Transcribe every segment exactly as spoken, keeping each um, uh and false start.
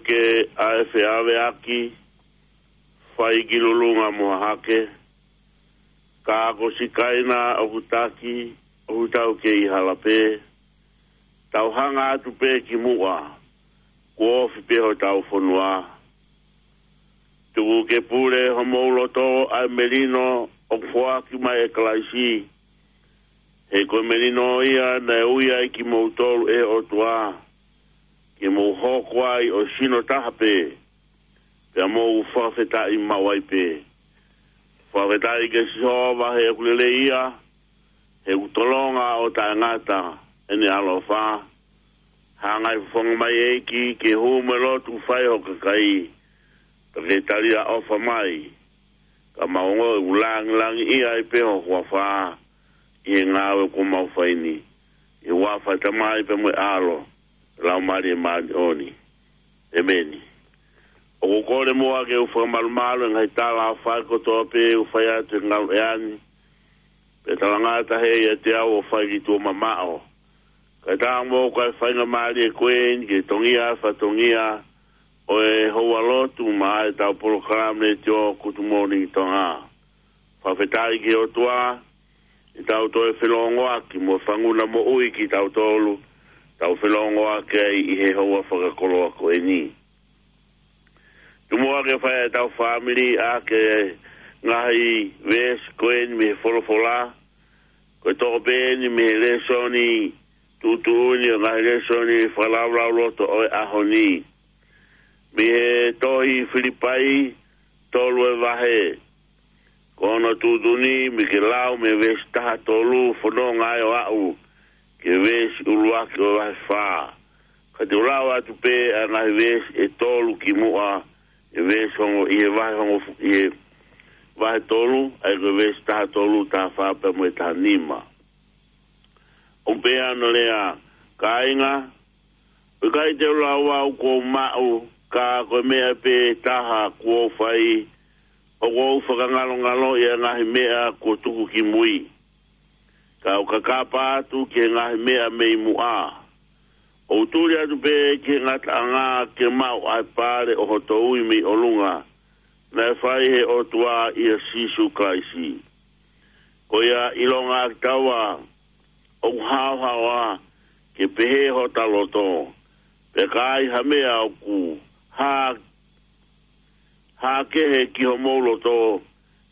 Ke ʻa e feʻaveʻaki, fai ki Lulunga mo Hahake, ka ko Sikaina ʻoku taki, ʻoku tau kei hala pē, tau hanga atu pē ki muʻa, kuo ofi pē hotau fonua. Tuku ke pule homou loto ʻa e melino ʻoku foaki mai ʻe Kalaisi, he ko e melino ia naʻe ui ai kimoutolu ʻe he ʻOtua, ke mou hoko ai ʻo sino taha pē, pea mou fakafetaʻi maʻu ai pē. Fakafetaʻi kia Sihova he ʻoku lelei ia, he ʻoku tolonga ʻo taʻengata ʻene ʻaloʻofa. Hanga ʻe he fofonga mai ʻEiki ke hū mo e lotu fai ho kakai, pea ke tali ʻa e ʻofa mai, ka mau ongoʻi ʻoku langilangiʻia ai pē ho huafa ʻi he ngāue kuo mau fai ni, ʻi he huafa ʻo e Tamai pea mo e ʻAlo, Laumālie Māʻoniʻoni. ʻEmeni. ʻOku ou kole muʻa ke u fakamalumalu e ngaahi tala ʻoku fai kotoa pē ʻoku fai atu he ngaluʻea ni, pea talangata ʻiate au ʻo fai ki tuʻa mamaʻo. Kae ʻatā mo e faingamālie ko eni ke tongia fatongia ʻo e houa lotu maʻa ʻetau polokalama letiō Good Morning Tonga. Fakafetaʻi ki he ʻOtua, ʻetau toe felōngoaki mo e fanga moʻui kitautolu, tau felōngoaki ai ʻi he houa fakakoloa ko eni. Tuku muʻa ke fai ʻetau fāmili ʻaki e ngaahi veesi ko eni mei he folofola, ko e toʻo pē eni mei he lēsoni tuʻutuʻuni ʻo e ngaahi lēsoni fakalaulauloto ʻo e ʻaho ni. Mei he tohi Filipai, tolu e vahe. Ko hono tuʻutuʻuni, mei he lau mei he veesi taha tolu, fononga ai ʻo aʻu ki he veesi ʻuluaki ʻo e vahe fā. Ka te u lau atu pē ʻa e ngaahi veesi ʻe tolu ki muʻa, ʻi he veesi hongofulu, ʻi he vahe hongofulu, ʻi he vahe tolu, ʻa ia ko e veesi taha tolu, taha fā pea mo e taha nima. ʻOku pehē hono lea, kāinga, ʻoku ʻikai te u lau au kuo u maʻu, ka ko e meʻa pē taha kuo u fai, ʻoku ou fakangalongaloʻi ʻa e ngaahi meʻa kuo tuku ki mui, ka u kakapa atu ki he ngaahi meʻa mei muʻa. ʻOku ou tuli atu pē ki he ngataʻanga ke maʻu ʻa e pale ʻo hoto ui mei ʻolunga, naʻe fai ʻe he ʻOtua ʻia Sīsū Kalaisi. Ko ia ʻilonga ʻa kitaua ʻoku haohaoa, ke pehē hota loto, pea ka ai ha meʻa ʻoku hā, hā kehe ki homou loto,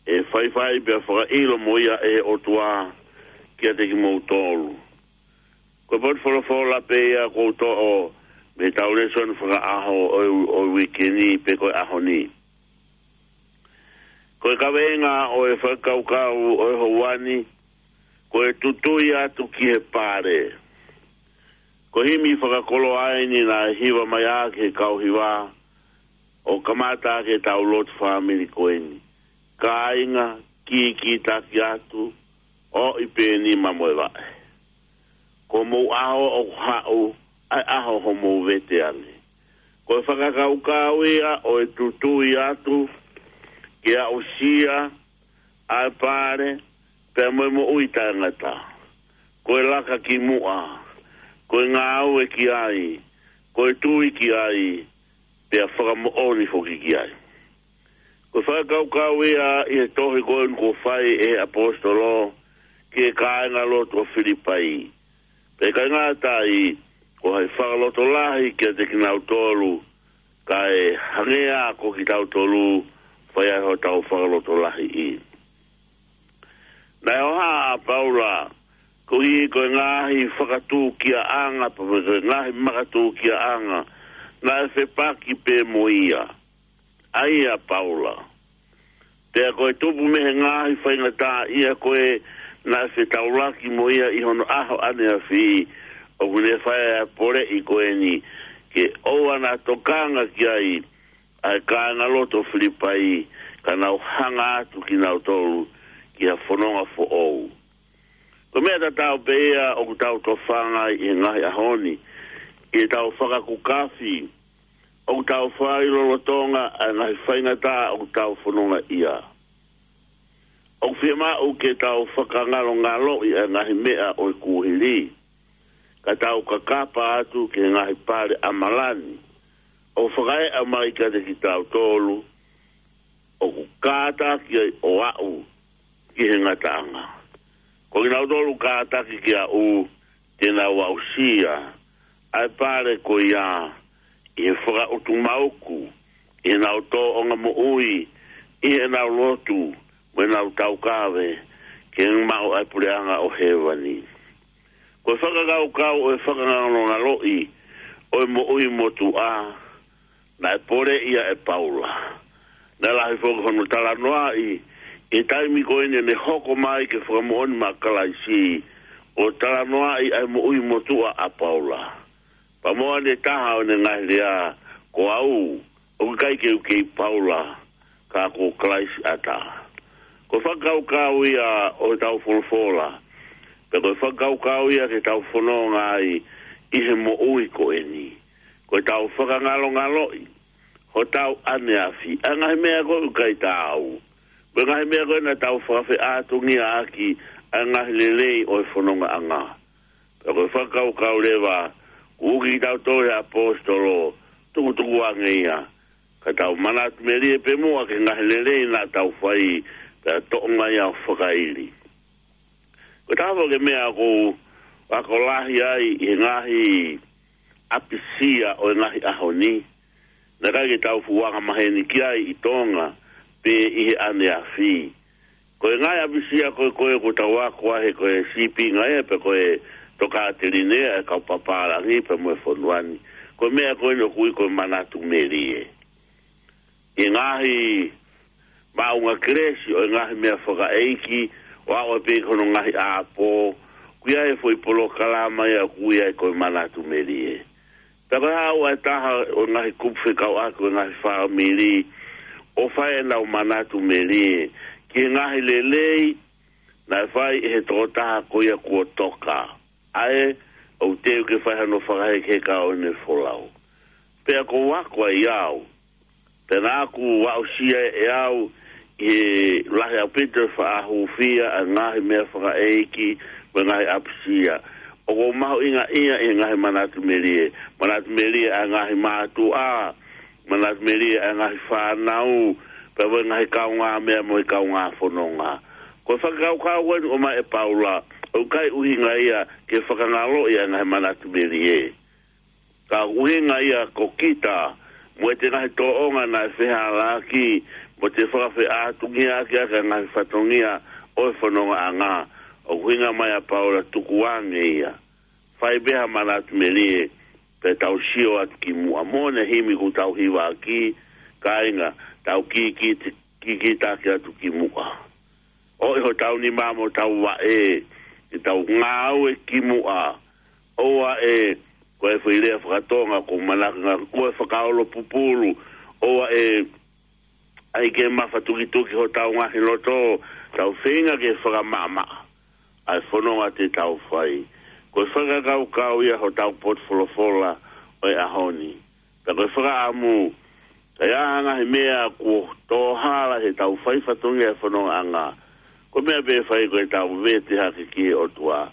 ʻe faifai pea fakaʻilo mo ia ʻe he ʻOtua kiate kimoutolu. Ko e potu folofola pē ia kuo u toʻo mei heʻetau lēsoni fakaʻaho ʻo e, ʻo e uike ni pe ko e ʻaho ni. Ko e kaveinga ʻo e fakakaukau ʻo e houa ni, ko e tutui atu ki he pale. Ko e himi fakakoloa eni naʻe hiva mai ʻaki ʻe he kau hiva, ʻo kamata ʻaki ʻetau lotu fāmili ko eni. Kāinga, kīkītaki atu, ʻoʻi pē nima mo e vaʻe. Ko homou ʻaho ʻoku haʻu, ʻa e ʻaho homou vete ange. Ko e fakakaukau ia ʻo e tutui atu, ke aʻusia ʻa e pale, pea mo e moʻui taʻengata. Ko e laka ki muʻa, ko e ngāue ki ai, ko e tui ki ai, pea fakamoʻoni foki ki ai. Ko e fakakaukau ia ʻi he tohi ko eni kuo fai ʻe he ʻaposetolo ki he kāingalotu ʻo Filipai. Pea ʻikai ngata ai, ko hai fakalotolahi kiate kinautolu, kae hangē ko kitautolu, fai ai hotau fakalotolahiʻi. Naʻe ʻohake ʻa Paula, koeʻuhi ko e ngaahi fakatūkiaʻanga, pe ko e ngaahi makatūkiaʻanga, naʻe fepaki pē mo ia. ʻA ia Paula. Pea ko e tupu mei he ngaahi faingataʻaʻia ko ē naʻe fetaulaki mo ia ʻi hono ʻaho ʻaneafi, ʻoku ne fai ʻa e poleʻi ko eni, ke ʻoua naʻa tokanga ki ai ʻa e kāingalotu ʻo Filipai, ka nau hanga atu kinautolu ki ha fononga foʻou. Ko e meʻa tatau pē ia ʻoku tau tofanga ai ʻi he ngaahi ʻaho ni, ʻi heʻetau fakakukafi, ʻoku tau fai lolotonga ʻa e ngaahi faingataʻa ʻoku tau fononga ai. ʻOku fiemaʻu ke tau fakangalongaloʻi ʻa e ngaahi meʻa ʻo e kuohili, ka tau kakapa atu ki he ngaahi pale ʻa malani, ʻo fakaeʻa mai kiate kitautolu ʻoku kātaki ai ʻo aʻu ki he ngataʻanga. Ko kinautolu kātaki ki aʻu te nau aʻusia ʻa e pale ko ia ʻi he fakaʻutumauku, ʻi heʻenau tōʻonga moʻui, ʻi heʻenau lotu, mo ʻenau taukave ke maʻu ʻa e puleʻanga ʻo hēvani. Ko e fakakaukau ʻo e fakangalongaloʻi ʻo e moʻui motuʻa naʻe poleʻi ia ʻe Paula. Naʻe lahi foki hono talanoaʻi ʻi he taimi ko eni ʻene hoko mai ke fakamoʻoni maʻa Kalaisi, ʻo talanoaʻi ʻa e moʻui motuʻa ʻa Paula. Pea mo ʻene taha ʻo ʻene ngaahi lea, ko au, ʻoku ʻikai ke u kei Paula, ka ko Kalaisi ʻatā. Ko e fakakaukau ia ʻo ʻetau folofola, pea ko e fakakaukau ia ke tau fononga ai ʻi he moʻui ko eni. Ko ʻetau fakangalongaloʻi hotau ʻaneafi, ʻa e ngaahi meʻa ko ē ʻoku ʻikai taau. Ko e ngaahi meʻa ko ē naʻa tau fakafeʻātungiaʻaki ʻa e ngaahi lelei ʻo e fonongaʻanga. Pea ko e fakakaukau leva, kuo ui kitautolu ʻe he ʻaposetolo, tukutuku ange ia, ka tau manatu melie pē muʻa ki he ngaahi lelei naʻa tau fai, pea toʻo mai ʻo fakaili. Ko e taha foki e meʻa ʻoku ou ako lahi ai ʻi he ngaahi ʻapisia ʻo e ngaahi ʻaho ni, naʻe ʻikai ke tau fuʻu angamaheni ki ai ʻi Tonga pe ʻi he ʻaneafi. Ko e ngaahi ʻapisia ko ē ko ē ʻoku tau ako ai he ko e sīpinga ia pe ko e tokāteline ia ʻa e kau pāpālangi pea mo e fonua ni. Ko e meʻa ko eni ʻoku ui ko e manatu melie. ʻI he ngaahi maʻunga kelesi ʻo e ngaahi meʻa fakaʻeiki, ʻo aʻu pē ki hono ngaahi ʻapo, ʻoku ʻi ai e foʻi polokalama ia ʻoku ui ai ko e manatu melie. Pea ko e haʻu ʻa e taha ʻo e ngaahi kupu fekauʻaki ʻo e ngaahi fāmili ʻo fai ʻenau manatu melie ki he ngaahi lelei naʻe fai ʻe he tokotaha ko ia kuo toka. ʻA ē ʻoku teu ke fai hano fakahekeheka ʻo ʻene folau. Pea ʻoku ou ako ai au, pea naʻa ku aʻusia ʻe au ʻi he lahi ʻaupito e faʻa hūfia ʻa e ngaahi meʻa fakaʻeiki mo e ngaahi ʻapisia. ʻOku ou mahuʻingaʻia ʻi he ngaahi manatu melie, manatu melie ʻa e ngaahi mātuʻa, manatu melie ʻa e ngaahi fānau, pea mo e ngaahi kaungāmeʻa mo e kaungāfononga. Ko e fakakaukau ko eni ʻoku ʻomai ʻe Paula, ʻoku ʻikai ʻuhinga ia ke fakangaloʻi ʻa e ngaahi manatu melie. Ka ʻuhinga ia ko kita, mo ʻete ngaahi tōʻonga naʻe fehālaaki, mo ʻete fakafeʻātungiaʻaki ʻa e ngaahi fatongia ʻo e fonongaʻanga. ʻOku ʻuhinga mai ʻa Paula tukuange ia. Fai pē ha manatu melie, pea tau sio atu ki muʻa. Mo ʻene himi ʻoku tau hivaʻaki, kāinga, tau kikit-, kikitaki atu ki muʻa. ʻOi hotau nima mo hotau vaʻe, ke tau ngāue ki muʻa. ʻOua ʻe, ko e foʻi lea fakatonga, ko manaka ngā, ko e fakaolo pupulu. ʻOua ʻe, ʻai ke mafatukituki hotau ngaahi loto, tau feinga ke fakamaʻamaʻa ʻa e fononga te tau fai. Ko e fakakaukau ia hotau potu folofola ʻo e ʻaho ni. Pea ko e fakaʻamu, ka ʻi ai ha ngaahi meʻa kuo tō hala heʻetau fai fatongia e fonongaʻanga, ko e meʻa pē ʻe fai ko ʻetau vete hake ki he ʻOtua.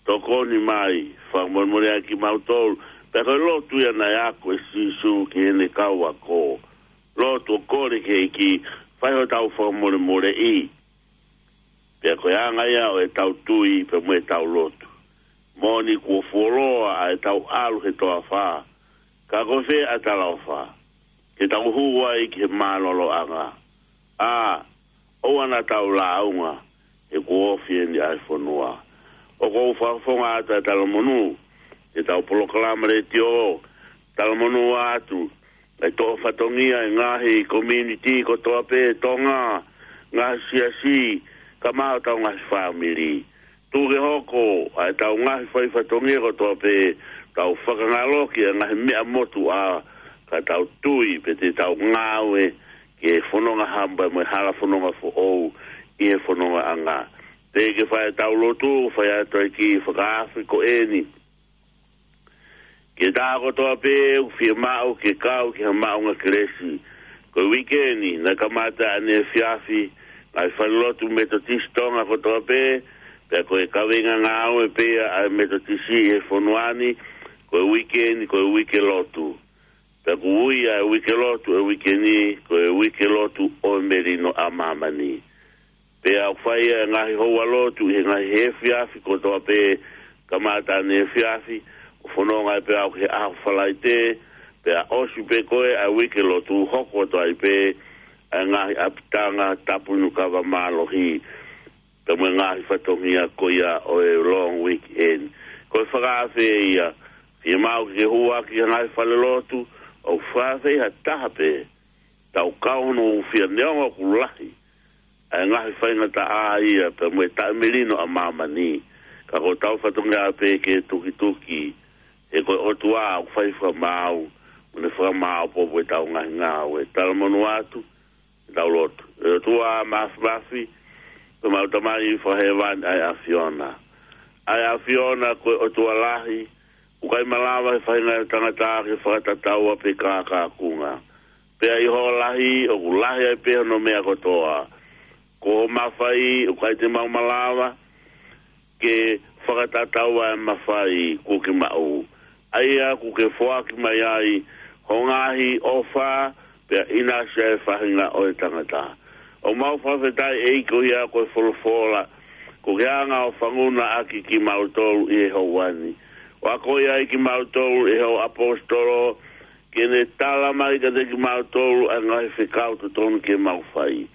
Tokoni mai, fakamolemoleʻi kimautolu. Pea ko e lotu ia naʻe ako ʻe Sīsū ki heʻene kau ako. Lotu ʻo kole ki he ʻEiki, fai hotau fakamolemoleʻi. Pea ko e anga ia ʻo ʻetau tui, pea mo ʻetau lotu. Moʻoni kuo fuoloa ʻa ʻetau ʻalu he toafa. Ka ko fē ʻa e talaʻofa ke tau hū ai ki he mālōlōʻanga? ʻA, ʻoua naʻa tau lāunga, he kuo ofi eni ʻa e fonua. ʻOku ou fakafofonga atu ʻa e talamonū, ke tau polokalama letiō, talamonū atu, ʻa e toʻo fatongia ʻi he ngaahi community kotoa pē Tonga, ngaahi siasi, kae ʻumaʻā hotau ngaahi fāmili. Tuku ke hoko ʻa ʻetau ngaahi fai fatongia kotoa pē, tau fakangaloki ʻa e ngaahi meʻa motuʻa, ka tau tui pea te tau ngāue ki he fononga hamba mo e hala fononga foʻou ʻi he fonongaʻanga. Teʻeki ke fai ʻetau lotu, fai atu ai ki he fakaafe ko eni. Ke tā kotoa pē ʻoku fiemaʻu ke kau ki ha maʻunga kelesi. Ko e uike ni, naʻe kamata ʻaneefiafi, ngaahi falelotu Metotisi Tonga kotoa pē, pea ko e kaveinga ngāue pē ʻa e Metotisi ʻi he fonua ni, ko e uike ni, ko e uike lotu. Pea ʻoku ui ʻa e uike lotu ʻo e uike ni ko e uike lotu ʻo e melino ʻa māmani. Pea ʻoku fai ʻa e ngaahi houa lotu ʻi he ngaahi efiafi kotoa pē, kamata ʻaneefiafi, ʻo fononga ai pē au ki he ʻaho Falaite, pea ʻosi pē ko ē ʻa e uike lotu, hoko atu ai pē ʻa e ngaahi ʻapitanga tapu inu kava mālohi, pea mo e ngaahi fatongia ko ia ʻo e long weekend. Ko e fakaafe ia, fiemaʻu ke hū ʻaki ha ngaahi fale lotu, ʻoku fakaafeʻi ha taha pē, tau kau hono hūfia neongo ʻoku lahi ʻa e ngaahi faingataʻa ia pea mo e taʻemelino ʻa māmani. Ka ko ʻetau fatongia pē ke tukituki, he ko e ʻOtua ʻoku fai fakamaau, mo ne fakamaau popo ʻetau ngaahi ngāue. Talamonū atu, tau lotu. ʻE ʻOtua Māfimafi, ko ʻemau Tamai Fakahēvani ʻa e ʻAfiona. ʻA e ʻAfiona ko e ʻOtua lahi, ʻoku ʻikai malava ʻe he faʻahinga ʻo e tangata ke fakatataua pe kākākunga. Pea ʻi hoʻo lahi, ʻoku lahi ai pē hono meʻa kotoa. Ko hoʻo mafai, ʻoku ʻikai te mau malava ke fakatataua ʻa e mafai kuo ke maʻu. ʻA ia kuo ke foaki mai ai ho ngaahi ʻofa, pea ʻinasi ai e faʻahinga ʻo e tangata. ʻOku mau fakafetaʻi ʻEiki ko ia ko e folofola kuo ke hanga ʻo fanguna ʻaki kimautolu ʻi he houa ni. ʻO akoʻi ai kimautolu ʻe hoʻo ʻaposetolo, ke ne tala mai kiate kimautolu ʻa e ngaahi fekau totonu ke mau fai.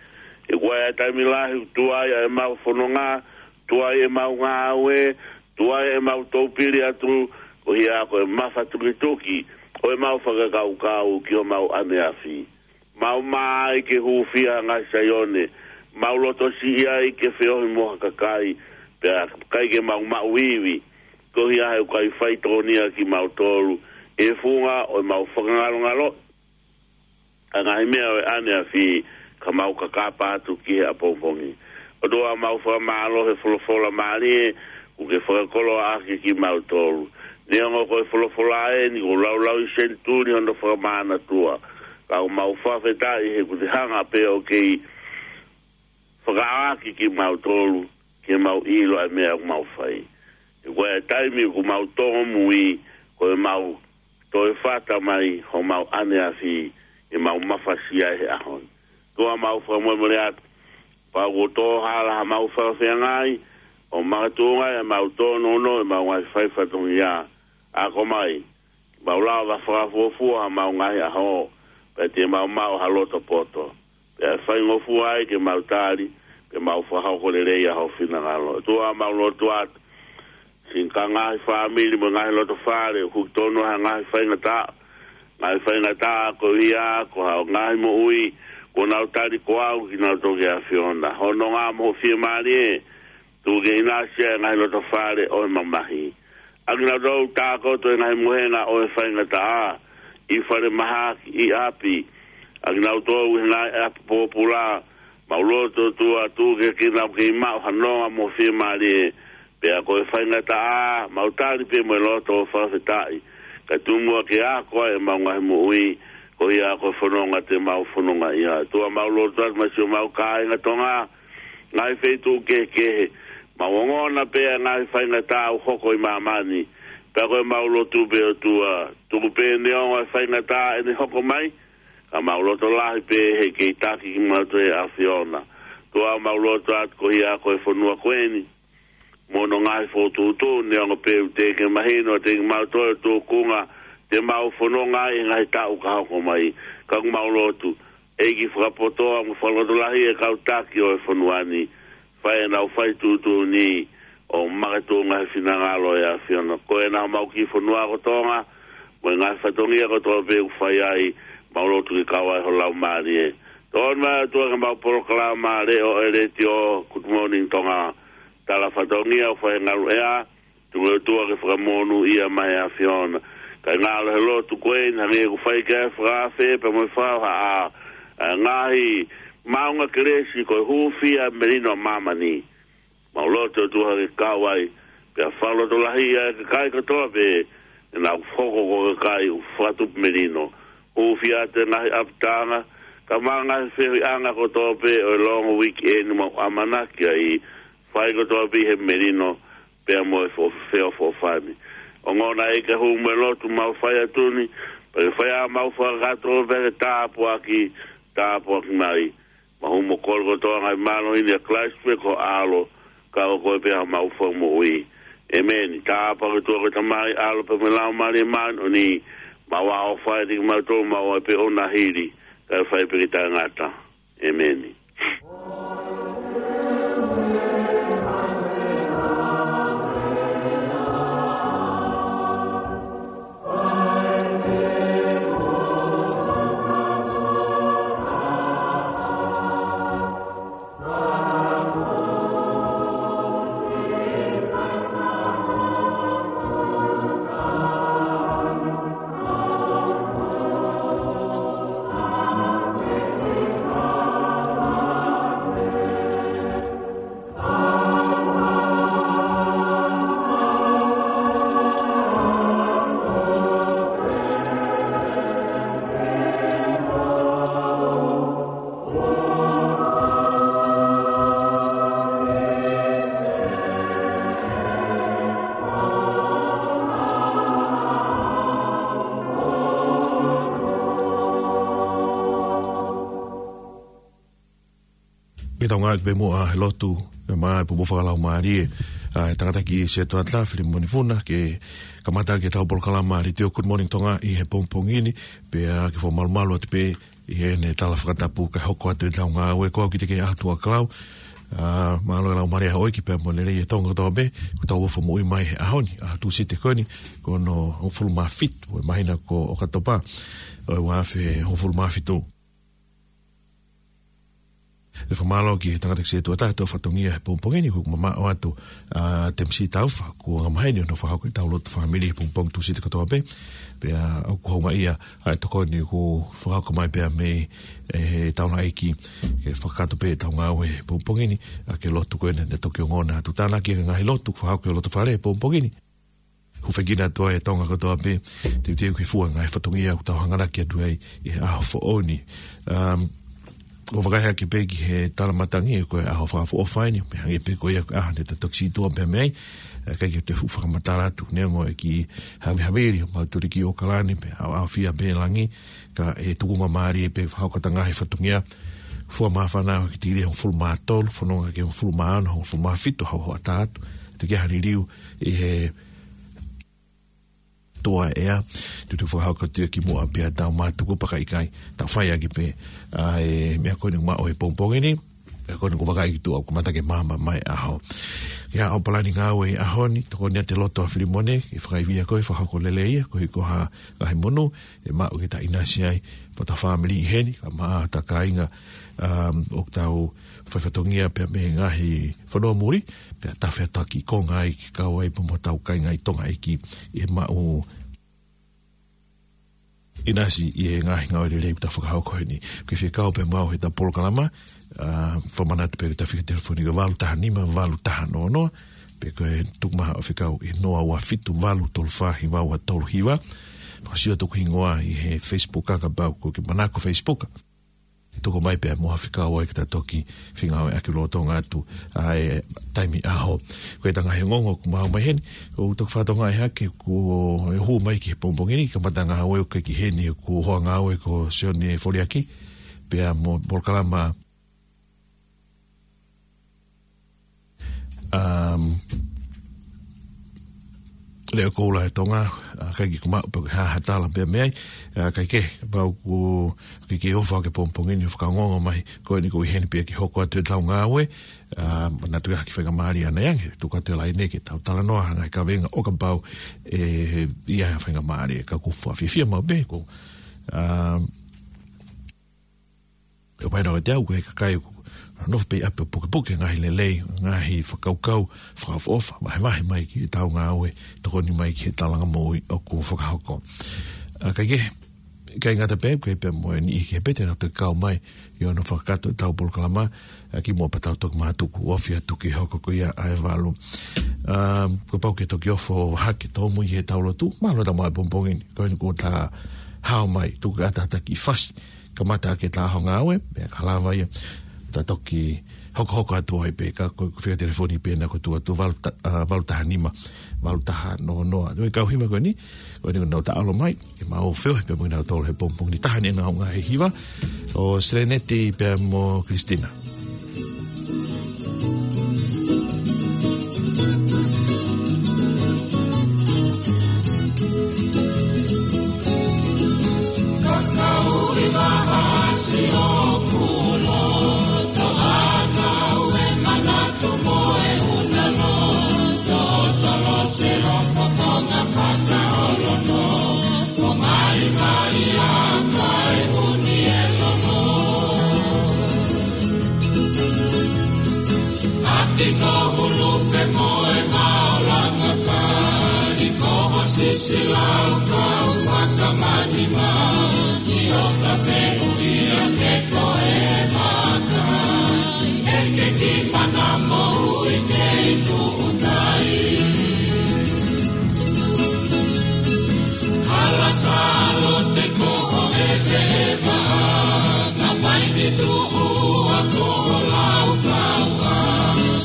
He ʻoku ʻi ai ʻa e taimi lahi ʻoku tuai ʻa ʻemau fononga, tuai ʻemau ngāue, tuai ʻemau toupili atu, ko ia ko e mafatukituki ʻo ʻemau fakakaukau ki homau ʻaneafi. Mau mā ai ke hūfia ʻa e ngaahi Saione, mau loto siʻi ai ke feohi mo ha kakai, pea ʻikai ke mau maʻu ivi, ko ia he ʻoku ʻikai faitōnia kimautolu ʻi he funga ʻo ʻemau fakangalongalo ʻa e ngaahi meʻa ʻo e ʻaneafi, ka mau kakapa atu ki he ʻapongipongi. ʻOtua, mau fakamālō he folofola mālie kuo ke fakakoloa ʻaki kimautolu. Neongo ko e folofola eni kuo laulau ʻi senituli hono fakamānatua, ka ʻoku mau fakafetaʻi he kuo te hanga pē ʻo kei fakaʻaoʻaki kimautolu ke mau ʻilo ʻa e meʻa ʻoku mau fai. He ko e taimi ʻoku mau tōmui, ko ʻemau toe fata mai homau ʻaneafi, ʻemau mafasia he ʻaho ni. ʻOtua, mau fakamolemole atu, kapau kuo tō hala haʻamau fakafeangai, ʻo makatuʻunga ai ʻemau tōnounou ʻemau ngaahi fai fatongia, ako mai ke mau lava fakafuofua haʻamau ngaahi ʻaho, pea te mau maʻu ha loto poto, pea faingofua ai ke mau tali, pea mau fakahoko lelei ʻa ho finangalo. ʻOtua, mau lotu atu siʻi ngaahi fāmili mo e ngaahi loto fale ʻoku tonu ha ngaahi faingataʻa, ngaahi faingataʻa ko ia ko ha ngaahi moʻui kuo nau tali ko au kinautolu ki he ʻAfiona. Hononga mo ho fiemālie, tuku ke ʻinasi ʻa e ngaahi loto fale ʻo e mamahi. ʻA kinautolu ʻoku tākoto he ngaahi mohenga ʻo e faingataʻa, ʻi falemahaki, ʻi ʻapi, ʻa kinautolu he ngaahi ʻapi pōpula, mau lotu, ʻOtua, tuku ke kei nau kei maʻu ha nonga mo e fiemālie, pea ko e faingataʻa, mau tali pē mo e loto fakafetaʻi, kae tuku muʻa ke ako ai ʻemau ngaahi moʻui, ko ia ko e fononga te mau fononga ai. ʻOtua, mau lotu atu maʻa siʻomau kāinga Tonga, ngaahi feituʻu kehekehe. Mau ongona pē ʻa e ngaahi faingataʻa ʻoku hoko ʻi māmani. Pea ko ʻemau lotu pē, ʻOtua, tuku pē neongo e faingataʻa ʻe ne hoko mai, ka mau loto lahi pē he kei taki kimautolu ʻe he ʻAfiona. ʻOtua, mau lotu atu ko ia ko e fonua ko eni mo hono ngaahi fokotuʻutuʻu, neongo pē ʻoku teʻeki mahino kiate kimautolu e tūkunga te mau fononga ai he ngaahi taʻu ka hoko mai. Ka ʻoku mau lotu, ʻEiki, fakapotoʻi mo fakalotolahiʻi e kau taki ʻo e fonua ni, fai ʻenau fai tuʻutuʻuni ʻo makatuʻunga he finangalo ʻo e ʻAfiona. Ko ena homau kiʻi fonua ko Tonga, mo e ngaahi fatongia kotoa pē ʻoku fai ai, mau lotu ke kau ai ho Laumālie. Tokoni mai, ʻOtua, ki heʻemau polokalama leʻo ʻa e letiō, Good Morning Tonga, tala fatongia ʻoku fai he ngaluʻea, tuku, ʻOtua, ke fakamonūʻia mai ʻe he ʻAfiona. Kae ngalo he lotu ko eni, hangē ʻoku fai ki ai e fakaafe pea mo e fakahohaʻa, ʻa e ngaahi maʻunga kelesi ko e hūfia e melino ʻa māmani. Mau lotu, ʻOtua, ke kau ai, pea fakalotolahiʻi ʻa e kakai kotoa pē, ʻenau hoko ko e kakai ʻoku fakatupu melino. Hūfia atu e ngaahi ʻapitanga, kae ʻumaʻā e ngaahi feohiʻanga kotoa pē ʻo e long weekend ʻoku mau ʻamanaki ai, fai kotoa pē ʻi he melino, pea mo e fo-, feʻofoʻofani. Ongona, ʻEiki, e hū mo e lotu mau fai atu ni, Pea ke fai ʻa e mau fakakātoa pea ke tāpuaki, tāpuaki mai. Mau hū mo kole kotoa ngaahi mālohi ni ʻia Kalaisi pē ko ho ʻAlo, ka ko koe pē ʻa e mau Fakamoʻui. ʻEmeni. Tāpuaki ʻOtua ko e Tamai, ʻAlo pea mo e Laumālie Māʻoniʻoni, mau ʻofa ʻiate kimautolu, mau ʻai pē ʻo na hili, kae fai pē ke taʻengata. ʻEmeni. Ke tau ngāueʻaki pē muʻa he lotu, ʻe maʻu e pupu fakalaumālie ʻa e tangataʻeiki Setuata Filimoni Funa, ke kamata ʻaki ʻetau polokalama Letiō Good Morning Tonga ʻi he pongipongi ni, pea ke fakamalumalu atu pē ʻi heʻene tala fakatapu kae hoko atu ʻetau ngāue. Ko au Kiteke ʻAtuʻakalau, ʻa, mālō e laumālie ʻa e ʻEiki pea mo e lelei ʻa Tonga kotoa pē, ko ʻetau ʻofa moʻui mai he ʻaho ni, ʻa Tūsite ko eni, ko hono hongofulu mā fitu ʻo e māhina ko ʻOkatopa, ʻo e ua afe hongofulu mā fitu. ʻE fakamālō ki he tangataʻeiki Setuata ʻa e fatongia he pongipongi ni, ʻoku mamaʻo atu ʻa Temisi Taufa, kuo angamaheni hono fakahoko ʻetau lotu fāmili he pongipongi Tūsite kotoa pē. Pea ʻoku houngaʻia ʻa e tokoni kuo fakahoko mai pea mei he taulaʻeiki ke fakakātoa pē ʻetau ngāue he pongipongi ni, ʻa e kiʻi lotu ko eni naʻe toki ongona atu. Tānaki e ngaahi lotu fakahoko ʻi loto fale he pongipongi ni. Hūfekina atu ai ʻa Tonga kotoa pē, teuteu ke fua e ngaahi fatongia ʻoku tau hanganaki atu ai ʻi he ʻaho foʻou ni. Um, ʻo vakai hake pē ki he tala matangi, ko e ʻaho fakaʻofoʻofa eni, pea hangē pē ko ia ko e ʻaho naʻa tau toki sītuʻa pē mei ai, ʻe ʻikai ke te fuʻu fakamatala atu, neongo e kiʻi havihavili ʻo mautuli ki ʻOkalani, pea ʻaoʻaofia pē langi, ka ʻe tukunga mālie pē fakahoko atu e ngaahi fatongia, fua māfana ʻo e tikilī ʻe hongofulu mā tolu, fononga ki he hongofulu mā ono, hongofulu mā fitu, hau hoʻatā atu, teʻeki ai ha liliu ʻi he tuʻa ʻea, tutu fakahoko atu ia ki muʻa pea tau mātuku pea ka ʻikai, tau fai ʻaki pē ʻa e meʻa ko eni ʻoku maʻu he pongipongi ni, meʻa ko eni ʻoku vakai ki tuʻa, ʻoku kamata ke maama mai e ʻaho. Ia ʻo palani ngāue ʻi he ʻaho ni, tokoni atu e loto ʻa Filimone, ke fakaivia koe, fakahoko lelei ia, koeʻuhi ko ha ngaahi monū ʻe maʻu ke ta ʻinasi ai, mo hota fāmili ʻi heni, kae ʻumaʻā hota kāinga, um, ʻoku tau fai fatongia pea mei he ngaahi fonua muli, pea tafe atu ki Tonga ai ke kau ai pea mo hotau kāinga ʻi Tonga ʻi he maʻu ʻinasi ʻi he ngaahi ngāue lelei ʻoku ta fakahoko heni. Ke fekau pē maʻu heʻeta polokalama, ʻa, fakamanatu pē ke ta fika telefoni ki he valu taha nima, valu taha noa noa, pe ko e tuku mai hoʻo fekau ʻi he noa ua fitu, valu tolu fā, hiva ua tolu hiva. Fakasio atu hoku hingoa ʻi he Facebook, ka kapau ʻoku ke manako Facebook, tuku mai pē muʻa hoʻo fekau ai ke ta toki fengāueʻaki lolotonga atu ʻa e taimi ʻaho. Ko e ngaahi ongoongo ʻoku maʻu mai heni, ʻoku toki fakatokangaʻi hake kuo hū mai ki he pongipongi ni, kamata ngāue ʻoku ʻikai ke ʻi heni, ko e hoa ngāue ko Sione Foliaki, pea mo e polokalama, um, Leʻo Koula ʻa Tonga, ʻa, ʻikai ke u maʻu pe ko e hā ha tala pea mei ai, ʻa, ʻikai ke, pau ʻoku ke ke ʻofa ke pongipongi ni ʻo fakaongoongo mai, ko eni ʻoku ʻi heni pea ke hoko atu ʻetau ngāue, ʻa, manatu ia ha kiʻi faingamālie ʻanai ange, tuku atu e laine ke tau talanoa ha ngaahi kavenga ʻo kapau ʻe ʻi ai ha faingamālie, ka ʻoku ou fiefia maʻu pē ko, ʻa, ʻo paina o te au, ko e kakai ʻoku nofo pē ʻi ʻapi ʻo pukepuke ngaahi lelei, ngaahi fakakaukau fakaʻofoʻofa, vahevahe mai ki heʻetau ngāue, tokoni mai ki he talanga moʻui ʻoku fakahoko. ʻA, ʻikai ke, ʻikai ngata pē, ko e pea mo e niʻihi kehe pē te nau toki kau mai ʻi hono fakakakato ʻetau polokalama, ʻa, ki muʻa pea tau toki mātuku, ofi atu ki he hoko ko ia ʻa e valu. ʻA, kuo pau ke toki ʻofa ʻo hake tōmui heʻetau lotu, mālō ʻetau maʻu e pongipongi ni, ko eni kuo ta hao mai, tuku atu hata kiʻi fasi, kamata ʻaki ʻeta ʻaho ngāue, pea ka lava ia, ta toki hokohoko atu ai pē, ka ko e fika telefoni pē ʻena ko e tuʻo tuʻo valu ta-, ʻa, valu taha nima, valu taha noa noa. Ko e kau hiva ko eni, ko eni ko ʻenau taʻalo mai, ke mau feohi pē mo kinautolu he pongipongi ni. Taha eni ʻenau ngaahi hiva, ʻo Seleneti pea mo Christina. Kakau ʻi mahasi ʻoku loto ʻana ʻo e manatu mo e una loto, tolo se loto fonga fata olono, fo mali mali a kai uni e lono. ʻApi ko hulu fe mo e maolanga ka, ʻi ko ho sisi lau kau fakamani ma, ʻi o ka feʻu ia ke ko e maka. ʻEke ki mana mo ui ke i tuʻutai. Hala salo te ko ho e te e ma, ka mai ni tuʻu a ko ho lau kau a,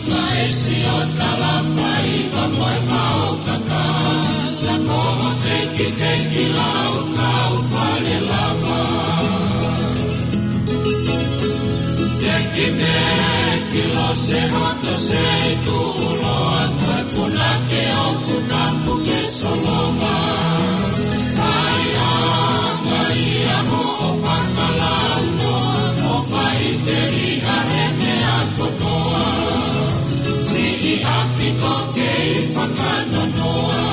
ka e si o tala fai ka mo e mau kaka, ka ko ho teki teki lau kau fale lava. Teki teki lo se hoto se i tuʻu loa, ko e punake ʻoku tapu ke solonga. Fai anga ia hoʻo fakalauno, ʻo fai teliha he meʻa kotoa. Siʻi ʻapi ko kei fakanonoa.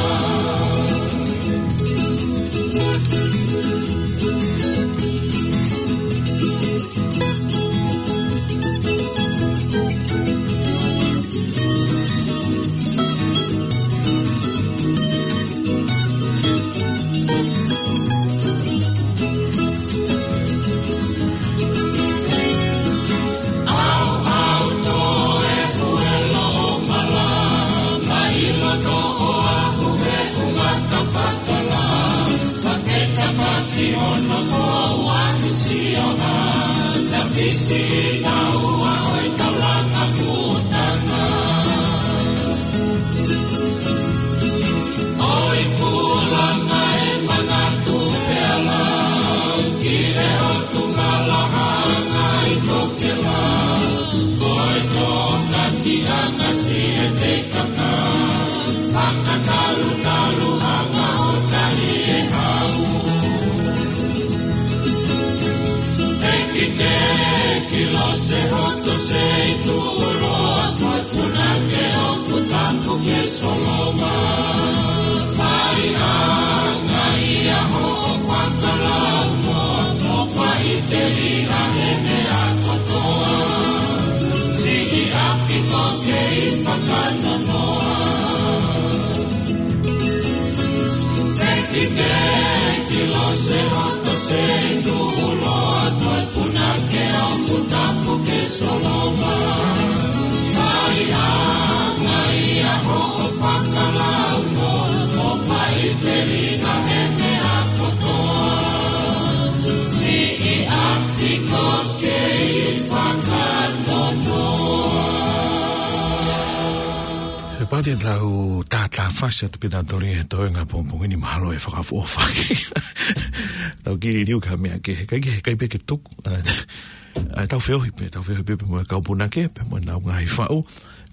Tafisi na ua o i taulanga kutanga. O i kulanga e manatu pea lau ki he o tu malahanga i tokela. Ko e toka ki anga si e te kaka. Fakatalu talu anga o tahi e hau. Teki teki lo se hoto se i tuʻu loa, ko e punake ʻoku tapu ke solonga. Fai anga ia hoʻo fakalauno, ʻo fai teliha he meʻa kotoa. Siʻi ʻapi ko kei fakanonoa. Teki teki lo se hoto se i tuʻu loa, ko e punake ʻoku tapu ke solonga. Fai anga ia hoʻo fakalauno, ʻo fai teliha he meʻa kotoa. Siʻi ʻapi ko kei fakanonoa. He pati tau tātā fasi atu pē tautolu he toenga pongipongi ni, mahalo e fakaʻofoʻofa. Tau kili liu ka meʻa ke, kai ke, kai pē ke tuku. ʻA, ʻa, tau feohi pē, tau feohi pē, pē mo e kau punake, pē mo ʻenau ngaahi faʻu.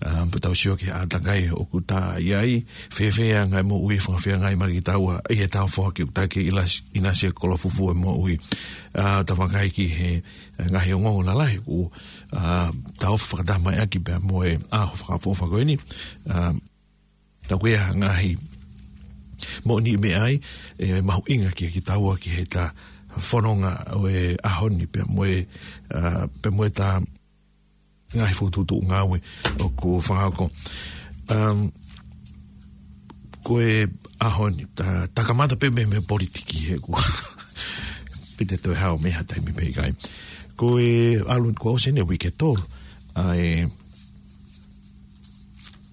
ʻA, pea tau sio ki he ʻātakai ʻoku ta ʻi ai, fēfē ʻa e ngaahi moʻui, fakafeangai mai ki taua, ʻi he tau foaki ʻoku ta ke ʻinasi, ʻinasi e kolofufu e moʻui. ʻA, ta vakai ki he, ʻa e ngaahi ongoongo lalahi, ʻoku, ʻa, ta ʻofa fakatamaʻaki pea mo e, ʻa, ʻofa fakaʻofoʻofa ko eni. ʻA, na kuia ngaahi moʻoni meʻa ai, ʻe mahuʻinga ki, ki taua ki he ta fononga ʻo e ʻaho ni pea mo e, ʻa, pea mo e ta ngaahi fokotuʻutuʻu ngāue ʻoku fakaako. Um, ko e ʻaho ni, ta, ta kamata pē mei, mei he politiki he ʻoku pita toe hao mei ha taimi pē ʻikai. Ko e ʻalu, ko ʻosi eni e uike tolu, ʻa e,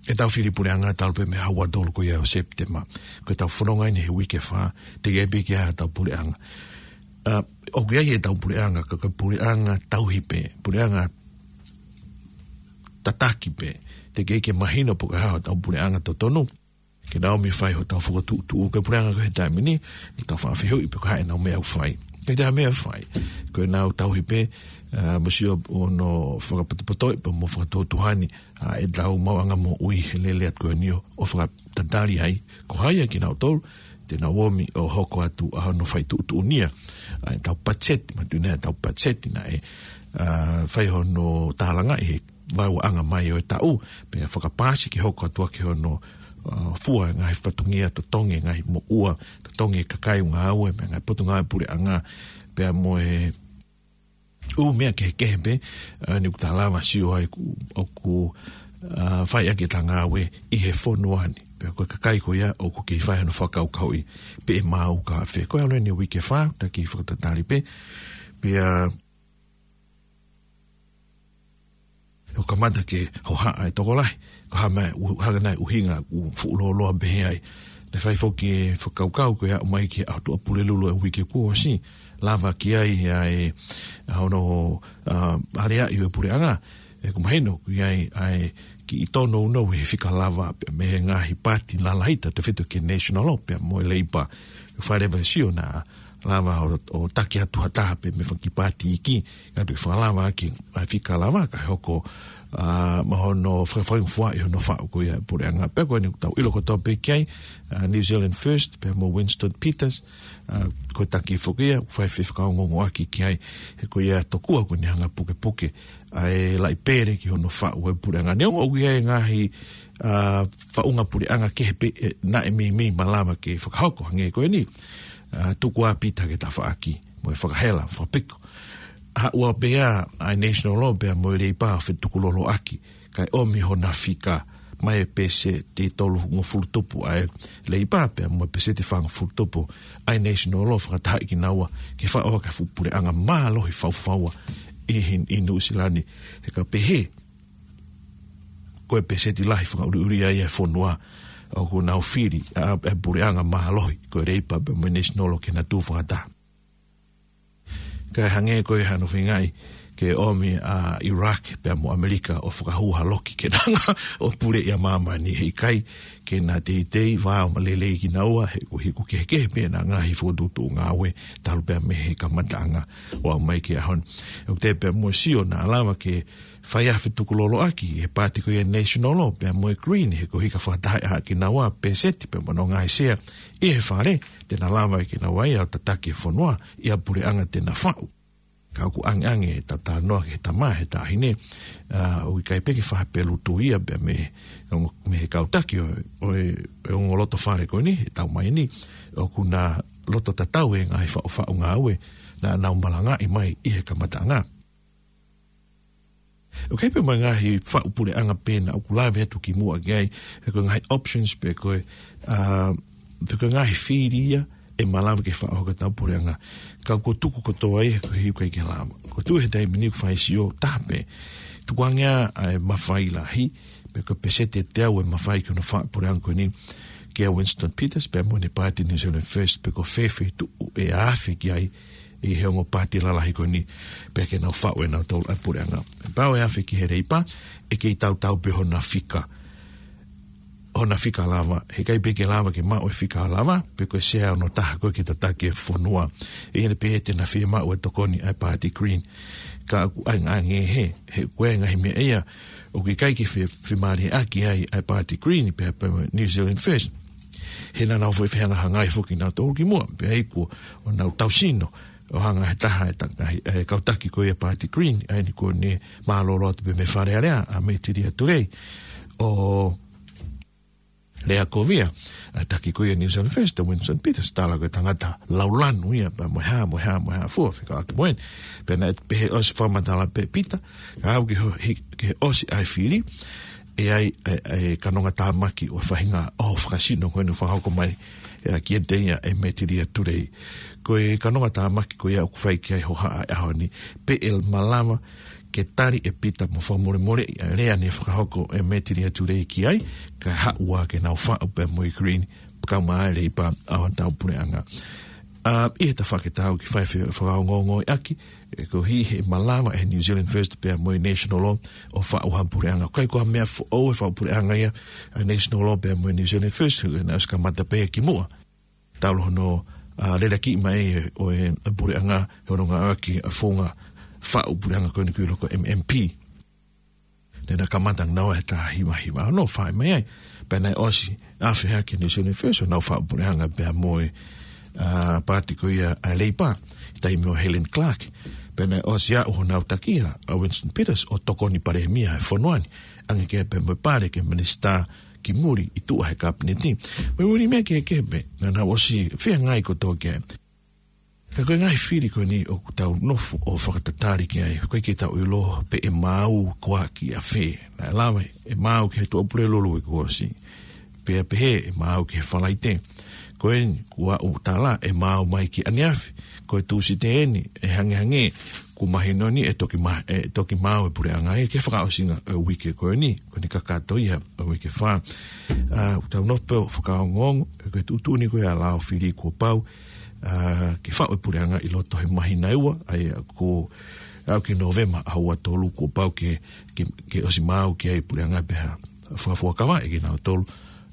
e tau fili puleʻanga talu pē mei he ua tolu ko ia ʻo Sepitema. Ko e tau fononga eni he uike fā, te ke piki ʻa e tau puleʻanga. ʻA, ʻoku ʻi ai e tau puleʻanga, ka, ka puleʻanga tauhi pē, puleʻanga tataki pē. Teʻeki ke mahino pe ko e hā hotau puleʻanga totonu. Ke nau ōmi fai hotau fokotuʻutuʻu, ko e puleʻanga ko ē he taimi ni, ʻoku tau faʻa fehuʻi pe ko e hā ʻenau meʻa ʻoku fai. Ko e taha meʻa ʻoku fai, ko ʻenau tauhi pē, ā, mo sio ʻo nau fakapotopotoʻi pē mo fakatuotuohani, ā, ʻetau maʻuʻanga moʻui he lele atu ko eni ʻo, ʻo fakatatali ai. Ko hai ia kinautolu, te nau ōmi ʻo hoko atu ʻa hono fai tuʻutuʻunia ʻa ʻetau patiseti, mātuʻaki ʻetau patiseti naʻe, ā, fai hono tālangaʻi he vaeuaʻanga mai ʻo e taʻu, pea fakapaasi ke hoko atu ʻaki hono, ā, fua e ngaahi fatongia, totongi e ngaahi moʻua, totongi e kakai ʻoku ngāue, mo e ngaahi potungāue puleʻanga, pea mo e ʻū meʻa kehekehe pē, ā, ʻoku tau lava sio ai ʻoku, ʻoku, ā, fai ʻaki ʻeta ngāue ʻi he fonua ni. Pea ko e kakai ko ia ʻoku kei fai hono fakakaukauʻi pe ʻe maau ka fē. Ko e ʻalu eni ʻa e uike fā, taki fakatatali pē. Pea ʻoku kamata ke hohaʻa e tokolahi, ko e hā mai, ʻu-, hanga nai ʻuhinga ʻoku fuʻu lōloa pehē ai. Naʻe fai foki e fakakaukau ko e aʻu mai ki he ʻaho Tuʻapulelulu e uike kuo ʻosi, lava ki ai ʻa e, ʻa hono, ā, aleaʻi ʻo e puleʻanga, ʻoku mahino ʻoku ʻi ai ʻa e kiʻi tōnounou he fika lava, pea mei he ngaahi paati lalahi tautefito ki he National pea mo e Labour. Fai leva e sio naʻa lava ʻo, ʻo taki atu ha taha pē mei he fanga kiʻi paati iiki, kae tuʻu fakalava ʻaki ʻa e fika lava kae hoko, ā, mo hono fakafaingafuaʻi hono faʻu ko ia e puleʻanga. Pea ko eni ʻoku tau ʻilo kotoa pē ki ai, ā, New Zealand First, pea mo Winston Peters, ā, ko e taki foki ia, fai fefakangoongoaki ki ai, he ko ia tokua ʻoku ne hanga pukepuke ʻa e laʻi pele ki hono faʻu e puleʻanga. Neongo ʻoku ʻi ai e ngaahi, ā, faʻunga puleʻanga kehe pē, ē, naʻe meimei malava ke fakahoko hangē ko eni, ā, tuku ā Pita ke tafaʻaki, mo e fakahela, fakapiko. Haʻu ā pē ʻa e National pea mo e Labour ʻo fetukuloloʻaki, kae ʻomi hona fika mai e peseti tolungofulu tupu ʻa e Labour pea mo e peseti fāngofulu tupu ʻa e National ʻo fakatahaʻi kinaua ke faʻu ʻaki ha fuʻu puleʻanga mālohi faufaua ʻi, ʻi, ʻi Nuʻusila ni. He ka pehē, ko e peseti lahi fakaʻuliʻuli ia ʻa e fonua ʻoku nau fili ʻa e puleʻanga mālohi, ko e Labour pea mo e National ke na tuʻu fakataha. Kae hangē ko e hano feingaʻi ke ʻomi ʻa Iraq pea mo ʻAmelika ʻo fakahū ha loki ke na hanga ʻo puleʻi ʻa māmani, he ʻikai ke na teitei, vā ʻo malelei kinaua, he ʻoku, he ʻoku kehekehe pē ʻena ngaahi fokotuʻutuʻu ngāue talu pea mei he kamataʻanga ʻo aʻu mai ki he ʻaho ni. ʻOku teʻeki pē mo sio naʻa lava ke fai ʻa e fetukuloloʻaki he paati ko ia National pea mo e Green, he ko e hika fakataha ʻa kinaua peseti pea mo hono ngaahi sea ʻi he fale, te na lava ʻe kinaua ia ʻo tataki e fonua ʻi ha puleʻanga te na faʻu. Ka ʻoku ʻangeʻange ʻetau talanoa ki he tama, he taʻahine, ā, ʻoku ʻikai pē ke fai ha pelutu ia pea mei he, mei he kau taki ʻo, ʻo e, ʻo e ongo loto fale ko eni, he taʻu mai ni, ʻoku na loto tatau e ngaahi faʻu, faʻu ngāue naʻa nau malangaʻi mai ʻi he kamataʻanga. ʻOku ʻi ai pē mo e ngaahi faʻu puleʻanga pē naʻa ku lave atu kimuʻa ki ai, he ko e ngaahi options pe ko e, ā, pe ko e ngaahi fili ia ʻe malava ke faʻu hake ʻetau puleʻanga. Ka ʻoku tuku kotoa ia he ko e ʻikai ke lava. Ko e tuʻu he taimi ni ʻoku fai sio taha pē. Tukuange ā ʻa e mafai lahi, pe ko e peseti ʻe teau e mafai ki hono faʻu puleʻanga ko eni kia Winston Peters, pea mo ʻene paati New Zealand First, pe ko e fē feituʻu ʻe afe ki ai ʻi he ongo paati lalahi ko eni, pea ke nau faʻu ʻe nautolu ʻa e puleʻanga. Pau ʻe afe ki he Labour, ʻe kei tautau pē hona fika, hona fika lava, he ʻikai pē ke lava ke maʻu e fika lava, pe ko e sea hono taha ko ē ke tataki e fonua. ʻE ʻi ai pē ʻe te na fiemaʻu e tokoni ʻa e paati Green. Ka ʻoku ʻangeʻange he, he ko e ngaahi meʻa ia, ʻoku ʻikai ke fe-, femālie ʻaki ai ʻa e paati Green, pea, pea New Zealand First. He naʻa nau foʻi fehangahangai foki nautolu kimuʻa, pea ʻi ai kuo nau tau sino, ʻo hanga he taha e ta-, e, e kau taki ko ia paati Green, ʻa eni kuo ne mālōlō atu pē mei Fale Alea, ʻa Metilia Tulei, ʻo lea ko ia, ʻa e taki ko ia New Zealand First, ʻa Winston Peters, tala ko e tangata laulanu ia, pea mo e hā, mo e hā, mo e hā fua, fekauʻaki mo eni. Pea naʻe pehē ʻosi fakamatala pē Pita, ka aʻu ki ho-, hi-, ki he ʻosi ʻa e fili, ʻe ʻi ai e, e kanonga tāmaki ʻo e faʻahinga ʻoho fakasino ko eni ʻoku fakahoko mai, ʻe, kiate ia ʻe Metilia Tulei. Ko e kanonga tāmaki ko ia ʻoku fai ki ai e hohaʻa ʻo e ʻaho ni, pe ʻe malava ke tali ʻe Pita mo fakamolemoleʻi ʻa e lea naʻe fakahoko ʻe Metilia Tulei ki ai, kae haʻu ā ke nau faʻu pea mo e Green, kau mai ʻa e Labour ʻa hotau puleʻanga. ʻA, ʻi he tafaʻaki ʻetau kiʻi fai fe-, fakaongoongoʻaki, ʻe, koeʻuhi he malava ʻe New Zealand First pea mo e National Law ʻo faʻu ha puleʻanga. ʻIkai ko ha meʻa foʻou e faʻu puleʻanga ia ʻa e National Law pea mo e New Zealand First, ʻe naʻe ʻosi kamata pē kimuʻa. Talu hono, ʻa, leleakiʻi mai ʻo e puleʻanga, hono ngāueʻaki ʻa e founga faʻu puleʻanga ko eni ʻoku ʻiloa ko e M M P. Naʻe na kamata naua he taha hiva hiva ono ʻo fai mai ai. Pea naʻe ʻosi ʻa e fehālaaki ʻa New Zealand First ʻo nau faʻu puleʻanga pea mo e, ʻa, paati ko ia ʻa e Leipa, taimi ʻo Helen Clark. Pea naʻe ʻosi aʻu honau taki ia ʻa Winston Peters ʻo tokoni palēmia he fonua ni. ʻAnge ke pea mo e pale ke minisitā ki muli ʻi tuʻa he kapineti. Mo e ʻū meʻa kehekehe pē, naʻa nau ʻosi feangai kotoa ki ai. Ka ko e ngaahi fili ko eni ʻoku tau nofo ʻo fakatatali ki ai, ʻoku ʻikai ke tau ʻilo pe ʻe maau koā ki ʻafē. Naʻe lava ʻe maau ki he Tuʻapulelulu kuo ʻosi. Pea pehē ʻe maau ki he Falaite. Ko eni kuo aʻu tala ʻe maau mai ki ʻaneafi. Ko e Tūsite eni ʻe hangehangē kuo mahino ni ʻe toki ma-, ʻe toki maau e puleʻanga ia ki he fakaʻosinga ʻo e uike ko eni. Ko eni kakato ia ʻo e uike fā. ʻA, ʻoku tau nofo pē ʻo fakaongoongo, ʻe ko e tuʻutuʻuni ko ia ʻa Laofili kuo pau, ʻa, ke faʻu e puleʻanga ʻi loto he māhina ʻe ua, ʻa ia ko, ʻa, ki Nōvema ʻa ua tolu kuo pau ke, ke, ke ʻosi maau ki ai e puleʻanga pea fakafuakava ʻe kinautolu,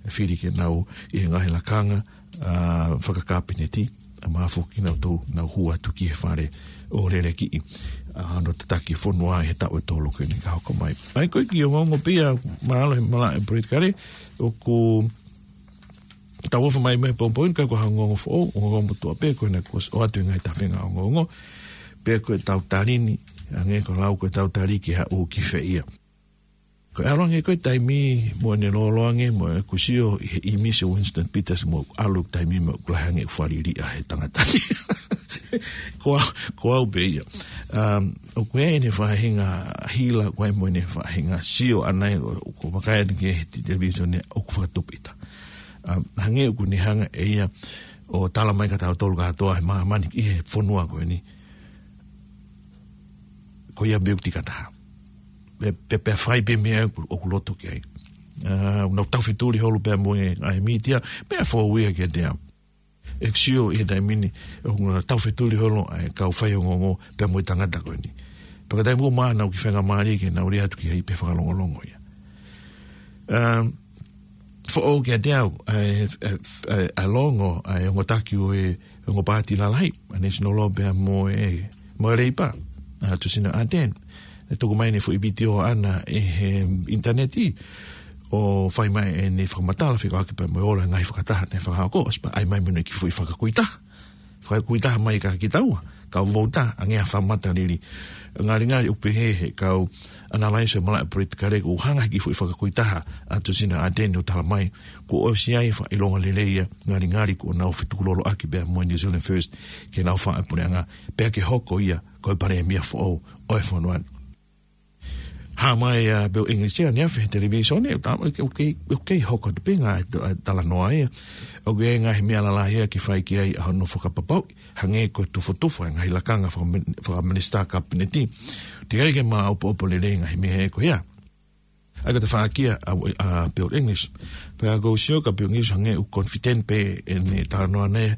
ʻe fili ke nau ʻi he ngaahi lakanga, ʻa, fakakapineti, ʻa, maʻa foki kinautolu, nau hū atu ki he fale ʻo leleakiʻi, ʻa, hono tataki e fonua he taʻu ʻe tolu ko eni ka hoko mai. ʻA ia ko e kiʻi ongoongo pē ia, mahalo he malaʻe politikale, ʻoku tau ʻofa mai mei he pongipongi ni, ʻikai ko ha ongoongo foʻou, ongoongo motuʻa pē, ko ena kuo ʻoatu e ngaahi tafe ngaahi ongoongo, pea ko ʻetau tali ni, hangē ko e lau ko ʻetau tali ki ha ʻū kiʻi fē ia. Ko e ʻalu ange ko e taimi mo ʻene lōloa ange mo ʻeku sio ʻi he ʻīmisi ʻo Winston Peters mo ʻalu taimi mo ʻeku lahi ange ʻeku fāliliʻa he tangata ni. Ko au, ko au pē ia. Um, ʻoku ʻi ai ʻene faʻahinga hila, ʻoku ʻi ai mo ʻene faʻahinga sio ʻana ia, ʻoku vakai atu ki he television ʻoku fakatupu ʻita. Um, hangē ʻoku ne hanga ʻe ia ʻo tala mai kia tautolu kātoa he māmani ʻi he fonua ko eni. Ko ia pē ʻoku tika taha. Pe, pe, pea fai pē meʻa ʻoku, ʻoku loto ki ai. ʻA, nau taufetuli holo pea mo e ngaahi mītia, meʻa foʻou ia kiate au. ʻEku sio ʻi he taimi ni, ʻoku nau taufetuli holo ʻa e kau faiongoongo pea mo e tangata ko eni. Pea ka taimi ʻoku maʻu ʻenau kiʻi faingamālie ke nau lea atu ki ai pea fakalongolongo ia. Um, foʻou kiate au, ʻa e, ʻa e, ʻa e, ʻa e longo, ʻa e ongo taki ʻo e, ongo paati lalahi, ʻa e National Law pea mo e, mo e Leipa, ʻa Jacinda Ardern. ʻE tuku mai ʻene foʻi vitiō ʻana ʻi he ʻinitaneti, ʻo fai mai ʻene fakamatala fekauʻaki pea mo e ola e ngaahi fakataha naʻe fakahoko, ʻosi pea ʻai mai mo ʻene kiʻi foʻi fakakuitaha. Fakakuitaha mai kia kitaua, kau vouti, hangē ha fakamatalili. Ngalingali ʻoku pehē he kau ʻanalaiso e malaʻe politikale ʻoku hanga he kiʻi foʻi fakakuitaha ʻa Jacinda Ardern ʻo tala mai, kuo ʻosi ʻi ai e fakaʻilonga lelei ia, ngalingali kuo nau fetukuloloʻaki pea mo e New Zealand First, ke nau faʻu e puleʻanga, pea ke hoko ia ko e palēmia foʻou ʻo e fonua ni. Hā mai ʻa Bill English ia ʻaneafi he televisone, ʻoku ta-, ʻoku kei, ʻoku kei hoko atu pē ngaahi ta-, talanoa ia. ʻOku ʻi ai e ngaahi meʻa lalahi ia ke fai ki ai ʻa hono fakapapauʻi, hangē ko e tufatufa e ngaahi lakanga fakami-, fakaminisitā kapineti. Teʻeki ai ke maʻopoʻopo lelei e ngaahi meʻa ko ia. ʻA ia ko e tafaʻaki ia ʻa, ʻa Bill English. Pea ʻoku ou sio kia Bill English hangē ʻoku confident pē ʻene talanoa ʻana ia,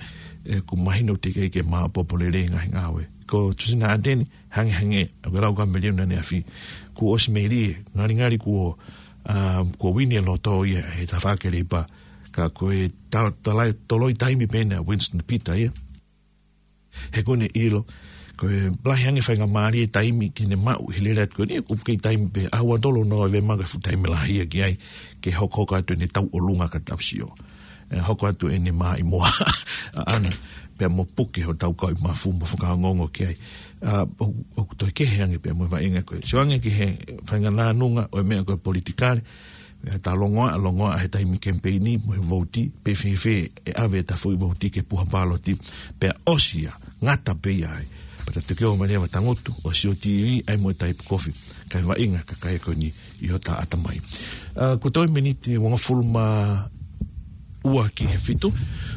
ʻoku mahino teʻeki ai ke maʻopoʻopo lelei e ngaahi ngāue. Ko Jacinda Ardern, hangehangē, ʻoku lau kameliona ʻaneafi, kuo ʻosi melie, ngalingali kuo, ʻa, kuo uini e loto ia he tafaʻaki Leipa, ka ko e ta-, talai, toloi taimi pē ena ʻa Winston Peters ia. He ʻoku ne ʻilo, ko e lahi ange faingamālie taimi ke ne maʻu he lele atu ko eni, ʻoku kei taimi pē, ʻaho ua tolu Nōvema ko e fuʻu taimi lahi ia ki ai, ke hokohoko atu ʻene tauʻolunga ka tau sio. ʻE, hoko atu ʻene maʻimoa ʻaʻana, pea mo puke hotau kau ʻi mafu mo fakaongoongo ki ai. ʻA, ʻo, ʻoku toe kehe ange pea mo e vaʻinga ko ē. Sio ange ki he faʻahinga nānunga ʻo e meʻa ko e politikale, ʻe ta longoaʻa, longoaʻa he taimi kemipeini mo e vouti, pe fēfē ʻe ʻave ʻeta foʻi vouti ke puha pāloti, pea ʻosi ia, ngata pē ia ai. Pea ta toki ō mai leva tangutu, ʻo sio T V, ʻai mo e taipu kofi, kae vaʻinga e kakai ko eni ʻi hota ʻatamai. ʻA, kuo toe miniti ʻe uangofulu mā ua ki he fitu.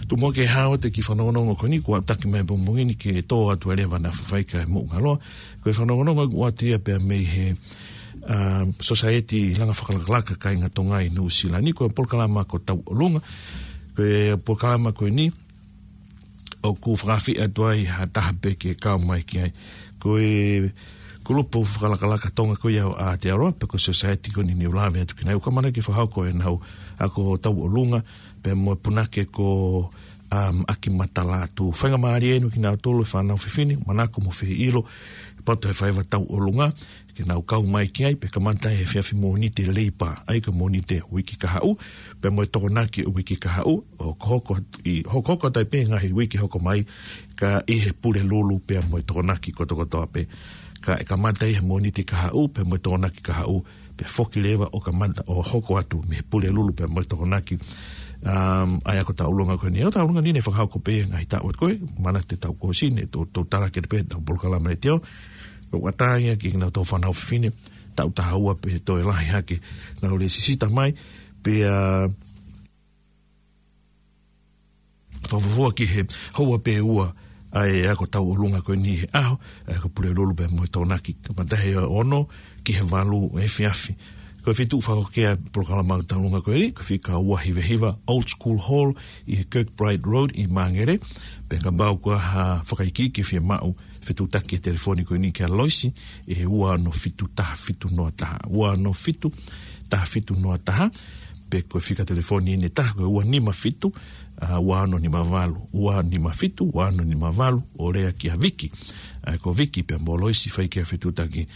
Tuku muʻa ke hao atu e kiʻi fanongonongo ko eni, kuo aʻutaki mai e pongipongi ni ke tō atu ai leva ʻa Faifekau Moʻungaloa. Ko e fanongonongo ʻoku ʻoatu ia pea mei he, ʻa, Sosaieti Langa Fakalakalaka Kāinga Tonga ʻi Nuʻusila ni, ko e polokalama ko Tauʻolunga. Ko e polokalama ko eni, ʻoku fakaafeʻi atu ai ha taha pē ke kau mai ki ai. Ko e kulupu fakalakalaka Tonga ko ia ʻo Aotearoa, pe ko e society ko eni ne u lave atu ki ai, ʻoku ʻamanaki ke fakahoko ʻenau ako tauʻolunga, pea mo e punake ko, um, ʻAkimatala Atu. Faingamālie eni kinautolu e fānau fefine, manako mo fie ʻilo, poto he faiva tauʻolunga, ke nau kau mai ki ai, pea kamata he efiafi Mōnite Leipa, ʻa ia ko e Mōnite uike kahaʻu, pea mo e Tokonaki uike kahaʻu, ʻo hokohoko atu ʻi, hokohoko atu ai pē ngaahi uike hoko mai, ka ʻi he Pulelulu pea mo e Tokonaki kotokotoa pē. Ka ʻe kamata ʻi he Mōnite kahaʻu, pea mo e Tokonaki kahaʻu, pea foki leva ʻo kamata ʻo hoko atu mei he Pulelulu pea mo e Tokonaki, um, ʻa e ako tauʻolunga ko eni. ʻA e ako tauʻolunga ni ne fakahoko pē ngaahi taʻu atu ko ē, manatu ʻetau kōsini, ʻe tou, tou talaki atu pē ʻetau polokalama letiō, ʻo ʻatā ia ki heʻenau toʻu fānau fefine, taʻu taha ua pe toe lahi hake, nau lēsisita mai, pea, ʻa, fakafuofua ki he houa pe ua ʻa e ako tauʻolunga ko eni he ʻaho, ʻa e ako Pulelulu pea mo e Tokonaki, kamata he ono ki he valu efiafi. Ko e feituʻu fakahoko ʻa e polokalama tauʻolunga ko eni, ko e fika ua hiva hiva Old School Hall ʻi he Kirkbride Road ʻi Māngere, pea kapau ʻoku ʻi ai ha fakaikiiki ʻe fiemaʻu, fetuʻutaki e telefoni ko eni kia Loisi, ʻi he ua ono fitu taha fitu noa taha, ua ono fitu taha fitu noa taha, pe ko e fika telefoni ʻe taha ko e ua nima fitu, ʻa, ua ono nima valu, ua nima fitu, ua ono nima valu, ʻo lea kia Viki. ʻA, ko Viki pea mo Loisi fai ki ai e fetuʻutaki,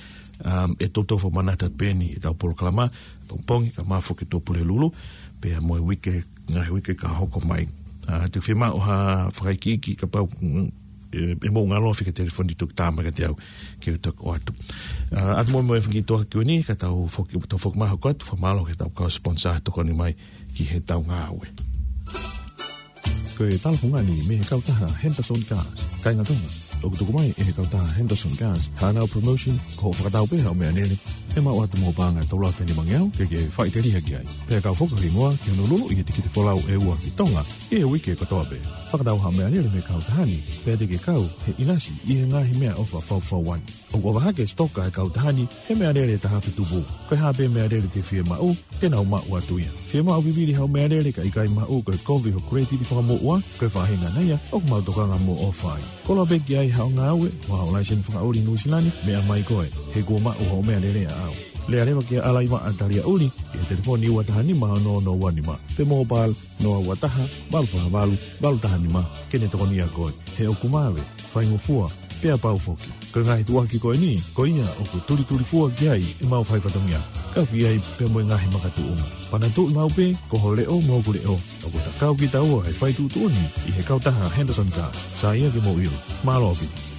um, ʻe toutou fakamanatu atu pē eni ʻetau polokalama, pongipongi, kae ʻumaʻā foki e tuʻa Pulelulu, pea mo e uike, ngaahi uike ka hoko mai. ʻA, te u fiemaʻu ha fakaikiiki kapau, mm, ʻe, ʻe mou ngalo fika telefoni toki tā mai kiate au ke u toki ʻoatu. ʻA, ʻoatu muʻa mo e fakaikiiki ko eni, ka tau foki, tau foki mai hoko atu, fakamālō ki heʻetau kau sponsor tokoni mai ki heʻetau ngāue. Ko e tala fungani mei he kautaha Henderson Gas. Kāinga Tonga, ʻoku tuku mai ʻe he kautaha Henderson Gas haʻanau promotion, ko hoʻo fakatau pē haʻo meʻalele, ʻe maʻu atu mo e paʻanga ʻe tolu afe nimangeau ke ke faʻiteliha ki ai. Pea kau foki ho hingoa ki hono luluʻi e tikite folau ʻe ua ki Tonga ʻi he uike kotoa pē. Fakatau haʻo meʻalele mei he kautaha ni, pea te ke kau he ʻinasi ʻi he ngaahi meʻaʻofa faufaua ni. ʻOku ʻova hake e sitoka ʻa e kautaha ni he meʻalele ʻe taha afe tupu. Ko e hā pē meʻalele te ke fiemaʻu, te nau maʻu atu ia. Fiemaʻu vivili haʻo meʻalele ka ʻikai maʻu, ko e kovi ho credit fakamoʻua, ko e faʻahinga ia ʻoku mau tokanga mo ʻofa ai. Koloa pē ki ai haʻo ngāue, mo haʻo laiseni fakaʻuli Nuʻu Sila ni, meʻa mai koe, he kuo maʻu hoʻo meʻalele ʻaʻau. Lea leva kia Alaivaʻa Taliaʻuli ʻi he telefoni ua taha nima ono ono ua nima, pe mobile noa ua taha, valu fā valu, valu taha nima, ke ne tokonia koe. He ʻoku vave, faingofua, pea pau foki. Ko e ngaahi tuʻuaki ko eni, ko ia ʻoku tulitulifua ki ai ʻemau fai fatongia. Kau ki ai pea mo e ngaahi makatuʻunga. Panatuʻi maʻu pē, ko ho leʻo mo hoku leʻo, ʻoku ta kau kitaua he fai tuʻutuʻuni ʻi he kautaha Henderson Gas. Sai ia ke mou ʻilo. Mālō ʻaupito.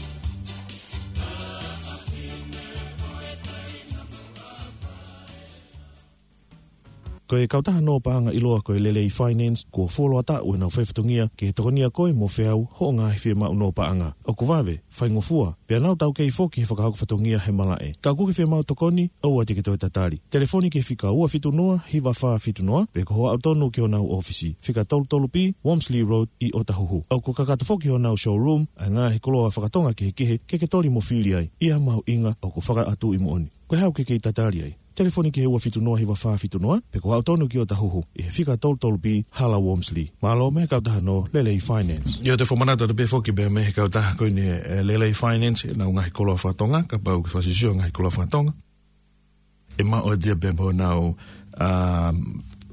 Ko e kautaha nō paʻanga ʻiloa ko e Lelei Finance, kuo fuoloa taʻu ʻenau fai fatongia ke tokonia koe mo feau hoʻo ngaahi fiemaʻu nō paʻanga. ʻOku vave, faingofua, pea nau taukei foki he fakahoko fatongia he malaʻe. Ka ʻoku ke fiemaʻu tokoni, ʻoua te ke toe tatali. Telefoni ki he fika ua fitu noa, hiva fā fitu noa, pe ko hoʻo aʻu tonu ki honau ʻōfisi, fika tolu tolu B, Wormsley Road, ʻi ʻOtahuhu. ʻOku kakato foki honau showroom ʻa e ngaahi koloa fakatonga kehekehe ke ke toli mo fili ai, ʻi ha mahuʻinga ʻoku fakaʻatuʻi moʻoni. Ko e hā ʻoku ke kei tatali ai? Telefoni ki he ua fitu noa hiva fā fitu noa, pe ko hoʻo aʻu tonu ki ʻOtahuhu, ʻi he fika tolu tolu B, Hala Wormsley. Mālō mei he kautaha nō Lelei Finance. ʻIo, te u fakamanatu atu pē foki pea mei he kautaha ko eni, ʻe, Lelei Finance, ʻenau ngaahi koloa fakatonga, kapau ʻoku ke fakafiefia he ngaahi koloa fakatonga, ʻe maʻu atu ia pea mo honau, ʻa,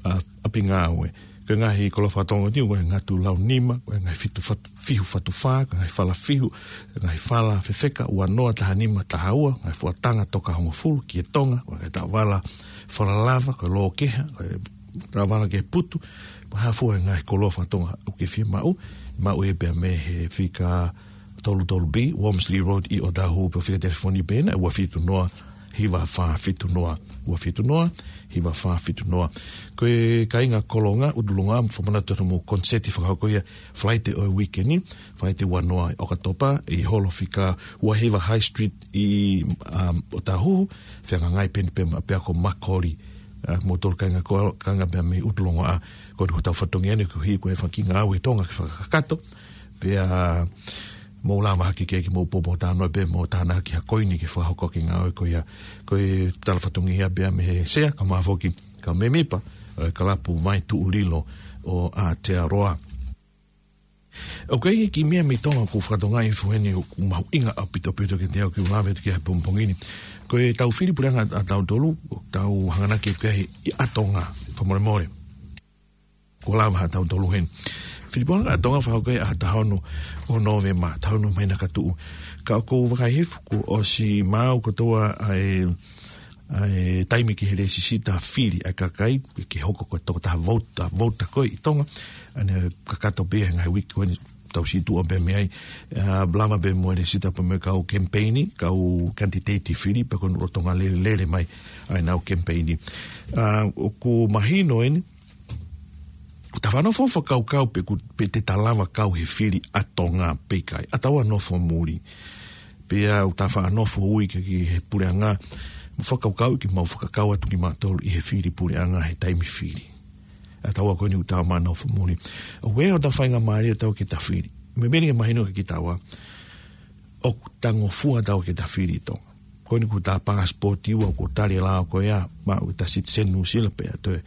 ʻa, ʻapi ngāue. Ko e ngaahi koloa fakatonga ni, ko e ngatu lau nima, ko e ngaahi fitu fatu, fihu fatu fā, ko e ngaahi fala fihu, ko e ngaahi fala fefeka, ua noa, taha nima, taha ua, ngaahi fuatanga toka hongofulu, ki e Tonga, ko e ngaahi taʻovala fala lava, ko e lōkeha, ko e taʻovala ke putu, mo e hā fua e ngaahi koloa fakatonga ʻoku ke fiemaʻu, maʻu ia pea mei he fika tolu tolu B, Wormsley Road ʻi ʻOtahuhu, pe ko e fika telefoni pē ena, ua fitu noa, hiva fā fitu noa, ua fitu noa, hiva fā fitu noa. Ko e kāinga Kolonga, ʻUtulongoaʻa, fakamanatu atu hoʻomou koniseti fakahoko ia Falaite ʻo e uike ni, Falaite ua noa ʻo ʻOkatopa, ʻi he holo fika ua hiva High Street ʻi, um, ʻOtahuhu, fehangahangai pē eni pea mo e ʻapiako Makoli, ʻa, moutolu kāinga Ko-, kāinga pea mei ʻUtulongoaʻa, ko eni ko hotau fatongia ni, koeʻuhi ko e fanga kiʻi ngāue ʻa Tonga ke fakakakato, pea mou lava hake ke, ke mou poupou talanoa pea mou tānaki ha koini ke fakahoko e ngāue ko ia. Ko e tala fatongia pea mei he sea, kae ʻumaʻā foki, kau mēmipa ʻo e kalapu Vai Tuʻu Lilo ʻo Aotearoa. ʻOku ʻi ai e kiʻi meʻa mei Tonga ʻoku fakatokangaʻi hifo heni ʻoku mahuʻinga ʻaupito ʻaupito ke te u lave ki ai he pongipongi ni. Ko e tau fili puleʻanga ʻa tautolu, ʻoku tau hanganaki ki ai ʻi ʻa Tonga, fakamolemole. Kuo lava ha tautolu heni. Fili puleʻanga ʻa Tonga fakahoko ia ʻaho taha ono ʻo Nōvema, taha ono māhina ka tuʻu. Ka ʻoku ou vakai hifo kuo ʻosi maau kotoa ʻa e ʻa e taimi ki he lēsisita fili ʻa e kakai, ke hoko ko e tokotaha vouti, vouti ko ē ʻi Tonga, ʻa ʻene kakato pē he ngaahi uike ko eni tau situʻa pē mei ai, ʻa, lava pē mo e lēsisita pē mo e kau kemipeini, kau kanititeiti fili, pea ko e lolotonga lele, lele mai ʻa ʻenau kemipeini. ʻA, ʻoku mahino eni, ʻoku ta faʻa nofo fakakaukau pe ʻoku, pe te ta lava kau he fili ʻa Tonga pe ʻikai. ʻA taua nofo muli. Pea ʻoku ta faʻa nofo ui ki he puleʻanga. Mo fakakaukau ke mau fakakau atu kimautolu ʻi he fili puleʻanga he taimi fili. ʻA taua ko eni ʻoku ta ma nofo muli. ʻOku ʻi ai hota faingamālie ʻa taua ke ta fili. Meimei ke mahino kia kitaua. ʻOku ta ngofua ʻa taua ke ta fili ʻi Tonga. Ko eni ko ʻeta pasipoti ua ko e tali lao ko ia, maʻu ʻeta citizen Nuʻusila pea toe,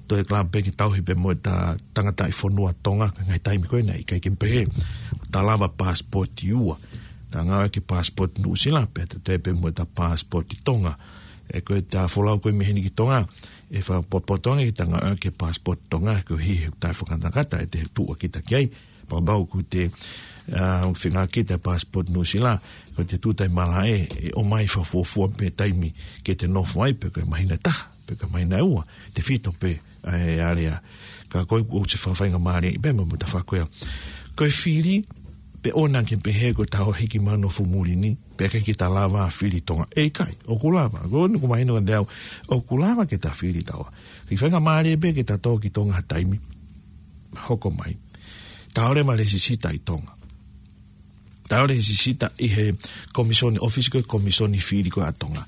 toe kalapu pē ke tauhi pē mo ʻeta tangataʻi fonua Tonga, ka ngaahi taimi ko ē naʻe ʻikai ke pehē. Ta lava pasipoti ua. Ta ngāueʻaki e pasipoti Nuʻusila pea ta toe pē mo ʻeta pasipoti Tonga. ʻE ko ʻeta folau ko ē mei heni ki Tonga. ʻE fakapotopoto ange ke ta ngāueʻaki e pasipoti Tonga, koeʻuhi he ʻoku ta fakangatangata ʻete tuʻu ʻa kita ki ai. Pea kapau ʻoku te, ʻa, feinga kita e passport Nuʻusila, ko ʻete tuʻu tai malaʻe, ʻe ʻomai fakafuofua pē taimi ke te nofo ai, pe ko e māhina ʻe taha, pe ko e māhina ʻe ua, tefito pē ʻa e area. Ka ko e ʻoku ou fakafaingamālieʻi pē mo e tafaʻaki ko ia. Ko e fili, pe ʻoua naʻa ke pehē ko ʻeta hiki mai ʻo nofo muli ni, pea ʻikai ke ta lava fili ʻi Tonga. ʻE ʻikai, ʻoku lava. Ko eni ʻoku mahino kiate au, ʻoku lava ke ta fili ʻi Tonga. Kiʻi faingamālie pē ke ta tō ki Tonga ha taimi. Hoko mai. Ta ō leva ʻo lēsisita ʻi Tonga. Ta ō ʻo lēsisita ʻi he komisoni, ʻōfisi ko ē komisoni fili ko ē ʻa Tonga.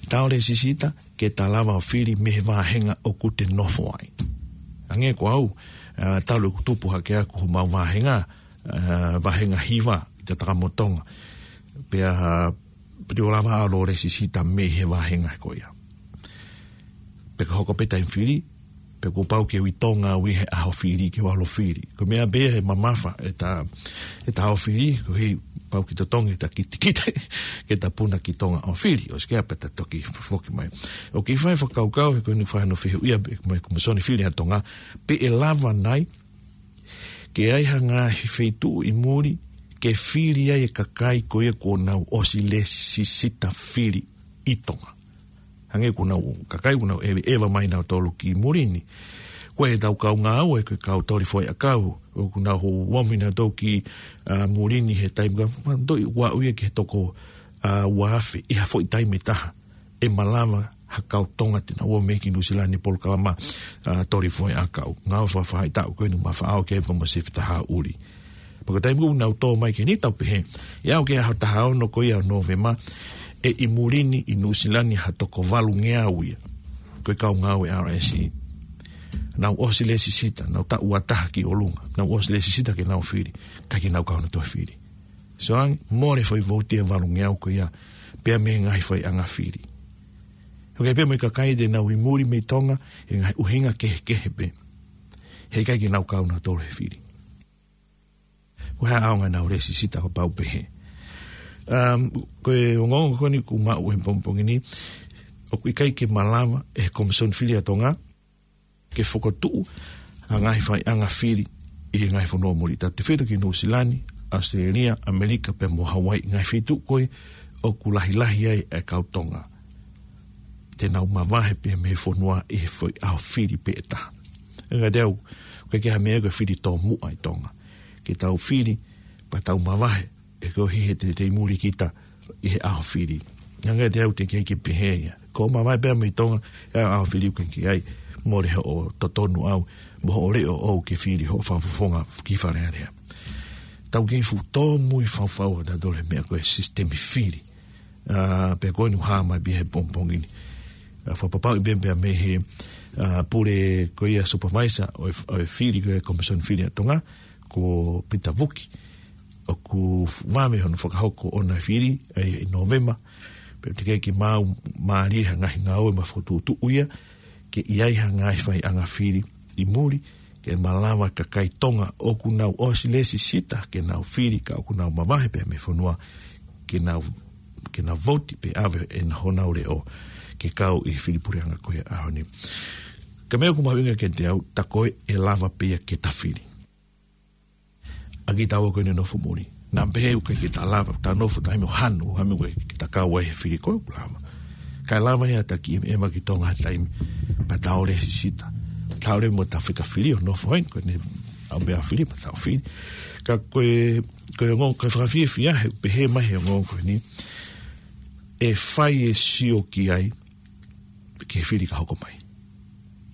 Ta ō ʻo lēsisita ke ta lava ʻo fili mei he vāhenga ʻoku te nofo ai. Hangē ko au, ʻa, talu ʻeku tupu hake ʻaku homau vāhenga, ʻa, vāhenga hiva ʻi Tatakamotong. Pea, ʻa, piti ʻo lava ʻo lēsisita mei he vāhenga ko ia. Pea ka hoko pē taimi fili, pea kuo pau ke u ʻi Tonga au ʻi he ʻaho fili ke u ō ʻo fili. Ko e meʻa pē ia he mamafa ʻeta, ʻeta ʻaho fili, koeʻuhi pau ke totongi ʻeta kitekite, ke ta puna ki Tonga ʻo fili, ʻosi ko ia pea ta toki foki mai. ʻOku kiʻi fai fakakaukau, he ko eni fai hono fehuʻia, pea mo e komisoni fili ʻa Tonga, pe ʻe lava nai, ke ʻi ai ha ngaahi feituʻu ʻi muli, ke fili ai e kakai ko ia kuo nau ʻosi lēsisita fili ʻi Tonga. Hangē ko ʻenau kakai, ko ʻenau ʻeveʻeva mai nautolu ki muli ni. Ko ʻetau kau ngāue, ko e kau toli foʻi ʻakau, ʻoku nau ō mai nautolu ki, ʻa, muli ni he taimi ka, ma, toi, ua ui ki he toko, ʻa, ua afe, ʻi ha foʻi taimi ʻe taha. ʻE malava ha kau Tonga te nau ō mai ki Nuʻusila ni polokalama, ʻa, toli foʻi ʻakau. Ngāue fakafaʻahitaʻu ko eni ma faʻao ke pa mo se fita ha uli. Pea ko e taimi ʻoku nau tō mai ki heni tau pehē. ʻE aʻu ki he ʻaho taha ono ko ia ʻo Nōvema, ʻe ʻi muli ni ʻi Nuʻusila ni ha toko valungeau ia. Ko e kau ngāue R S E. Nau ʻosi lēsisita, nau taʻu ua taha ki ʻolunga. Nau ʻosi lēsisita ke nau fili. ʻIkai ke nau kau nautolu he fili. Soange, mole foʻi vouti ʻe valungeau ko ia, pea mei he ngaahi faiʻanga fili. ʻOku ʻi ai pē mo e kakai te nau ʻi muli mei Tonga, he ngaahi ʻuhinga kehekehe pē. He ʻikai ke nau kau nautolu he fili. Ko e hā ʻaonga ʻenau lēsisita kapau pehē. Um, ko e ongoongo ko eni ʻoku maʻu he pongipongi ni, ʻoku ʻikai ke malava ʻe he komisoni fili ʻa Tonga, ke fokotuʻu ha ngaahi faiʻanga fili ʻi he ngaahi fonua muli. Tautefito ki Nuʻusila ni, ʻAositelēlia, ʻAmelika, pea mo Hauaiʻi, ngaahi feituʻu ko ē ʻoku lahilahi ai e kau Tonga. Te nau mavahe pē mei he fonua ʻi he foʻi ʻaho fili pē ʻe taha. Hangē ko au, ʻoku ʻikai ke ʻi ai ha meʻa ko e fili tōmuʻa ʻi Tonga. Ke tau fili, pea tau mavahe, ʻe koeʻuhi he te, te ʻi muli kita ʻi he ʻaho fili. Hangē ko au te u kei pehē ia. Ko e mavahe pē mei Tonga, ʻi he ʻaho fili ʻoku ʻikai ke ʻi ai, mole hoʻo totonu ʻau, mo hoʻo leʻo ʻoʻou ke fili hoʻo fakafofonga ki Fale Alea. Tau kei fuʻu tōmui fau fau ʻa tautolu he meʻa ko e sisitemi fili. ʻA, pea ko eni ʻoku hā mai pē he pongipongi ni. ʻA, fakapapauʻi pē pea mei he, ʻa, pule ko ia supervisor ʻo e, ʻo e fili ko e komisoni fili ʻa Tonga, ko Pita Vuki. ʻOku vave hono fakahoko ʻona fili, ʻa, ʻi Nōvema. Pea teʻeki ke maau mālie ha ngaahi ngāue ma fokotuʻutuʻu ia, ke ʻi ai ha ngaahi faiʻanga fili ʻi muli, ke malava kakai Tonga ʻoku nau ʻosi lesisita ke nau fili ka ʻoku nau mavahe pē mei fonua ke nau, ke nau vouti pe ʻave ʻenau, honau leʻo ke kau ʻi he fili puleʻanga ko ia ʻaho ni. Ka meʻa ʻoku mahuʻinga kiate au, tā ko ē ʻe lava pē ia ke ta fili. ʻA kitaua ko eni nofo muli. Naʻa pehē ʻoku ʻikai ke ta lava, ta nofo taimi ʻo hanu, ʻo hanu ke ta kau ai he fili ko ē ʻoku lava. Kae lava ia ta kiʻi ʻema ki Tonga ha taimi, pea ta ō lesisita. Ta ō leva mo ta fika fili ʻo nofo heni, ko eni ʻa e meʻa fili, pea ta ō fili. Ka ko e, ko e ongo, ko e fakafiefia, he pehē mai he ongo ko eni, ʻe fai e sio ki ai, ki he fili ka hoko mai.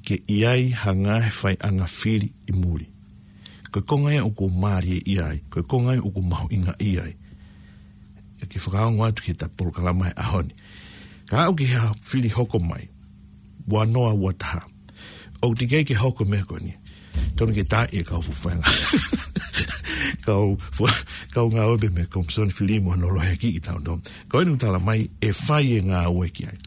Ke ʻi ai ha ngaahi faiʻanga fili ʻi muli. Ko e konga ia ʻoku mālie ʻi ai, ko e konga ia ʻoku mahuʻinga ʻi ai. ʻE ke fakaongo atu ki he ta polokalama he ʻaho ni. Ka aʻu ki he fili hoko mai, ua noa ua taha. ʻOku teʻeki ai ke hoko meʻa ko eni. Tonu ke tā e kau fufuenga. Kau fu-, kau ngāue pē mei he Komisoni Fili mo hono loheakiʻi tau no. Ko eni ʻoku tala mai ʻe fai e ngāue ki ai.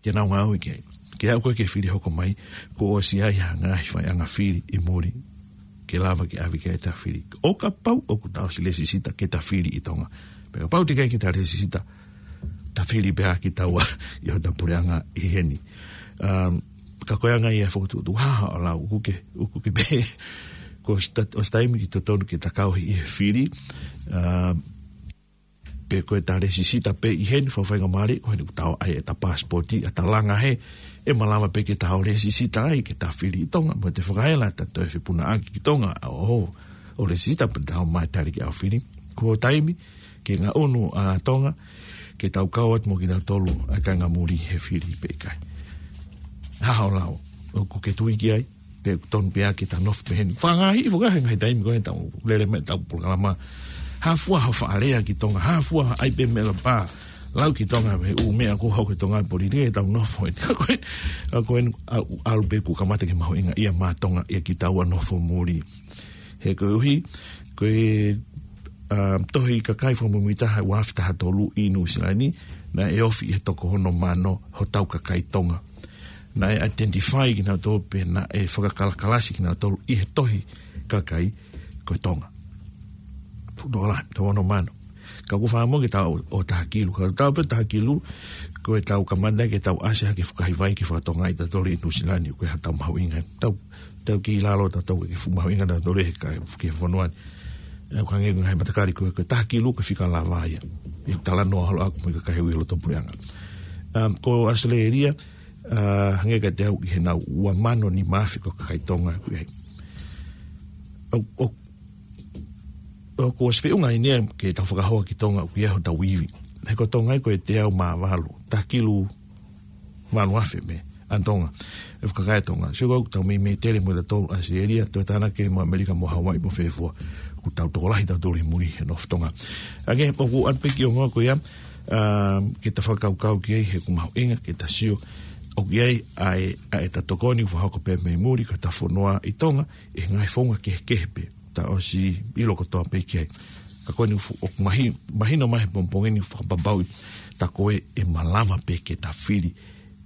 Ke nau ngāue ki ai. Ke aʻu ko ē ki he fili hoko mai, kuo ʻosi ʻi ai ha ngaahi faiʻanga fili ʻi muli, ke lava ke ʻave ki ai ta fili. ʻO kapau ʻoku ta ʻosi lesisita ke ta fili ʻi Tonga. Pea kapau teʻeki ai ke ta lesisita, ta fili pē ʻa kitaua ʻi hota puleʻanga ʻi heni. Um, ka ko e anga ia e fokotuʻutuʻu, ha, ha, ʻo lau, ʻoku ke, ʻoku ke pehē, kuo ʻosi ta-, ʻosi taimi ki totonu ke ta kau ʻi he fili, um, pe ko e ta lesisita pē ʻi heni, fakafaingamālie, ko heni ʻoku ta ō ai ʻeta pasipoti, ʻa ta langa hē, ʻe malava pē ke ta ō lesisita ai, ke ta fili ʻi Tonga, mo ʻete fakaela ʻeta toe fepunaʻaki ki Tonga, ʻo, ʻo lesisita pea ta ō mai tali ki ʻaho fili. Ko e taimi, ke ngaʻunu ʻa Tonga, ke tau kau atu mo kinautolu ʻa e kāinga muli he fili pe ʻikai. Ha, ha, ʻo lau, ʻoku ke tui ki ai, pe ʻoku tonu pē ia ke ta nofo pē heni. Fakangaahi, fakangaahi he ngaahi taimi ko ē tau lele mai ʻetau polokalama. Hā fua hoʻo faʻa lea ki Tonga, hā fua ai pē meʻa la pā. Lau ki Tonga, mei he ʻū meʻa kuo hoko ʻi Tonga, politiki ʻetau nofo heni. Ka ko e, ka ko e, ʻa, ʻalu pē kuo kamata ke mahuʻinga ia maʻa Tonga ia kitaua nofo muli. He koeʻuhi, ko e, um, tohi kakai fakamuimuitaha ua afe taha tolu ʻi Nuʻusila ni, naʻe ofi ʻi he toko ono mano hotau kakai Tonga. Naʻe identify kinautolu pe naʻe fakakalakalasi kinautolu ʻi he tohi kakai ko Tonga. Fuʻu tokolahi, toko ono mano. Ka ʻoku fakamoʻoni ke ta ō, ō taha kilu. Ka ta ō pē taha kilu, ko ʻetau kamata ke tau ʻasi hake fukahi vai ke fakatonga ʻi tautolu ʻi Nuʻusila ni, ko e hā ʻetau mahuʻinga. Tau, tau ki lalo tautolu ke fuʻu mahuʻinga tautolu he ka, ki he fonua ni. ʻE, ʻoku hangē ko e ngaahi matakali ko e, ko e taha kilu ko e fika lava ia. ʻI he talanoa holo ʻaku mo e kakai ʻi loto puleʻanga. Um, ko ʻAositelēlia, uh, hangē kiate au ʻi heʻenau ua mano nima afe ko e kakai Tonga ʻoku ʻi ai. ʻO, ʻo, ʻoku ʻosi feʻunga ʻeni ia ke tau fakahoa ki Tonga ʻoku ʻi ai hotau ivi. He ko Tonga ia ko e teau mā valu, taha kilu valu afe mei ʻAna Tonga. ʻE fakakai ʻa Tonga. Sio ko ʻetau meimei tele mo tautolu ʻAositelēlia, toe tānaki mo ʻAmelika mo Hawaiʻi mo fē fua. ʻOku tau tokolahi tautolu ʻi muli he nofo Tonga. Ange, ʻoku ʻoatu pē kiʻi ongo ko ia, um, ke ta fakakaukau ki ai he ʻoku mahuʻinga, ke ta sio ʻoku ʻi ai ʻa e, ʻa ʻeta tokoni ʻoku fakahoko pē mei muli ko ʻeta fonua ʻi Tonga, ʻi he ngaahi founga kehekehe pē, ta ʻosi ʻilo kotoa pē ki ai. Ka ko eni fu-, ʻoku mahi-, mahino mai he pongipongi ni fakapapauʻi, tā ko ē ʻe malava pē ke ta fili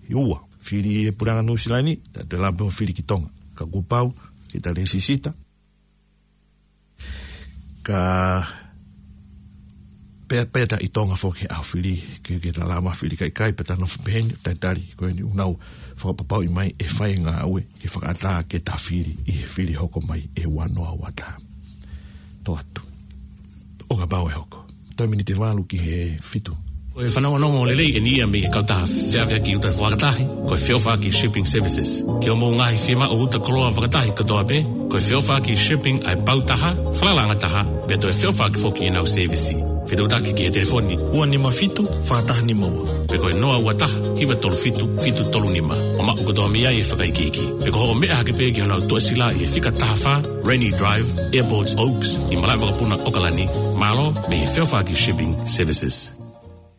ʻi ua. Fili ʻi he puleʻanga Nuʻusila ni, ta toe lava pē ʻo fili ki Tonga. Ka kuo pau, ke ta lesisita. Ka pea, pea ta ʻi Tonga foki he ʻaho fili, ke, ke ta lava fili ka ʻikai, pea ta nofo pē heni, talitali, ko eni ʻoku nau fakapapauʻi mai ʻe fai e ngāue, ke fakaʻatā ke ta fili ʻi he fili hoko mai ʻe ua noa ua taha. Tō atu. ʻO kapau ʻe hoko. Toe miniti valu ki he fitu. Ko e fanongonongo lelei ʻeni ia mei he kautaha feʻaveʻaki uta fakatahi, ko e Feʻofaʻaki Shipping Services. Ki hoʻomou ngaahi fiemaʻu uta koloa fakatahi kotoa pē, ko e Feʻofaʻaki Shipping ʻa e pau taha, falalaʻanga taha, pea toe feʻofaʻaki foki ʻenau sēvisi. Fetuʻutaki ki he telefoni ua nima fitu, fā taha nima ua. Pe ko e noa ua taha, hiva tolu fitu, fitu tolu nima. ʻO maʻu kotoa mei ai e fakaikiiki. Pe ko hoʻo meʻa hake pē ki honau tuʻasila ʻi he fika taha fā, Rainy Drive, Airport Oaks, ʻi malaʻe vakapuna ʻOkalani, mālō mei he Feʻofaʻaki Shipping Services.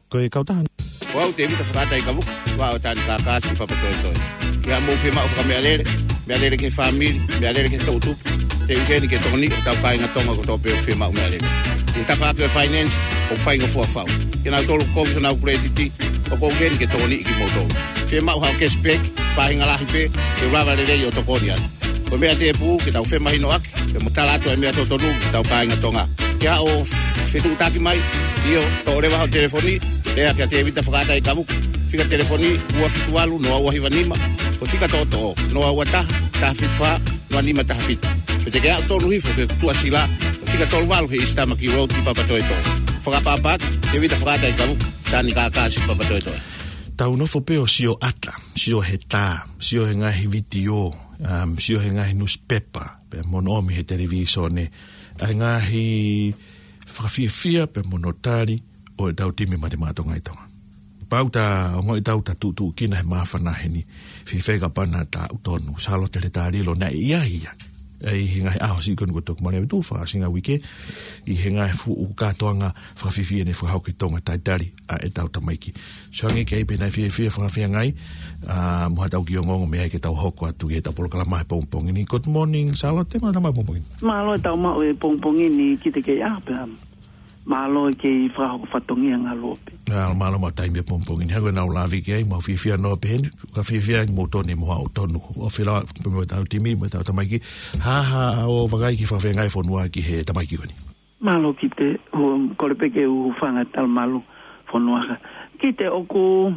Ko e kautaha. Ko au Tēvita Fakaʻata ʻi Kavuka, ua ʻo Tani Kākasi Papatoetoe. Ki haʻamou fiemaʻu fakameʻalele, meʻalele ki he fāmili, meʻalele ki he toʻutupu, te u ʻi heni ke tokoniʻi hotau kāinga Tonga kotoa pē ʻoku fiemaʻu meʻalele. ʻI he tafaʻaki ʻo e finance, ʻoku faingofua fau. Kinautolu kovi honau kuletiti, ʻoku ou keni ke tokoniʻi kimoutolu. Fiemaʻu haʻo cashback, faʻahinga lahi pē, ke u lava lelei ʻo tokoni ai. Ko e meʻa tēpū, ke tau femahinoʻaki, pea mo tala atu e meʻa totonu ki hotau kāinga Tonga. Ke haʻu ʻo fetuʻutaki mai, ʻio, toʻo leva hoʻo telefoni, lea kia Tēvita Fakaʻataʻi Kavuka. Fika telefoni ua fitu valu noa ua hiva nima, ko e fika toʻotoʻo, noa ua taha, taha fitu fā, noa nima taha fitu. Pe te ke aʻu tonu hifo ki he tuʻasila, ko e fika tolu valu East Tamaki Road ʻi Papatoetoe. Fakaʻapaʻapa atu, Tēvita Fakaʻataʻi Kavuka, Tani Kākasi Papatoetoe. Tau nofo pē ʻo sio ʻata, sio he tā, sio he ngaahi vitiō, um, sio he ngaahi nusipepa, pea mo hono ʻomi he televīsone, ʻa e ngaahi fakafiefia pea mo hono tali ʻo ʻetau timi Mate Maʻa Tonga ʻi Tonga. Pau ta ongoʻi ʻetau ta tuʻutuʻu kina he māfana heni, fifeka pana ta utonu, Sālote Letalilo naʻe ʻi ai ia. ʻI he ngaahi ʻaho siʻi ko eni kuo toki mole atu fakaʻosinga uike, ʻi he ngaahi fuʻu kātoanga fakafiefia ne fakahoko ʻi Tonga, talitali ʻa ʻetau tamaiki. Sio ange ki ai pe naʻe fiefia fakafeangai, ʻa, mo haʻatau kiʻi ongoongo mei ai ke tau hoko atu ki heʻetau polokalama he pongipongi ni. Good morning, Sālote, mālō e tau maʻu e pongipongi ni. Mālō e tau maʻu e pongipongi ni ki te kei ʻaho pē. Mālō e kei fakahoko fatongia ngalo pē. Mālō, mālō mo e taimi he pongipongi ni. Hangē ko ʻenau lave ki ai, mau fiefia noa pē heni, ka fiefia ai mo toni mo haʻu tonu. ʻO fila, pea mo ʻetau timi, mo ʻetau tamaiki. Hā, hā, ʻo vakai ki he fakafeangai fonua ki he tamaiki ko eni. Mālō Kite, ʻoku ou kole pē ke u hūfanga he talamalu fonua ka. Kite ʻoku,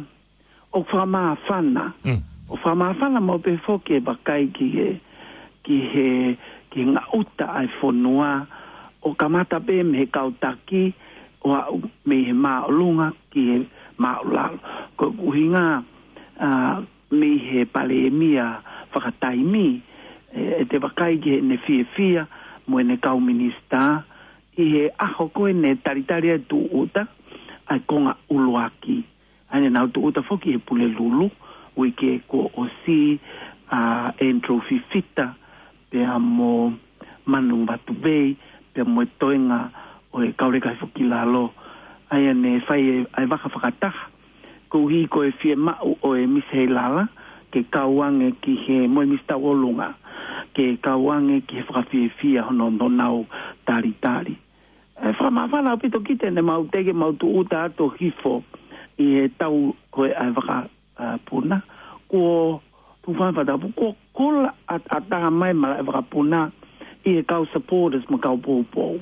ʻoku fakamāfana. Mm. ʻOku fakamāfana maʻu pē foki e vakai ki he, ki he, ki he ngaʻuta ʻa e fonua. ʻO kamata pē mei he kau taki, ʻo aʻu mei he māʻolunga ki he māʻulalo. Ko e ʻuhinga, ʻa, mei he palēmia fakataimi, ʻe, ʻe te vakai ki heʻene fiefia mo ʻene kau minisitā, ʻi he ʻaho ko ē ne talitali ai e tūʻuta, ʻa e konga ʻuluaki. ʻA ia naʻa nau tūʻuta foki he Pulelulu, uike kuo ʻosi, ʻa Andrew Fifita, pea mo Manu Vatuvei, pea mo e toenga ʻo e kau leka hifo ki lalo. ʻA ia ne fai e, ʻa e vaka fakataha. Koeʻuhi ko e fiemaʻu ʻo e Misi Heilala, ke kau ange ki he mo e Misi Tauʻolunga, ke kau ange ki he fakafiefia hono, honau talitali. ʻE fakamāfana ʻaupito Kite ne mau teʻeki mau tūʻuta atu hifo ʻi he tau ko ē ʻa e vaka, ʻa, puna. Kuo tufa fatapu, kuo kula ʻat-, ʻatā mai malaʻe vakapuna ʻi he kau supporters mo e kau poupou.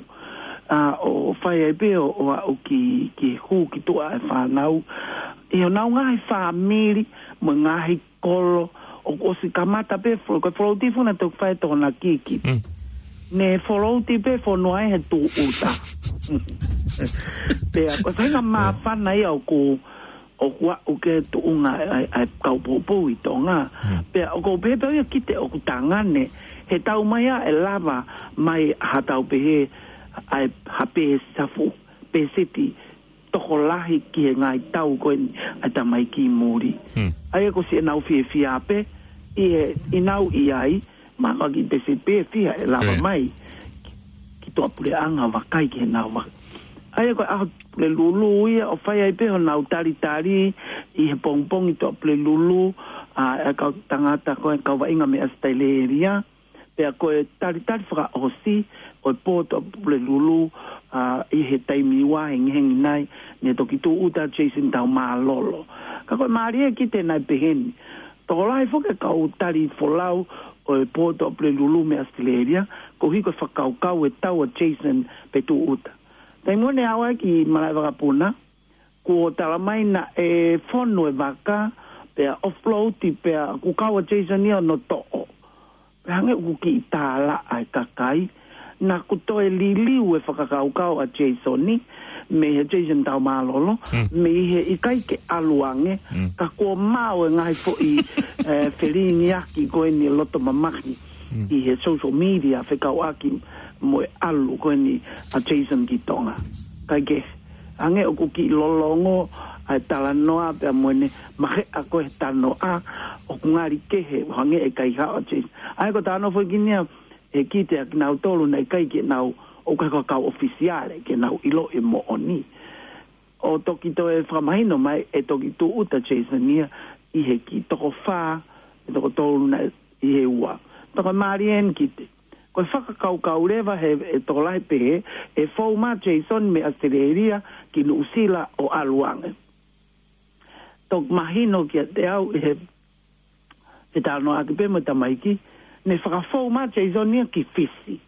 ʻA, ʻo fai ai pē ʻo, ʻo aʻu ki, ki he hū ki tuʻa e fānau. ʻI honau ngaahi fāmili mo e ngaahi kolo, ʻoku ʻosi kamata pē folo-, ko e float ʻi funa toki fai e Tokonaki Kite. Mm. Ne float pē fonua ʻi he tūʻuta. Pea, ko e faʻahinga māfana ia ʻoku, ʻoku aʻu ki he tuʻunga ʻa e, ʻa e kau poupou ʻi Tonga. Mm. Pea, ʻoku ou pehē pē ia Kite ʻoku tangane, he tau mai ʻa e lava mai ha tau pehē, ʻa e ha pē safu, pē siti, tokolahi ki he ngaahi tau ko eni ʻa e tamaiki muli. Hmm. ʻA ia ko siʻenau fiefia pē, ʻi he, ʻi nau ʻi ai, ma ka ki te se pē fia e lava Eh. mai ki, ki tuʻapuleʻanga vakai ki heʻenau vaka. ʻA ia ko e ʻaho Pulelulu ia ʻo fai ai pē honau talitali ʻi he pongipongi tuʻapulelulu, ʻa, e kau tangata ko e kau vaʻinga mei ʻAositelēlia, pea ko e talitali fakaʻosi ʻo e Pō Tuʻapulelulu, ʻa, ʻi he taimi ua hengihengi nai, ne toki tūʻuta Jason Taumālolo. Ka ko e mālie Kite naʻe pehē ni. Tokolahi foki e kau tali folau ʻo e Pō Tuʻapulelulu mei ʻAositelēlia, koeʻuhi ko e fakakaukau e tau ʻa Jason pe tūʻuta. Taimi ʻoku ne aʻu ai ki malaʻe vakapuna, kuo tala mai naʻe fonu e vaka, pea offload, pea kuo kau ʻa Jason ia ʻo ne toʻo. Pea hangē ʻoku kiʻi tālaʻa e kakai, naʻa ku toe liliu e fakakaukau ʻa Jason ni, mei he Jason Taumālolo, Hmm. mei he ʻikai ke ʻalu ange, Hmm. ka kuo maʻu e ngaahi foʻi, eh, felingiaki ko eni loto mamahi. Mm. ʻI he social media fekauʻaki mo e ʻalu ko eni ʻa Jason ki Tonga. Kae kehe, hangē ʻoku kiʻi lolongo ʻa e talanoa pea mo ʻene maheʻa ko e talanoa ʻoku ngali kehe hangē ʻe ʻikai haʻu ʻa Jason. ʻA ia ko e talanoa foki ni ia ʻe Kite ʻa kinautolu naʻe ʻikai ke nau ʻo kai ko e kau ʻofisiale ke nau ʻiloʻi e moʻoni. ʻO toki toe fakamahino mai ʻe toki tūʻuta Jason ia ʻi he kiʻi toko fā, ʻe toko tolu naʻe ʻi he ua. Toko mālie eni Kite. Ko e fakakaukau leva he, he tokolahi pehē, ʻe fou mai Jason mei ʻAositelēlia ki Nuʻusila ʻo ʻalu ange. toki mahino kiate au ʻi he, he talanoaʻaki pē mo e tamaiki, ne fakafou mai Jason ia ki Fisi.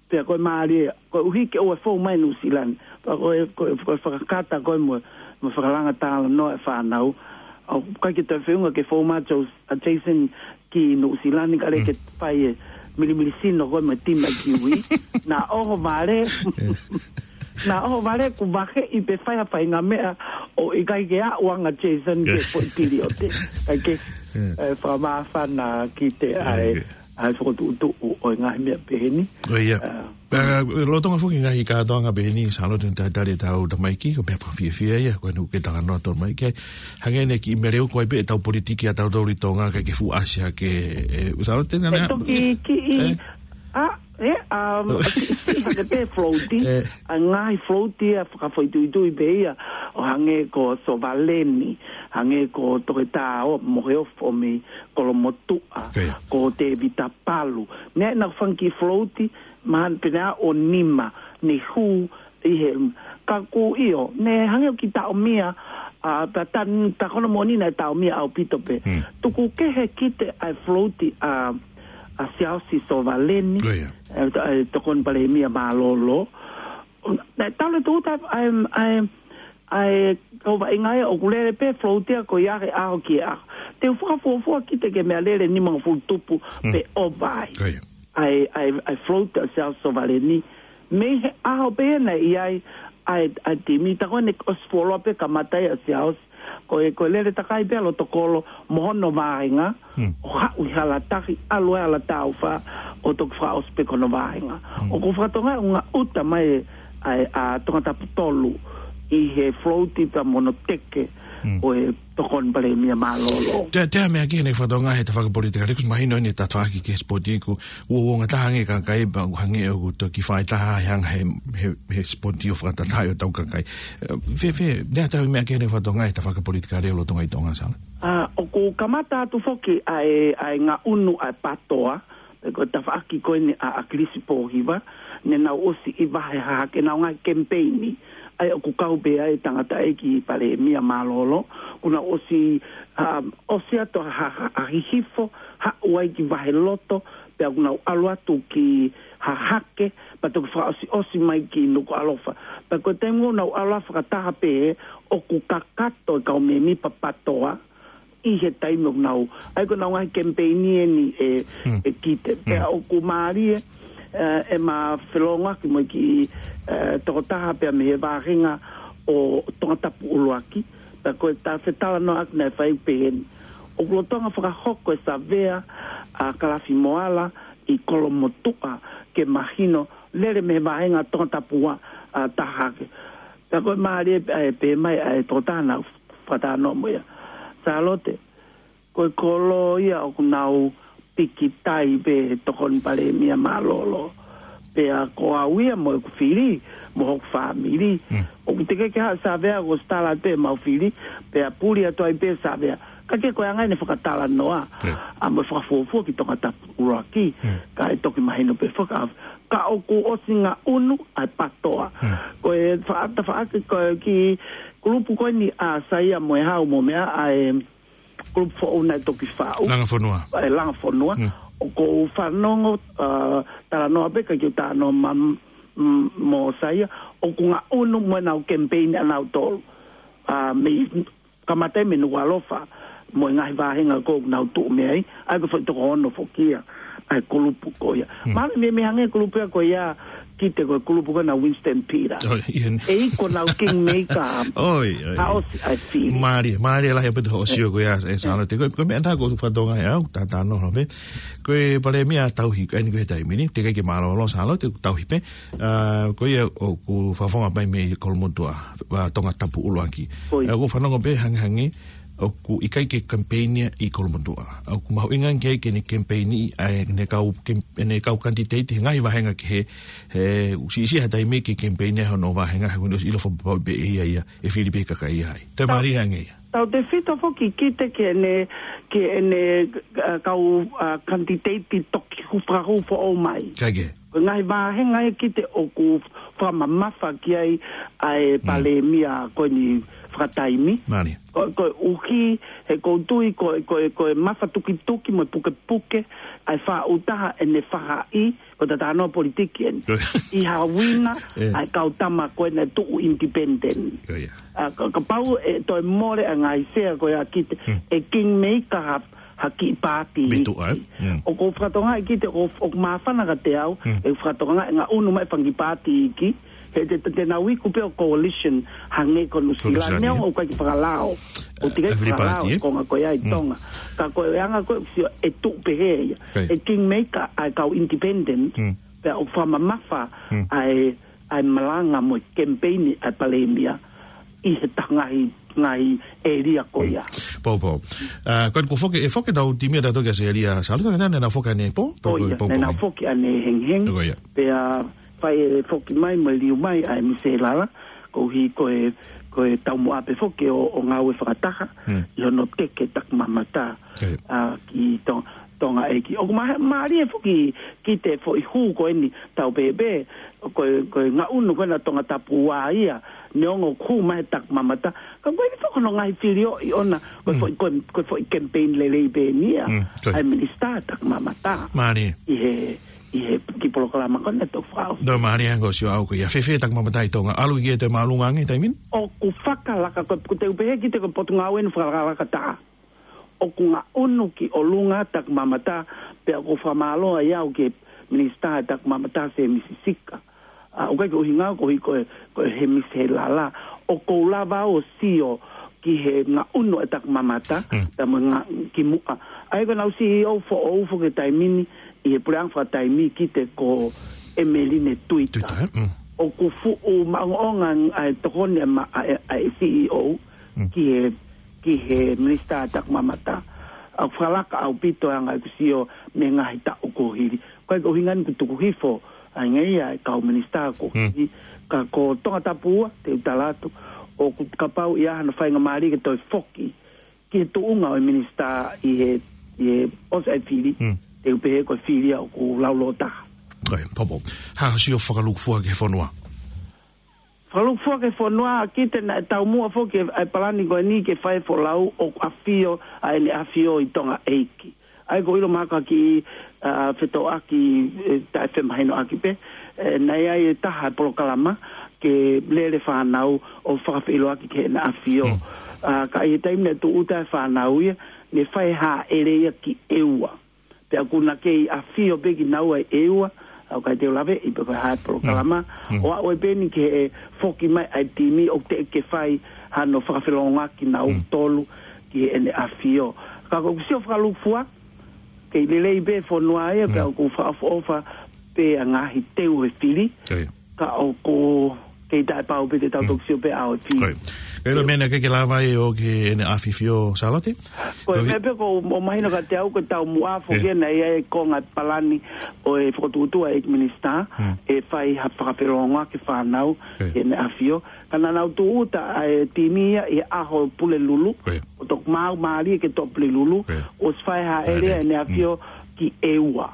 Pea ko e mālie, koeʻuhi ke ʻoua ʻe fou mai Nuʻusila ni. Pea ko e, ko e, ko e fakakata ko ē mo, mo fakalanga talanoa e fānau. ʻOku ʻikai ke toe feʻunga ke fou mai Jos-, ʻa Jason ki Nuʻusila ni ka lele ke fai e milimili sino ko ē mo e tima kiwi. Naʻa ʻohovale, naʻa ʻohovale kuo vaheʻi pē fai ha faʻahinga meʻa ʻo ʻikai ke aʻu ange Jason ke foʻi piliote. ʻIkai ke, ʻe, fakamāfana kiate au ʻa e fokotuʻutuʻu ʻo e ngaahi meʻa pehē ni. ʻIo. ʻA, Pea, lolotonga foki ngaahi kātoanga pehē ni, Sālote, ne talitali ʻetau tamaiki, ko e meʻa fakafiefia ia, ko eni ʻoku ke talanoa atu mai ki ai. Hangē ne kiʻi meleu ko ē pē ʻetau politiki ʻa tautolu ʻi Tonga, ʻikai ke fuʻu ʻasi hake, ʻe, Sālote, naʻa Pea ne toki kiʻi, ʻe? ʻA, ʻe, um, kiʻi, kiʻi hake pē float, ʻe, ʻa e ngaahi float ia fakafoʻituitui pē ia, ʻo hangē ko Sovaleni, hangē ko Toketā ʻo Moheofo mei Kolomotuʻa, Ko ia. ko Tēvita Palu. Naʻa nau fanga kiʻi float, mahalo pē naʻe ʻo nima, ne hū ʻi he, ka ʻoku ʻio, ne hangē ʻoku taʻomia, ʻa, ta, ta, ta kono moni naʻe taʻomia ʻaupito pē. Hmm. Tuku kehe kiate au ʻa e float ʻa, ʻa Siaosi Sovaleni, Ko ia. ʻe, ta, ʻe, Tokoni Palēmia Mālōlō. Naʻe tau le tūta ʻa e, ʻa e, ʻa e kau vaʻinga ia ʻoku lele pē float ia ko ia he ʻaho ki he ʻaho. Te u fakafuofua kiate ke meʻalele nimangofulu tupu Hmm. pe ʻova ai. Ko ia. ʻA e, ʻa e, ʻa e float ʻa Siaosi Sovaleni. Mei he ʻaho pē ia naʻe ʻi ai ʻa e, ʻa e timi, tā ko ē ne ʻosi fuoloa pē kamata ai ʻa Siaosi. Ko e, ko e lele takai pē ʻa Lotokolo mo hono vāhenga, Hmm. ʻo haʻu ʻi Halatahi, ʻalu ai ʻa Halataufa, ʻo toki fakaʻosi pē ko hono vāhenga. Hmm. ʻOku ou fakatokangaʻi ʻoku ngaʻuta mai ʻa e, ʻa Tongatapu tolu ʻi he float pea mo hono teke Hmm. ʻo e Tokoni Palēmia Mālōlō. Te, te meʻa ki heʻene fakatokangaʻi he tafaʻaki politikale, kuo mahino ʻene tafaʻaki ki he sipoti, kuo uouongataha ange e kakai pea ʻoku hangē ʻoku toki fai taha he anga he, he, he sipoti ʻo fakatataʻi ʻo tau kakai. ʻE, fēfē, naʻa tau meʻa ki heʻene fakatokangaʻi he tafaʻaki politikale lolotonga ʻi Tonga, Sālote? ʻA, ʻoku kamata atu foki ʻa e, ʻa e ngaʻunu ʻa e PATOA, pe ko e tafaʻaki ko eni ʻa, ʻa ʻAkilisi Pōhiva, ne nau ʻosi ʻi vahe hahake ʻenau ngaahi kemipeini. ʻA ia ʻoku kau pē ai e tangataʻeiki palēmia mālōlō, kuo nau ʻosi, ʻa, ʻosi atu ha, ha, ha hihifo, haʻu ai ki Vaheloto, pea kuo nau ʻalu atu ki Hahake, pea toki fakaʻosiʻosi mai ki Nukuʻalofa. Pea ko e taimi ʻoku nau ʻalu ai fakataha pē, ʻoku kakato e kau mēmipa PATOA, ʻi he taimi ʻoku nau, ʻa ia ko ʻenau ngaahi kemipeini eni ʻe, Hmm. ʻe Kite. Pea Hmm. ʻoku mālie, ʻe, ʻema felōngoaki mo e kiʻi, ʻe, tokotaha pea mei he vāhenga ʻo Tongatapu ʻUluaki. Pea ko e ta fetalanoaʻaki naʻe fai pehē ni. ʻOku lolotonga fakahoko e savea ʻa Kalafi Moala ʻi Kolomotuʻa ke mahino lele mei he vāhenga Tongatapu ua ʻa Tahake. Pea ko e mālie pē, ʻa e pehē mai ʻa e tokotaha naʻa ku fakatalanoa mo ia. Sālote, ko e kolo ia ʻoku nau pikitai pē he Tokoni Palēmia mālōlō. Pea ko au ia mo ʻeku fili, mo hoku fāmili. Hmm. ʻOku teʻeki ke ha savea ko stala pē mau fili, pea puli atu ai pē savea. Ka ke ko e anga ʻene fakatalanoa, Hmm. ʻa mo e fakafuofua ki Tongatapu ʻUluaki, Hmm. ka ʻe toki mahino pē faka-, ka ʻoku ʻosi ngaʻunu ʻa e PATOA. Hmm. Ko e fa-, tafaʻaki ko e kiʻi kulupu ko eni ʻa Saia mo e Hau mo meʻa ʻa e kulupu foʻou naʻe toki faʻu. Langa Fonua. ʻE Langa Fonua. Hmm. ʻOku ou fanongo, ʻa, talanoa pē ka kiu talanoa ma-, m-, mo Saia, ʻoku ngaʻunu mo ʻenau kemipeini ʻanautolu. ʻA, mei kamata mei Nukuʻalofa, mo e ngaahi vāhenga ko ē ʻoku nau tuʻu mei ai, ʻa ia ko e foʻi toko ono foki ia, ʻa e kulupu ko ia. Hmm. Mahalo mei, mei hangē kulupu ia ko ia, Kite, ko e kulupu ko ena ʻo Winston Peters. ʻOi, ʻio. ʻE ʻi ai ko ʻenau kingmaker. ʻOi, ʻoi. ʻA ʻosi, ʻa e fili. Mālie, mālie lahi ʻaupito hoʻo sio ko ia, ʻe Sālote. Ko e, ko e meʻa ʻe taha ʻoku ou fakatokangaʻi au, ta, ta no, no, pe. Ko e palēmia tauhi, ʻa eni ko e taimi ni, teʻeki ke mālōlō Sālote, tauhi pē. ʻA, ko ia ʻoku fakafofonga mai mei Kolomotuʻa, ʻa Tongatapu ʻUluaki. ʻOi. ʻA, ʻoku ou fanongo pē hangehangē, ʻoku ʻikai ke kemipeini ia ʻi Kolomotuʻa. ʻOku mahuʻinga ange ke ne kemipeini, ʻa ʻene kau kem-, ʻene kau kanititeiti he ngaahi vāhenga kehe, he ʻoku siʻisiʻi ha taimi ke kemipeini ia hono vāhenga, he kuo ne ʻosi ʻilo fakapapau pē ʻe ia ia, ʻe fili pē kakai ia ai. Toe Tau mālie ange ia. Tautefito foki Kite ki heʻene, ki heʻene, ʻa, kau, ʻa, kanititeiti toki hū fakahū foʻou mai. Kae kehe. Ko e ngaahi vāhenga ia Kite ʻoku fakamamafa ki ai ʻa e palēmia ko eni fakataimi. Mālie. Ko, koeʻuhi, he ʻoku ou tui, ko, ko, ko e mafatukituki mo e pukepuke, ʻa e faʻu taha ʻene faʻahi, ko e tatanoa politiki eni. ʻI ha uina, ʻa e kau tama ko ena ʻe tuʻu independent. ʻA, ka, kapau ʻe toe mole ʻa e ngaahi sea ko ia ki te, ʻe kingmaker ha, ha kiʻi pāti. ʻOku ou fakatokangaʻi ki te, ʻoku, ʻoku māfana ka te au, ʻe fakatokangaʻi ngaʻunu mai fanga kiʻi pāti ki, he te, te, te nau iku pē ʻo coalition, hangē ko Nuʻusila, neongo ʻoku ʻikai ke fakalao. ʻOku teʻeki fakalao, ko e konga ko ia ʻi Tonga. Ka ko e anga ko ē, sio ʻe tuʻu pehē ia. ʻE kingmaker ʻa e kau independent, pea ʻoku fakamamafa ʻa e, ʻa e malanga mo e kemipeini ʻa e palēmia ʻi he taha ngaahi, ngaahi ʻēlia ko ia. Poupou. ʻA, ko eni kuo foki, ʻe foki ʻetau timi ʻatautolu kia Selia Sālote, ka naʻa nau foki ʻanepō, ʻo ia, naʻa nau foki ʻanehengihengi. Pea fai e foki mai mo e liu mai ʻa e Misi Lala, koeʻuhi ko e, ko e taumuʻa pē foki ʻo, ʻo ngāue fakataha, ʻi hono teke takimamata, ʻa, ki Tong-, Tonga ʻEiki. ʻOku ma-, mālie foki ki te foʻi hū ko eni tau pehē pē, ko e, ko e ngaʻunu ko ena Tongatapu ua ia, neongo ʻoku hū mai he takimamata, ka ko eni foki hono ngaahi filioʻi ʻona, ko e foʻi, ko e, ko e foʻi campaign lelei pē eni ia, ʻa e minisitā takimamata. Mālie. ʻI he, ʻi he kiʻi polokalama ko ena ʻoku fau. Mālie ange ʻo sio au ko ia fēfē takimamata ʻi Tonga, ʻalu ki he toe māʻolunga ange he taimi ni? ʻOku fakalaka, ko, ko te u pehē ki te ko e potungāue eni fakalakalaka taha. ʻOku ngaʻunu ki ʻolunga takimamata, pea ʻoku ou fakamālō ai au ki he minisitā takimamata Sēmisi Sika. ʻA, ʻoku ʻikai ke ʻuhinga au koeʻuhi ko e, ko e he Misi Lala. ʻOku ou lava ʻo sio ki he ngaʻunu ʻa e takimamata, pea mo e ngā-, kimuʻa. ʻA ia ko ʻenau CEO foʻou foki he taimi ni, ʻi he puleʻanga fakataimi ki te ko ʻEmeline Tuita. ʻOku fuʻu maʻongoʻonga ʻa e tokoni ʻa e ma-, ʻa e, ʻa e CEO ki he, ki he minisitā takimamata. ʻOku fakalaka ʻaupito ʻa e anga ʻeku sio mei he ngaahi taʻu kuo hili. ʻOku ʻikai ke ʻuhinga eni ʻoku tuku hifo ʻa e ngeia ʻa e kau minisitā kuo hili. Ka ko Tongatapu ua, te u tala atu, ʻoku kapau ʻe ʻi ai hano faingamālie ke toe foki ki he tuʻunga ʻo e minisitā ʻi he, ʻi he ʻosi ʻa e fili, te u pehē ko e fili ia ʻoku laulōtaha. Ko ia, Poupou. Hā hoʻo sio fakalūkufua ki he fonua? Fakalūkufua ki he fonua, ki te naʻe taumuʻa foki ʻa e palani ko eni ke fai e folau ʻoku ʻafio, ʻa ʻEne ʻAfio ʻi Tonga ʻEiki. ʻA ia ko e ʻilo mahalo ki, ʻa, fetōʻaki, ʻe, taʻefemahinoʻaki pē, ʻe, naʻe ʻi ai e taha polokalama ke lele fānau ʻo fakafeʻiloaki ki heʻene ʻafio. ʻA, ka ʻi he taimi naʻe tūʻuta ai e fānau ia, ne fai e hāʻele ia ki ʻEua. Pea ʻoku na kei ʻafio pē kinaua ʻi ʻEua, ʻa, ʻoku ʻikai te u laveʻi pe ko e hā e polokalama, ʻo aʻu ai pē eni ki he foki mai ʻa e timi ʻoku teʻeki ke fai hano fakafelongoaki kinautolu ki heʻene ʻafio. Ka ko ʻeku sio fakalūkufua, kei lelei pē fonua ia, pea ʻoku fakaʻofoʻofa pē ʻa e ngaahi teu he fili, ka ʻoku kei taʻepau pē te tau toki sio pē ʻa e fili. Ko ia. Ka ʻilo meʻa naʻe ʻikai ke lava ai ʻo ki heʻene ʻafifio Sālote? Ko e meʻa pē ʻoku ou mahino kiate au ko e taumuʻa foki ena ia e konga palani ʻo e fokotuʻutuʻu ʻa e ʻEiki Minisitā, ʻe fai ha fakafelongoaki e fānau ki heʻene ʻafio. Ka naʻa nau tūʻuta ʻa e timi ia ʻi he ʻaho Pulelulu, ʻo toki maau mālie ke toʻo Pulelulu, ʻosi fai e hāʻele ʻa ʻEne ʻAfio ki ʻEua.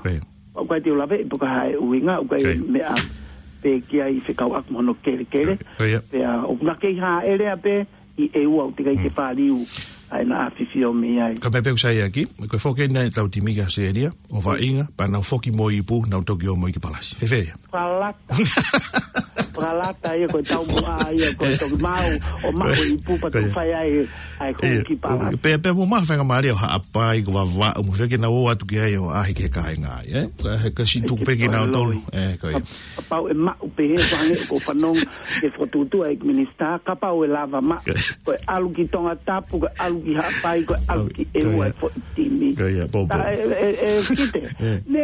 ʻOku ʻikai te u laveʻi pe ko e hā e ʻuhinga, ʻoku ʻikai meʻa pē ki ai fekauʻaki mo hono kelekele. Pea ʻoku na kei hāʻele pē ʻi ʻEua, ʻoku teʻeki ai ke fāliu ʻa ʻEna ʻAfifio mei ai. Ka meʻa pē ʻoku sai ʻaki, ko e foki eni ʻetau timi ki ʻAositelēlia, ʻo vaʻinga, pea nau foki mo e ipu, nau toki ō mo ia ki Palasi. Fēfē ia? Fakalata. Fakalata ia ko e taumuʻa ia ko e toki maau, ʻo maʻu e ipu pea toki fai ai ʻa e hū ki Palasi. Pea, pea mo e faingamālie ʻo Haʻapai ko Vavaʻu, mo e fēfē ke nau ō atu ki ai ʻo ʻaʻahi ki he kāinga ai, ē? Ka he ka siʻi tuku pē kinautolu, ē, ko ia. Kapau ʻe maʻu pē he fanga ʻoku fanongo ki he fokotuʻutuʻu ʻa e ʻEiki Minisitā, kapau ʻe lava maʻu, ko e ʻalu ki Tongatapu, ko e ʻalu ki Haʻapai, ko e ʻalu ki ʻEua e foʻi timi. Ko ia, Poupou. Ka ʻe, ʻe, ʻe, Kite. Ne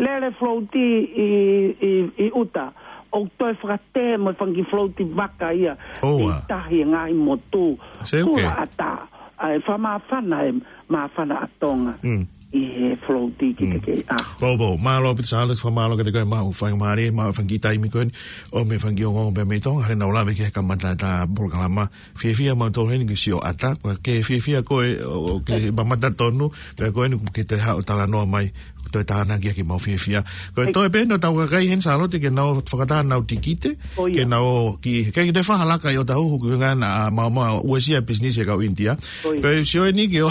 lele float ʻi, ʻi, ʻi ʻuta, ʻo toe fakatē mo e fanga kiʻi float vaka ia, ʻi tahi e ngaahi motu. Kula ʻatā. ʻA e fakamāfana e māfana ʻa Tonga ʻi he float ki he kei ʻaho. Poupou, mālō ʻaupito Sālote, fakamālō kiate koe maʻu faingamālie, maʻu fanga kiʻi taimi ko eni, ʻo mei he fanga kiʻi ongoongo pea mei Tonga, he naʻa ku lave ki he kamata ʻeta polokalama. Fiefia mautolu heni ke sio ʻatā, ko e ke fiefia koe, ʻo, ʻo ke mamata tonu, pea ko eni ke toe haʻu ʻo talanoa mai, toe tānaki ʻaki ʻemau fiefia. Ko e toe pē ʻenau tau kakai heni Sālote ke nau fakataha ʻenau tikite, ke nau ki, ke, ke te fakalaka ʻi ʻOtahuhu ki he ngana a mau mau uesia pisinisi ʻa e kau ʻInitia. Ko e sio eni ke ʻo,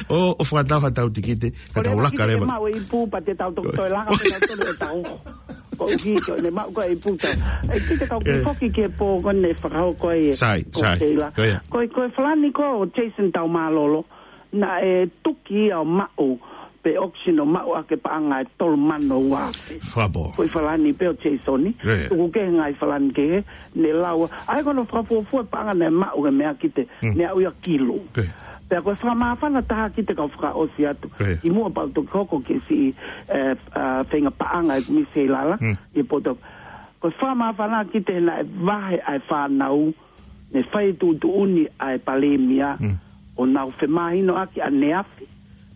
ʻo, ʻo fakataha ʻetau tikite, ka tau laka leva. Mau e ipu, pea te tau toki toe laka pē ʻo tau ʻOtahuhu. Ko e hiki, ne mau ko e ipu tau. ʻE kite kau ki foki ke pō ko ne fakahoko e. Sai, sai. Ko e, ko e Falani ko Jason Taumālolo. Naʻe tuki ia ʻo maʻu, pe auction ʻo maʻu ʻaki e paʻanga ʻe tolu mano ua afe. Fakapō. Ko e Falani pē ʻo Jason. Tuku kehe ngaahi Falani kehe, ne lau. ʻA ia ko hono fakafuofua paʻanga naʻe maʻu he meʻa kite, ne aʻu ia kilu. Pea ko e fakamāfana taha kite kau fakaʻosi atu. ʻI muʻa pea u toki hoko ki he siʻi, ē, ā, feinga paʻanga ʻeku misi ʻi lalo, ʻi he poto. Ko e fakamāfana kite naʻe vahe ʻa e fānau, ne fai tuʻutuʻuni ʻa e Palēmia, ʻo nau femahinoʻaki ʻaneafi,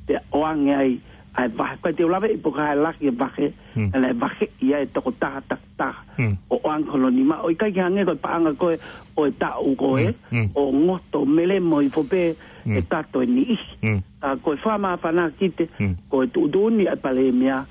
pea ʻoange ai ʻa e vahe. Ko e te u laveʻi pe ko e hā e lahi e vahe, naʻe vaheʻi ai e tokotaha takitaha, ʻo ʻoange hono nima, ʻo ʻikai ke hangē ko e paʻanga ko ē ʻo e taʻu ko ē, ʻo ngoto melemo hifo pē ʻe tato e niʻihi. Ka ko e fakamāfana kite, ko e tuʻutuʻuni ʻa e Palēmia,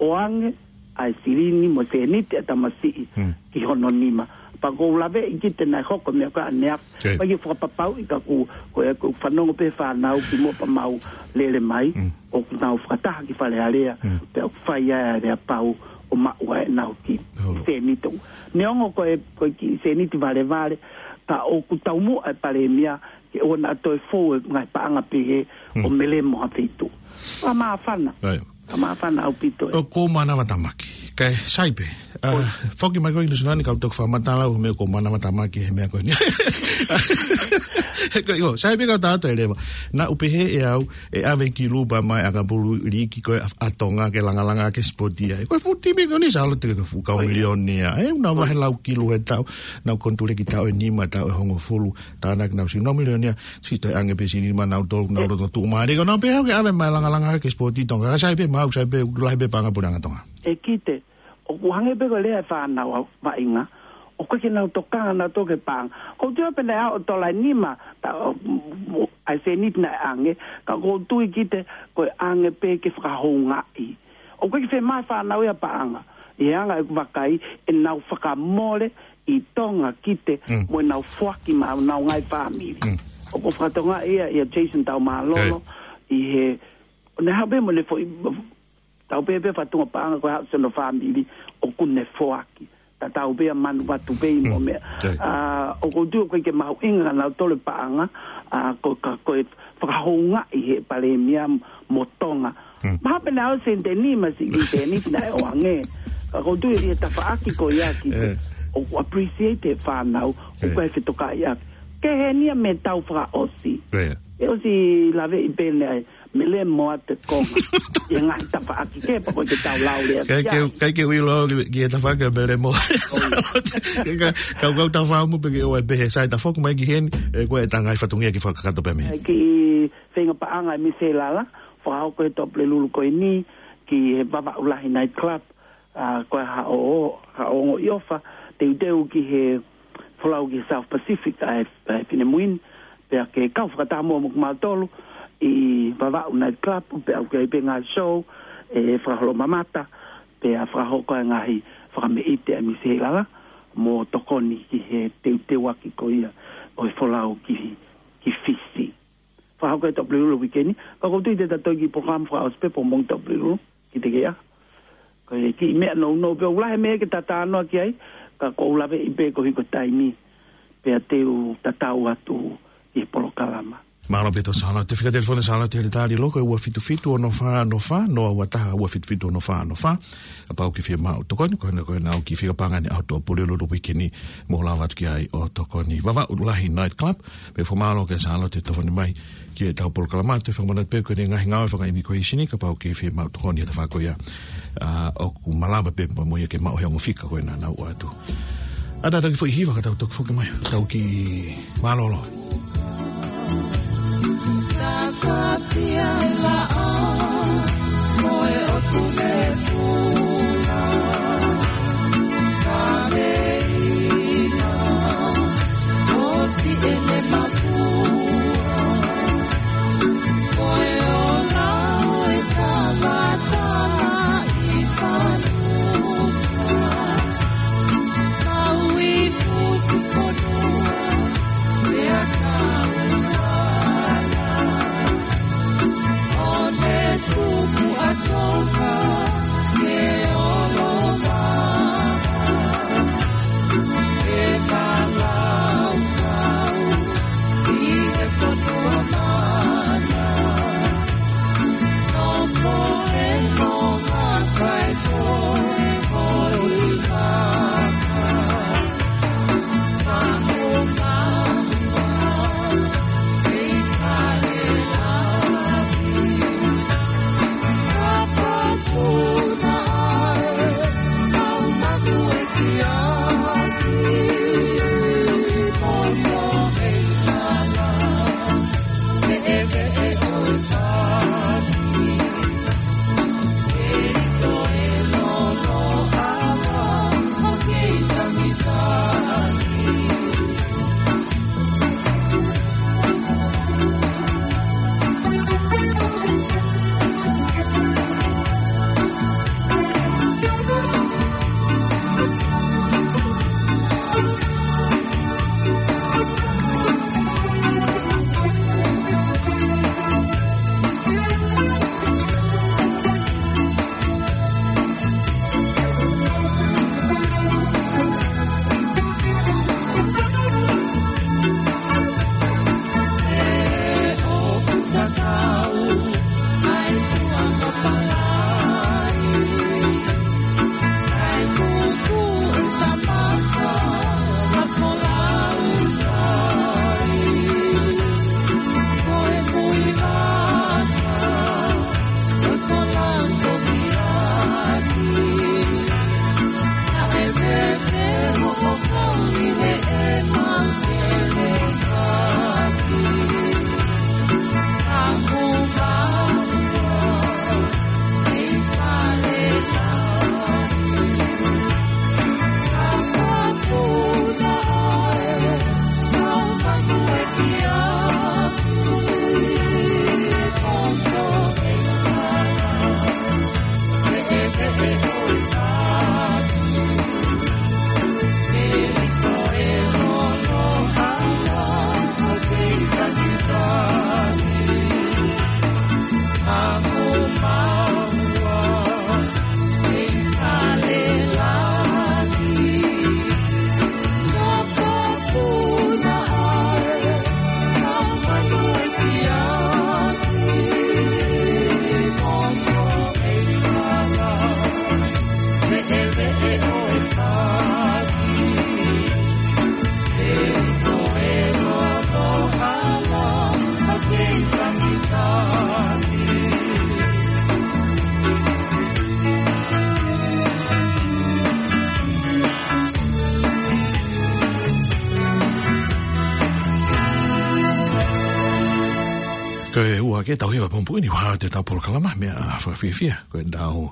ʻoange ʻa e silini mo e sēniti ʻa e tamasiʻi ki hono nima. Pea ʻoku ou laveʻi kite naʻe hoko e meʻa ko ē ʻaneafi. Pea ʻikai ke fakapapauʻi ka ʻoku, ko e, ʻoku fanongo pē fānau ki muʻa pea mau lele mai, ʻoku nau fakataha ki Fale Alea, pea ʻoku fai ai ʻa e aleapau ʻo maʻu ai ʻenau kiʻi sēniti. Neongo ko e, ko e kiʻi sēniti valevale, ka ʻoku taumuʻa e Palēmia, ke ʻoua naʻa toe fou e ngaahi paʻanga pehē ʻo melemo ha feituʻu. Fakamāfana. Fakamāfana ʻaupito ē. ʻOku ou mānava tamaki. Kae sai pē. Ā, foki mai ko ē ki Nuʻusila ni kau toki fakamatala ʻo meʻa ʻoku ou mānava tamaki he meʻa ko eni. Ko ʻio, sai pē kau tātou e leva. Naʻa ku pehē ʻe au, ʻe ʻave ki Lupa mai ʻakapulu liiki ko ē ʻa, ʻa Tonga ke langalanga ke sipoti ai. Ko e fuʻu timi ko eni Sālote ko e fuʻu kau milionia. ʻE, ʻoku nau vahe lau kilu he taʻu, nau konituleki taʻu ʻe nima, taʻu ʻe hongofulu. Tānaki nau siʻi nau milionia, siʻi toe ʻange pē siʻi nima nau tolu, nau loto tuʻumālie. Ko nau pē hau ke ʻave mai langalanga ke sipoti Tonga. Ka sai pē mau, sai pē, lahi pē paʻanga puleʻanga Tonga. ʻE kite, ʻoku hangē pē ko e lea e fānau ʻa vaʻinga. ʻOku ʻikai ke nau tokanga nautolu ki he paʻanga. ʻOku ou tui pē naʻe ʻalu ʻo tola ʻe nima, ta, ʻo, ʻo, ʻa e sēniti naʻe ʻange, ka ʻoku ou tui kite ko e ʻange pē ke fakahoungaʻi. ʻOku ʻikai ke fiemaʻu e fānau ia paʻanga. ʻI he anga ʻeku vakai, ʻenau fakamole ʻi Tonga kite mo ʻenau foaki maʻa honau ngaahi fāmili. ʻOku ou fakatokangaʻi ia, ʻia Jason Taumālolo, ʻi he, ʻo ne haʻu pē mo ʻene foʻi, tau pehē pē fakatunga paʻanga ko e haʻu siʻono fāmili, ʻoku ne foaki. Tatau pē ia Manuvatu pē mo meʻa. Ā, ʻoku ou tui ʻoku ʻikai ke mahuʻinga kia nautolu e paʻanga, ā, ko, ka, ko e fakahoungaʻi he Palēmia mo Tonga. Mahalo pē naʻe ʻosi ʻe nima siʻi kiʻi sēniti naʻe ʻoange. Ka ʻoku ou tui ʻi he tafaʻaki ko ia kite, ʻoku appreciate e fānau, ʻoku ʻikai fetokaʻi ʻaki. Ke heni ia mei he taʻu fakaʻosi. ʻE ʻosi laveʻi pē naʻe melemo atu e konga. ʻI he ngaahi tafaʻaki kehe pea ʻoku ʻikai ke tau lau lea ki ai. Kae ke u ʻilo ki, ki he tafaʻaki melemo. Ka, ka, kau tau fakaʻamu pē ke ʻoua ʻe pehē sai ta foki mai ki heni, ʻe ko e ta ngaahi fatongia ke fakakakato pē mei heni. Kiʻi feinga paʻanga ʻe Misi Lala, fakahoko he Tuʻapulelulu ko eni, ki he Vavaʻu Lahi Night Club, ā, ko e haʻo, haʻo ongoʻi ʻofa, teuteu ki he folau ki he South Pacific, ʻa e, ʻa e finemui ni, pea ke kau fakataha mo kimautolu ʻi Vavaʻu Night Club, pea ʻoku ʻi ai pē ngaahi show, ʻe fakaholo mamata, pea fakahoko e ngaahi fakameʻite ʻa Misi Lala, mo tokoni ki he teuteuaki ko ia ʻo e folau ki, ki Fisi. Fakahoko he Tuʻapulelulu uike ni, ka ʻoku ou tui te ta toe kiʻi polokalama fakaʻosi pē pea mo e Tuʻapulelulu, ki te kea. Ko e kiʻi meʻa nounou pē ʻoku lahi e meʻa ke ta talanoa ki ai, ka ʻoku ou laveʻi pē koeʻuhi ko e taimi, pea te u tatau atu ki he polokalama. Mālō pē ʻaupito Sālote, fika telefoni Sālote he lētali loko ʻe ua fitu fitu ono fā ono fā, noa ua taha ua fitu fitu ono fā ono fā. Kapau ʻoku ke fiemaʻu tokoni, ko ena ko ena ʻoku ke fika paʻanga ʻi he ʻaho Tuʻapulelulu uike ni, mo lava atu ki ai ʻo tokoni. Vavaʻu Lahi Night Club, pea fakamālō kia Sālote tofoni mai ki heʻetau polokalama, te u fakamanatu pē ko e ngaahi ngāue fakaimigirēsini, kapau ʻoku ke fiemaʻu tokoni ʻi he tafaʻaki ko ia. Ā, ʻoku malava pē mo ia ke maʻu he ongo fika ko ena naʻa nau ʻoatu. ʻA ia ta toki foʻi hiva ka tau toki foki mai. Tau kiʻi mālōlō. Ko ia ke tau hiva pongipongi ni, ʻoku hā atu ʻetau polokalama Meʻa Fakafiefia. Ko ʻetau,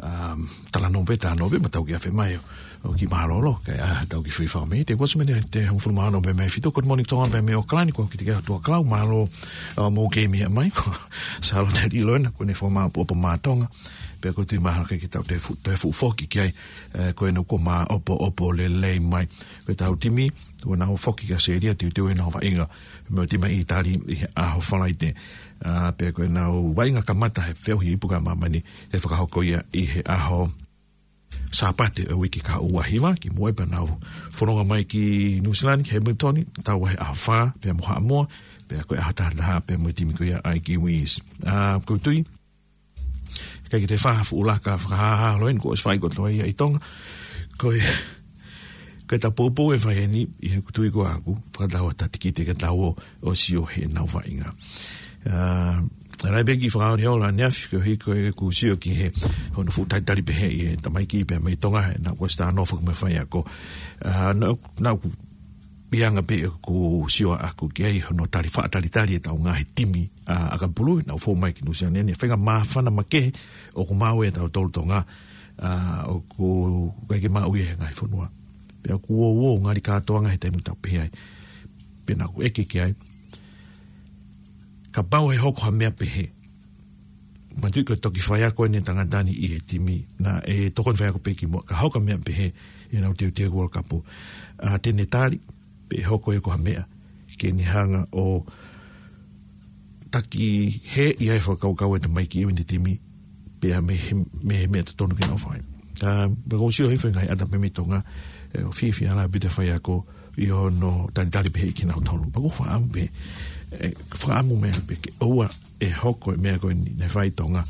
um, talanoa pē, talanoa pē, mo tau kiʻi afe mai ʻo, ʻo kiʻi mālōlō, kae ʻatā ʻetau kiʻi foʻi fakameʻite. Kuo ʻosi mei he hongofulu mā ono pē mei he fitu. Good morning Tonga pē mei ʻAokalani, ko au Kitikeha Tuʻakalau, mālō, uh, hoʻomou kei meʻa mai, ko Sālote Liloena, ko ʻene fakamāʻopoʻopo mā Tonga. Pea ʻoku ou tui mahalo ʻikai ke tau toe fuʻu, toe fuʻu foki ki ai, eh, ko ʻenau kuo māʻopoʻopo lelei mai. Ko ʻetau timi, ʻoku nau foki ki ʻAositelēlia, teuteu ʻenau vaʻinga mo e timi ʻa ʻĪtali ʻi he ʻaho Falaite. Ah, pea ko ʻenau vaʻinga kamata he feohi ipu ki māmani, ʻe fakahoko ia ʻi he ʻaho Sāpate ʻo e uike kahaʻu ua hiva, kimuʻa pea nau fononga mai ki Nuʻu Sila ni, ki Hamilton, taua he ʻaho fā pea mo Haʻamoa, pea ko e ʻaho taha taha pea mo e timi ko ia ʻa e Kiwis. Ah, ʻoku ou tui ʻikai ke toe fai ha fuʻu laka fakahāhā holo eni, kuo ʻosi fai kotoa ia ʻi Tonga. Ko e, ko ʻetau poupou ʻe fai eni, ʻi heʻeku tui ko ʻaku, fakatau ʻa e tikite ke tau ō ʻo sio heʻenau vaʻinga. Ah, ʻa ia pē kiʻi fakaoli holo ʻaneafi, koeʻuhi ko ʻeku sio ki he, hono fuʻu talitali pehē ʻe he tamaiki pea mei Tonga, he naʻa ku ʻosi talanoa foki mo e faiako. Ah, naʻa, naʻa ku ʻi he anga pē ʻeku sio ʻaʻaku ki ai hono tali, faʻa talitali ʻetau ngaahi timi, ah, ʻakapulu, naʻa nau fou mai ki Nuʻu Sila ni, faʻahinga māfana makehe ʻoku maʻu ʻe tautolu Tonga, ah, ʻoku ʻikai ke maʻu ia he ngaahi fonua. Pea ʻoku ou, ou ngali kātoanga he taimi ʻoku tau pehē ai. Pea naʻa ku ʻeke ki ai. Kapau ʻe hoko ha meʻa pehē. Manatuʻi ko e toki faiako eni ʻa e tangata ni ʻi he timi. Naʻe tokoni faiako pē kimuʻa. Ka hoko ha meʻa pehē ʻi heʻenau teuteu ki he World Cup. Ah, te ne tali, pe ʻe hoko ia ko ha meʻa ke ne hanga ʻo taki hē ʻa e fakakaukau ʻa e tamaiki ʻi he timi, pea mei he, mei he meʻa totonu ke nau fai. Ah, pea ʻoku ou sio hifo he ngaahi ʻata pē mei Tonga, eh, ʻoku fiefia lahi ʻaupito e faiako ʻi hono talitali pehē kinautolu. Pea ʻoku ou fakaʻamu pē, eh, fakaʻamu meʻa pē ke ʻoua ʻe hoko e meʻa ko eni naʻe fai ʻi Tonga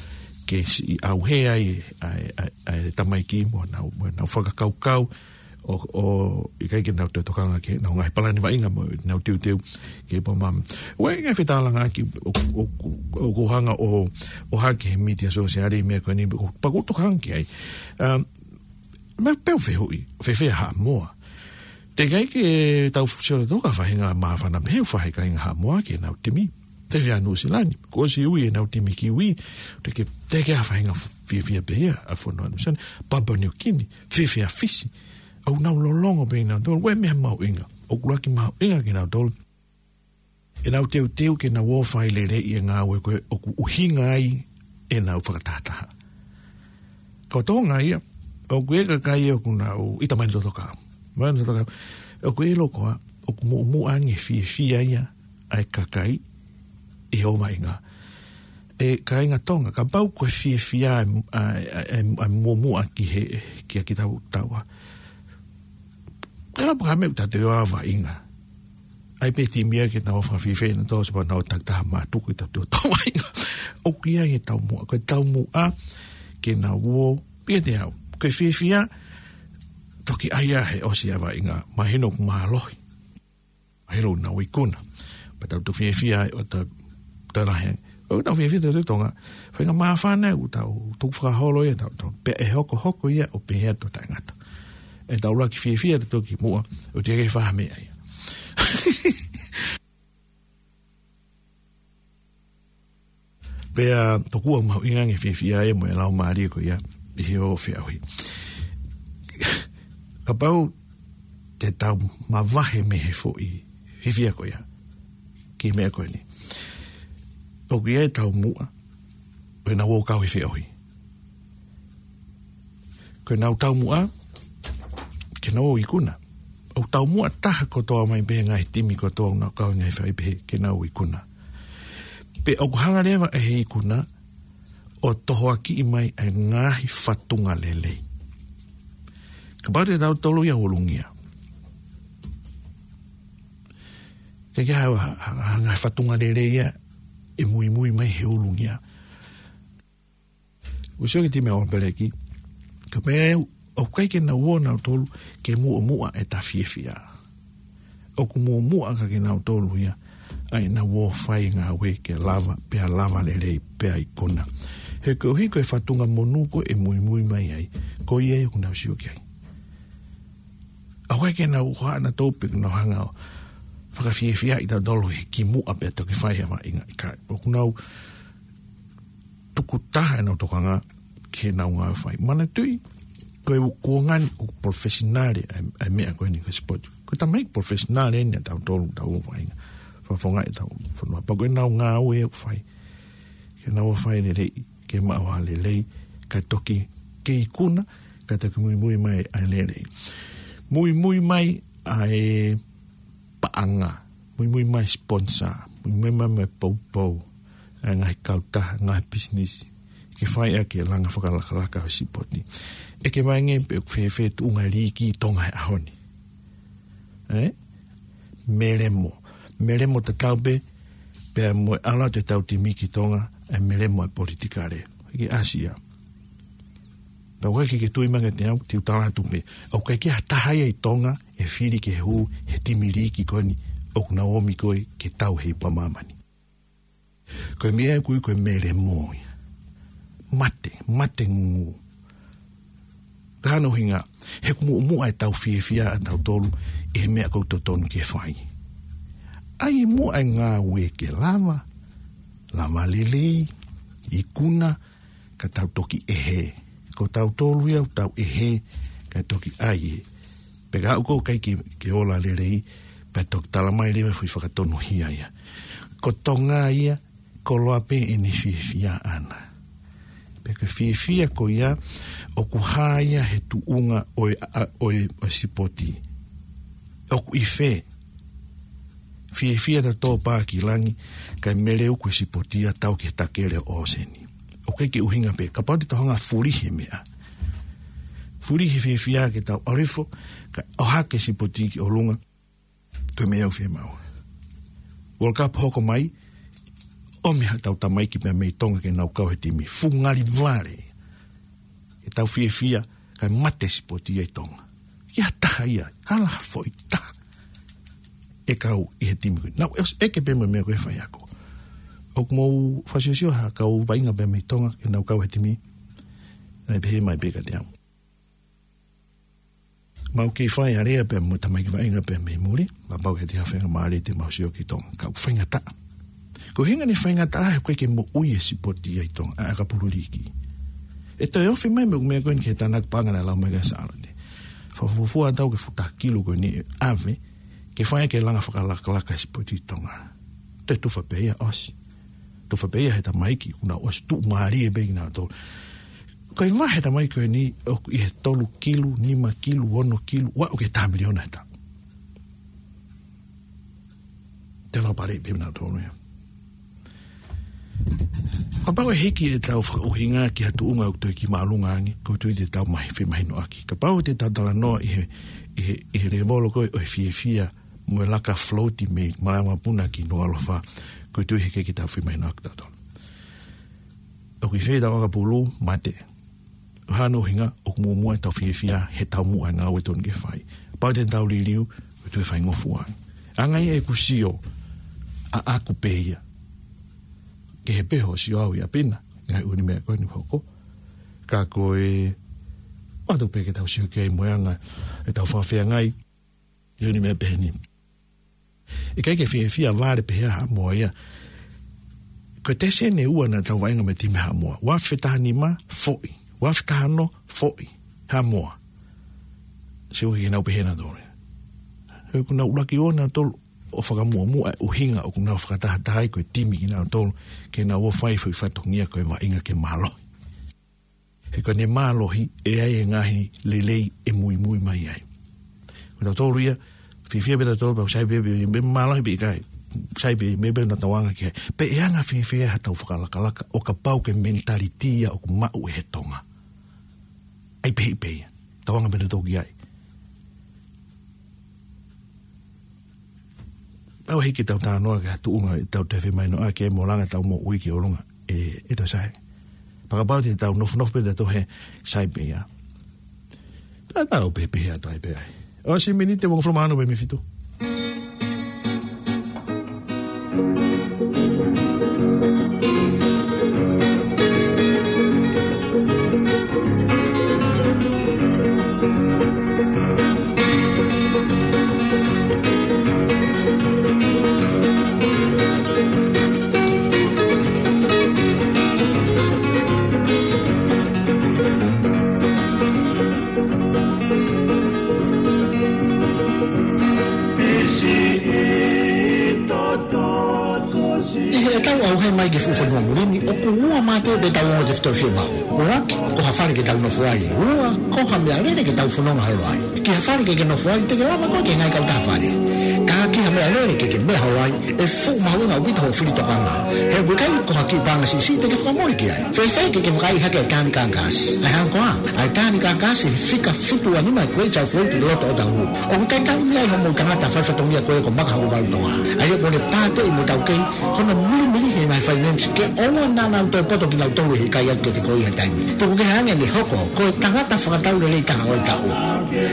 ke siʻi ʻauhē ai ʻa e, ʻa e, ʻa e tamaiki mo ʻenau, mo ʻenau fakakaukau ʻo, ʻo ʻikai ke nau toe tokanga ki heʻenau ngaahi palani vaʻinga mo ʻenau teuteu ki he pō mama. ʻOku ʻi ai e ngaahi fetalanoaʻaki ʻoku, ʻoku, ʻoku hanga ʻo, ʻo hake he mītia sōsiale e meʻa ko eni, pea ʻoku, pea ʻoku ou tokanga ki ai. Um, meʻa pē ʻoku fehuʻi, fēfē ʻa Haʻamoa? Teʻeki ai ke tau sio atu ki ha faʻahinga māfana pehē ʻoku fai ʻe he kāinga Haʻamoa ki heʻenau timi. Fēfē ʻa Nuʻu Sila ni? Kuo ʻosi ui ʻenau timi Kiwi. Teʻeki, teʻeki ha faʻahinga fiefia pē ia ʻa e fonua Nuʻu Sila ni? Papua Niu Kini, fēfē ʻa Fisi? ʻOku nau lōloa pē ʻi heʻenau tolo, ko e meʻa mahuʻinga. ʻOku ʻuluaki mahuʻinga kinautolu ʻenau teuteu ke nau ō ʻo fai lelei e ngāue ko ē ʻoku ʻuhinga ai ʻenau fakatahataha. Ko Tonga ia, ʻoku ʻi ai e kakai ʻoku nau ʻita mai ʻene totokao. Mai ʻene totokao. ʻOku ʻilo koā, ʻoku muʻomuʻa ange fiefia ia ʻa e kakai ʻi hoʻo vaʻinga. ʻE kāinga Tonga, kapau ko e fiefia ʻa e, ʻa e, ʻa e, ʻa e muʻomuʻa ki he, kia kitautolu. Ka la paka me uta te ʻoua vaʻinga. ʻAi pē timi ia ke nau fakafiefia ʻenautolu, sepa nau takitaha mātuku ʻi tautolu ʻoua vaʻinga. ʻOku ʻi ai e taumuʻa, ko e taumuʻa ke nau ō, pea te au. Ko e fiefia, toki ʻai ia he ʻosi ʻa e vaʻinga, mahino ʻoku mālohi. Mahino ʻoku nau ikuna. Pea tau toki fiefia ai ʻo tau talahe. ʻOku tau fiefia tautolu Tonga. Faʻahinga māfana ʻoku tau tukufakaholo ia tautolu. Pea ʻe hokohoko ia ʻo pehē atu taʻengata. ʻE tau ʻuluaki fiefia tautolu kimuʻa, ʻoua te ke fai ha meʻa ia. Pea tokua mahuʻinga ange e fiefia ia mo e laumālie ko ia ʻi hoʻo feohi. Kapau te tau mavahe mei he foʻi fiefia ko ia ki he meʻa ko eni, ʻoku ʻi ai e taumuʻa ʻo ʻenau ō ʻo kau he feohi. Ko ʻenau taumuʻa ke nau ō ʻo ikuna. ʻOku taumuʻa taha kotoa mai pē he ngaahi timi kotoa ʻoku nau kau he ngaahi feohi pehē ke nau ikuna. Pea ʻoku hanga leva ʻe he ikuna ʻo tohoakiʻi mai ʻa e ngaahi fatunga lelei. Kapau te tautolu ia ʻo ulungia, ʻikai ke ʻi ai ha, ha, ha ngaahi fatunga lelei ia ʻe muimui mai he ulungia. ʻOku ou sio ki he timi ʻa ʻAopeleki, ko e meʻa ʻoku ʻikai ke nau ō nautolu ke muʻomuʻa ʻeta fiefia. ʻOku muʻomuʻa ʻaki kinautolu ia ʻa ʻenau ō ʻo fai e ngāue ke lava, pea lava lelei, pea ikuna. He koeʻuhi ko e fatunga monū ko ē ʻe muimui mai ai, ko ia ia ʻoku nau sio ki ai. ʻOku ʻikai ke nau hohaʻa nautolu pe ʻoku nau hanga ʻo fakafiefiaʻi tautolu he kimuʻa pea toki fai e vaʻinga. ʻIkai, ʻoku nau tukutaha ʻenau tokanga ki heʻenau ngāue fai. Manatuʻi, ko e kuonga ni ʻoku professional ʻa e, ʻa e meʻa ko eni ko e sipoti. Ko e tamaiki professional eni ʻa tautolu, tau vaʻinga. Fakafofongaʻi ʻetau fonua. Pea ko ʻenau ngāue ʻoku fai, ke nau fai lelei, ke maʻu ha lelei, kae toki kei ikuna, kae toki muimui mai ʻa e lelei. Muimui mai ʻa e paʻanga, muimui mai sponsor, muimui mai mo e poupou, ʻa e ngaahi kautaha, ngaahi pisinisi, ke fai ʻaki e langa fakalakalaka ʻo e sipoti. ʻEke mai ange pe ʻoku fēfē tuʻunga e liiki ʻi Tonga he ʻaho ni. Ē? Melemo. Melemo tatau pē, pea mo e ʻalu atu ʻetau timi ki Tonga, ʻe melemo e politikale. Ki ʻAsia. Pea ʻoku ʻikai ke ke tui mai kiate au, te u tala atu pē. ʻOku ʻikai ke ʻi ai ha taha ia ʻi Tonga ʻe fili ke hū he timi liiki ko eni ʻoku nau ō mai ko ē ke tau he ipu ʻa māmani. Ko e meʻa ʻoku ui ko e melemo ia. Mate, mate ngūngū. Ka hano hinga, he ʻoku muʻomuʻa ʻetau fiefia ʻa tautolu ʻi he meʻa ʻoku totonu ke fai. ʻAi muʻa e ngāue ke lava, lava lelei, ikuna, ka tau toki ʻehē. Ko tautolu ia ʻoku tau ʻehē, ka toki ʻai ē. Pea ka ʻoku ʻikai ke, ke ola lelei, pea toki tala mai leva e foʻi fakatonuhia ia. Ko Tonga ia, koloa pē ʻene fiefia ʻana. Pea ko e fiefia ko ia, ʻoku hā ia he tuʻunga ʻo e, ʻa, ʻo e, ʻo e sipoti. ʻOku ʻi fē, fiefia ʻa e tō pā ki langi, kae melemo ko e sipoti ia tau ki he takele ʻo ʻōseni. ʻOku ʻikai ke ʻuhinga pē, kapau te tau hanga fulihi e meʻa. Fulihi e fiefia ke tau ʻalu hifo, kae ʻohake e sipoti ki ʻolunga, ko e meʻa ʻoku fiemaʻu. World Cup hoko mai, ʻomi haʻatau tamaiki pea mei Tonga ke nau kau he timi. Fuʻu ngali vale. Ke tau fiefia, kae mate e sipoti ia ʻi Tonga. ʻIkai ha taha ia, hala ha foʻi taha ʻe kau ʻi he timi ko ē. Nau, ʻosi ʻeke pē mo e meʻa ko e faiako. ʻOku mou fakasiosio ha kau vaʻinga pea mei Tonga, ke nau kau he timi. Naʻe pehē mai pē kiate au. Mau kei fai alea pea mo e tamaiki vaʻinga pea mei muli, kapau ʻe ʻi ai ha faingamālie te mau sio ki Tonga. Ka ʻoku faingataʻa. Ko e ʻuhinga ʻene faingataʻa he ʻoku ʻikai ke moʻui e sipoti ia ʻi Tonga, ʻa e ʻakapulu liiki. ʻE toe ofi mai mo e meʻa ko eni ki he tānaki paʻanga naʻe lau mai kia Sālote. Fakafuofua ʻetau ke futa kilu ko eni ʻave, ke fai ke langa fakalakalaka e sipoti ʻi Tonga. Toe tufa pē ia ʻosi. Tufa pē ia he tamaiki, kuo nau ʻosi tuʻumālie pē kinautolu. Ko e vahe tamaiki ko eni, ʻoku ʻi he tolu kilu, nima kilu, ono kilu, ʻo aʻu ki he taha miliona he taʻu. Te fakapale pē nautolu ia. Kapau ʻe hiki ʻetau fakaʻuhinga ki ha tuʻunga ʻoku toe kiʻi māʻolunga ange, ʻoku ou tui te tau mahi femahinoʻaki. Kapau te tau talanoa ʻi he, ʻi he, ʻi he lēvolo ko ē ʻo e fiefia, mo e laka float mei Malaʻe Vakapuna ki Nukuʻalofa, ʻoku ou tui he ʻikai ke tau femahinoʻaki tautolu. ʻOku ʻi fē ʻetau ʻakapulu, mate. Hano hinga, ʻoku muʻomuʻa ʻetau fiefia, he taumuʻa e ngāue totonu ke fai. Kapau te tau liliu, ʻoku toe faingofua. Anga ia ʻeku sio, ʻaʻaku pē ia. Kehe pē hoʻo sio au ia Pina, ngaahi ʻū meʻa ko eni hoko. Ka ko e, ʻoatu pē ke tau sio ki ai mo e anga, ʻetau fakafeangai, ʻi he ʻū meʻa pehē ni. ʻIkai ke fiefia vale pehē ʻa Haʻamoa ia. Ko e tesene ua naʻa tau vaʻinga mo e timi Haʻamoa. Ua afe taha nima, foʻi. Ua afe taha ono, foʻi. Haʻamoa. Sio ki heʻenau pehē nautolu. He ʻoku nau ʻuluaki ō nautolu ʻo fakamuʻomuʻa e ʻuhinga ʻoku nau fakatahataha ai ko e timi kinautolu. Ke nau ō fai foʻi fatongia ko e vaʻinga ke mālohi. He ko ʻene mālohi, ʻe ʻi ai e ngaahi lelei ʻe muimui mai ai. Ko tautolu ia, fiefia pē tautolu, pea ʻoku sai pē, pē, pē mālohi pe ʻikai. Sai pē, meʻa pē naʻa tau anga ki ai. Pea ʻe anga fiefia haʻatau fakalakalaka, ʻo kapau ko e mentality ia ʻoku maʻu ʻe he Tonga. ʻAi pē, pē ia. Tau anga pē nautolu ki ai. Tau hiki ʻetau talanoa ki ha tuʻunga ʻetau toe femahinoʻaki mo langa ʻetau moʻui ki ʻolunga. ʻE, ʻe tau sai. Pea kapau te tau nofonofo pē tautolu he sai pē ia. Tau pehē pē ia, tau pehē ai. ʻOsi miniti ʻe hongofulu mā ono pē mei he fitu. ʻAi ke fuʻu fonua muli ni, ʻoku ua mā te pē tau ongo tefitoʻi fiemaʻu. ʻUluaki, ko ha fale ke tau nofo ai. Ua, ko ha meʻalele ke tau fononga holo ai. Ki ha fale ke ke nofo ai, te ke lava koe ke ngai kautaha fale. Ka ki ha meʻalele ke ke meʻa holo ai, ʻe fuʻu mahuʻinga ʻaupito hoʻo fili tokanga. He ʻoku ʻikai ko ha kiʻi paʻanga siʻisiʻi te ke fakamole ki ai. Fēfē ke ke vakaiʻi hake e tāni kākasi? ʻAi hangē ko ā, ʻa e tāni kākasi he fika fitu ua nima Great South Road ʻi loto ʻo Otahuhu. ʻOku talitali mei ai hoʻomou tangata faifatongia ko ē ko Maka Hokovalu Tonga. ʻA ia ʻoku ne pāteʻi mo tauhi hono milimili he ngaahi finance ke ʻoua naʻa nau toe poto kinautolu he ʻikai atu ke te ko ia taimi. Tuku kehe ange ʻene hoko ko e tangata fakatau lelei taha ʻo e taʻu.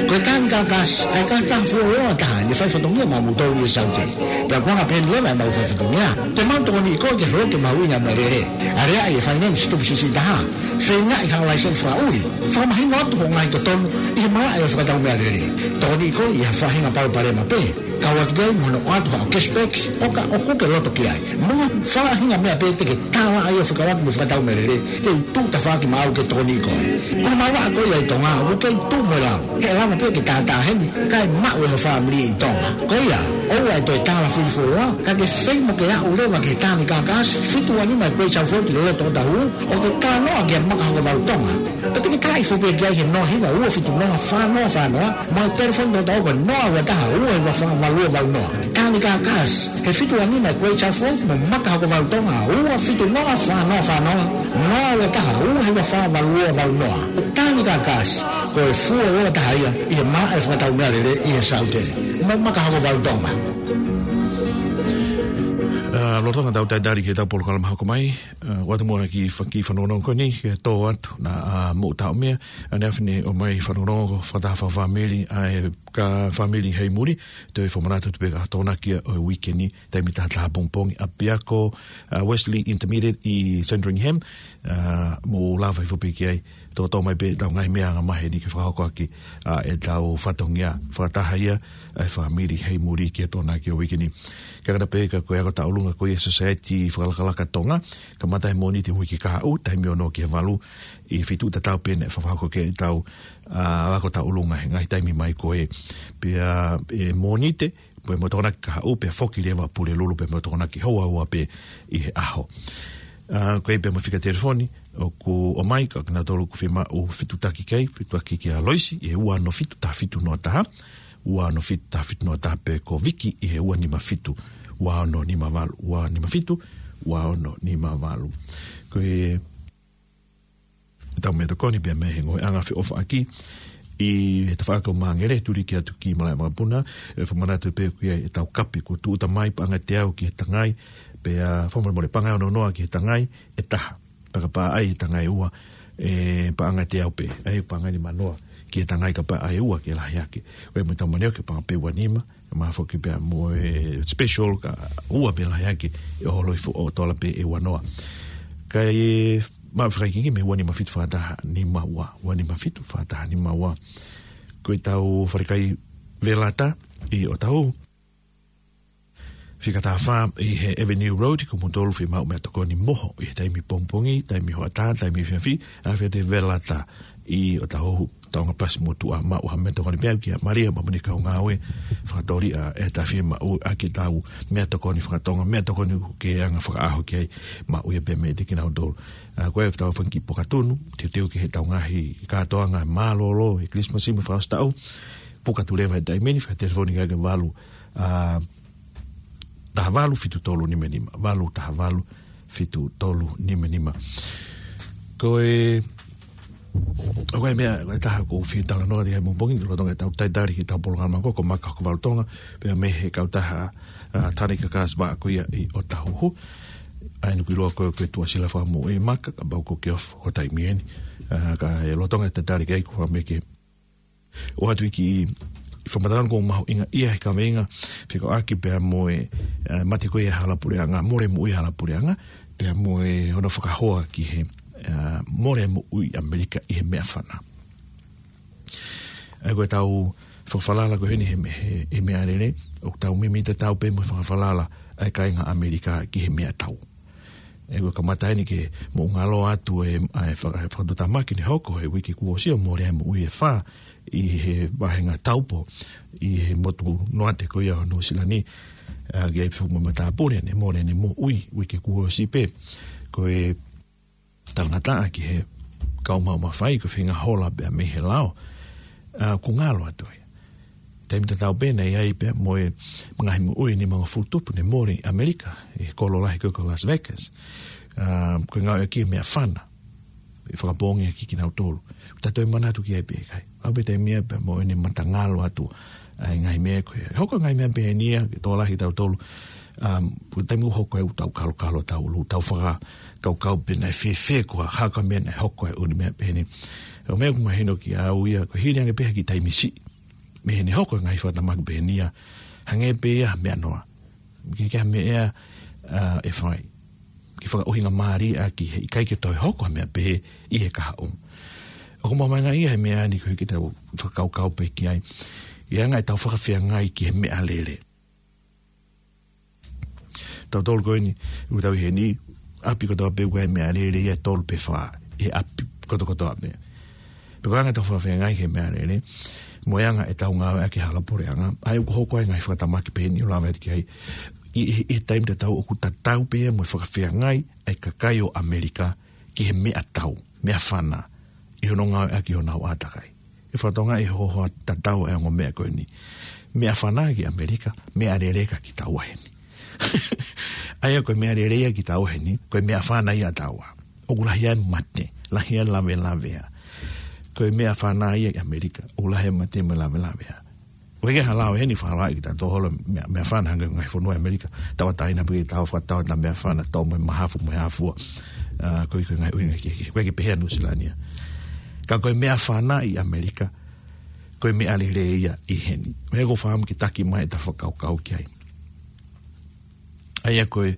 Ko e tāni kākasi, ʻa e kākasi fuoloa taha ʻene faifatongia maʻamoutolu ʻi Saute. Pea ko e anga pehē ni leva ʻemau faifatongia, te mau tokoniʻi koe ke holo ke mahuʻinga e meʻalele. Aleaʻi e finance tupu siʻisiʻi taha. Feingaʻi ha laiseni fakaʻuli. Fakamahino atu hoʻo ngaahi totonu ʻi he malaʻe ʻo e fakatau meʻalele. Tokoniʻi koe ʻi ha faʻahinga palopalema pē. Kau atu ki ai mo hono ʻoatu haʻo cashback, ʻo ka ʻoku ke loto ki ai. Mo ha faʻahinga meʻa pē te ke tala ai ʻo fekauʻaki mo e fakatau meʻalele, te u tuʻu tafaʻaki maʻau ke tokoniʻi koe. Ko e malanga ko ia ʻi Tonga, ʻoku kei tuʻu mo e lau. He ʻe lava pē ke tātāheni, kae maʻu ʻe ho fāmili ʻi Tonga. Ko ia, ʻoua ʻe toe tala fili fuoloa, ka ke feinga ke aʻu leva ki he tāni kākasi, fitu ua nima Great South Road ʻi loto ʻo Otahuhu, ʻo ke talanoa kia Maka Hokovalu Tonga. Pea te ke talaʻi foki pē ki ai he noa hiva ua fitu noa fā noa fā noa, mo e telefoni tokotaha ko e noa ua taha ua hiva fā valu ua valu noa. Tāni kākasi, he fitu ua nima Great South Road mo Maka Hokovalu Tonga, ua fitu noa fā noa fā noa, noa ua taha ua hiva fā valu ua valu noa. Tāni kākasi, ko e fuoloa taha ia ʻi he malaʻe fakatau meʻalele ʻi he Saute. Mo Maka Hokovalu Tonga. ʻA, lolotonga ʻetau talitali ki heʻetau polokalama hoko mai, ʻa, ʻoatu muʻa e kiʻi fa-, kiʻi fanongonongo ko eni, ke tō atu, naʻa, ʻa, mou taʻomia, ʻaneafi ni ʻomai fanongonongo fakataha fakafāmili, ʻa e ka fāmili Heimuli, toe fakamanatu atu pē ko e Tokonaki ʻo e uike ni, taimi taha taha pongipongi, ʻapiako, ʻa, Wesley Intermediate ʻi Sandringham, ʻa, mou lava hifo pē ki ai, tōtō mai pē ʻetau ngaahi meʻa anga maheni ke fakahoko ʻaki, ʻa, ʻetau fatongia fakataha ia, ʻa e fāmili Heimuli ki he Tokonaki ʻo e uike ni. Kae ʻatā pē ka ko e ako tauʻolunga ko ia ʻa e Society Fakalakalaka Tonga, kamata he Mōnite uike kahaʻu, taimi ono ki he valu, ʻi he feituʻu tatau pē naʻe fakahoko ki ai ʻetau, ʻa, ako tauʻolunga he ngaahi taimi mai ko ē. Pea, ʻe Mōnite, pea mo e Tokonaki kahaʻu, pea foki leva Pulelulu, pea mo e Tokonaki houa ua pē ʻi he ʻaho. ʻA, ko e pea mo e fika telefoni, ʻoku ʻomai, ka kinautolu ʻoku fiemaʻu fetuʻutaki ki ai, fetuʻutaki kia Loisi, ʻi he ua ono fitu taha fitu noa taha, ua ono fitu taha fitu noa taha pea ko Viki ʻi he ua nima fitu, ua ono nima valu, ua nima fitu, ua ono nima valu. Ko e tau meʻatokoni pea mei he ngaahi anga feʻofaʻaki ʻi he tafaʻaki ʻo Māngere, tuli ki atu ki Malaʻevakapuna, ʻe fakamanatu pē ʻoku ʻi ai ʻetau kape kuo tūʻuta mai paʻanga ʻe teau ki he tangai, pea fakamolemole paʻanga ʻe ono noa ki he tangai ʻe taha. Pea kapau ʻe ʻai e tangai ʻe ua, ʻe paʻanga ʻe teau pē, ʻai paʻanga ʻe nima noa ki he tangai kapau ʻe ʻai ʻe ua ke lahi ange. Ko e mo e tau maneo ke paʻanga pē ua nima, ka ʻe maʻu foki pea mo e special ka ua pē lahi ange, ʻe holo hifo ʻo tola pē ʻe ua noa. Kae maʻu fakaikiiki mei he ua nima fitu fā taha nima ua, ua nima fitu fā taha nima ua. Ko ʻetau falekai Velata ʻi ʻOtahuhu. Fika taha fā ʻi he Avenue Road, ko moutolu fiemaʻu meʻatokoni mo hoʻo, ʻi he taimi pongipongi, taimi hoʻatā, taimi efiafi, ʻalu atu ki he Velata ʻi ʻOtahuhu, Taonga Plus motuʻa, maʻu ha meʻatokoni pea kia Malia, mo ʻene kau ngāue, fakatōliʻa, ʻe ta fiemaʻu ʻaki ʻetau meʻatokoni fakatonga, meʻatokoni ʻoku ke anga fakaʻaho ki ai, maʻu ia pē mei kinautolu. ʻA, ko e tau fanga kiʻi pokatunu, teuteu ki heʻetau ngaahi kātoanga mālōlō, ʻi he Christmas mo e fakaʻosi taʻu, pokatunu leva he taimi ni, fai telefoni ki he valu, ʻa, taha valu fitu tolu nima nima, valu taha valu fitu tolu nima nima. Ko e, ʻoku ʻi ai e meʻa, ko e taha ʻoku ou fie talanoa ki ai he pongipongi ni, lolotonga ʻetau talitali ki heʻetau polokalama ko, ko Maka Hokovalu Tonga, pea mei he kautaha, ʻa, tāni kākasi vaʻa ko ia ʻi ʻOtahuhu. ʻAi nuku ʻiloa ko e, ko e tuʻasila fakamoʻui Maka, kapau ʻoku ke ofi ho taimi eni. ʻA, ka ʻi he lolotonga ʻetau talitali ki ai ko e meʻa ke ʻoatu e kiʻi fakamatala ʻoku mahuʻinga ia he kaveinga, fekauʻaki pea mo e, ʻa, mate ko ia ʻa e hala puleʻanga, mole moʻui ʻa e hala puleʻanga, pea mo e hono fakahoa ki he, ʻa, mole moʻui ʻAmelika ʻi he meʻafana. ʻA ia ko ʻetau fakafalala ko eni he, he, he meʻalele, ʻoku tau mimi tatau pē mo e fakafalala ʻa e kāinga ʻAmelika ki he meʻatau. ʻE, ʻoku kamata eni ke mou ngalo atu e, ʻa e faka-, e fakatuʻutāmaki ne hoko he uike kuo ʻosi ʻo mole ai moʻui ʻe fā ʻi he vahenga taupo ʻi he motu noate ko ia ʻo Nuʻusila ni. ʻA, ki ai pē foki mo e matāpule, ne mole ʻene moʻui, uike kuo ʻosi pē. Ko e talangataʻa ki he kau maʻu mafai, ko e feinga hola pē mei he lao. ʻA, ʻoku ngalo atu ia. Taimi tatau pē naʻe ʻi ai pē mo e ngaahi moʻui nimangofulu tupu ne mole ʻi ʻAmelika, ʻi he kolo lahi ko ē ko Las Vegas. ʻA, ko e ngāueʻaki e meʻafana. ʻE fakapoongi ʻaki kinautolu. Tatau e manatu ki ai pē ʻikai. ʻAu pē taimi ia pē mo ʻene matangalo atu ʻa e ngaahi meʻa ko ē. Hoko e ngaahi meʻa pehē ni ia, ke tokolahi kitautolu. Um, ko e taimi ʻoku hoko ai ʻetau kalokalo, tau ʻulu, tau fakakaukau pē naʻe fēfē ko e hā ko e meʻa naʻe hoko ai ʻa e ʻū meʻa pehē ni. ʻO meʻa ʻoku mahino kiate au ia, ko e hili ange pē ia ki he taimi siʻi. Mei heʻene hoko e ngaahi fakatamaki pehē ni ia, hangē pē ia ha meʻa noa. Ke ke ha meʻa, ʻa, ʻe fai. Ke fakaʻuhingamālie ʻaki he ʻikai ke toe hoko ha meʻa pehē ʻi he kahaʻu. ʻOku mahino ia he meʻa ni ko ē ke tau fakakaukau pē ki ai. ʻI he anga ʻetau fakafeangai ki he meʻalele. Tautolu ko eni, ʻoku tau ʻi heni, ʻapi kotoa pē ʻoku ʻi ai e meʻalele ia ʻe tolu pe fā, ʻi he ʻapi kotokotoa pē. Pea ko e anga ʻetau fakafeangai ki he meʻalele, mo e anga ʻetau ngāueʻaki e hala puleʻanga, ʻa ia ʻoku hoko ai e ngaahi fakatamaki pehē ni ʻo lave atu ki ai, ʻi, ʻi, ʻi he taimi tatau ʻoku tatau pē ia mo e fakafeangai ʻa e kakai ʻo ʻAmelika ki he meʻatau, meʻafana, ʻi hono ngāueʻaki ʻi honau ʻātakai. ʻE fakatonga ʻi he hohaʻa tatau e ongo meʻa ko eni. Meʻafana ki ʻAmelika, meʻalele kia kitaua heni. ʻA ia ko e meʻalele ia kia kitaua heni, ko e meʻafana ia ʻataua. ʻOku lahi ai e mate, lahi ai e lavelavea. Ko e meʻafana ia ʻi ʻAmelika, ʻoku lahi ai e mate mo e lavelavea. ʻOku ʻikai ke hala ʻo heni fālaʻi kita tō holo meʻa, meʻafana hangē ko e ngaahi fonua ʻi ʻAmelika, tauʻatāina pē ke tau fakatauʻatāina meʻafana, tō mo e mahafu mo e hā fua. ʻA, ko e, ko e ngaahi ʻuhinga kehekehe, ʻoku ʻikai ke pehē ʻa Nuʻu Sila ni ia. Ka ko e meʻafana ʻi ʻAmelika, ko e meʻalele ia ʻi heni. Meʻa ʻoku ou fakaʻamu ke taki mai ʻeta fakakaukau ki ai. ʻA ia ko e,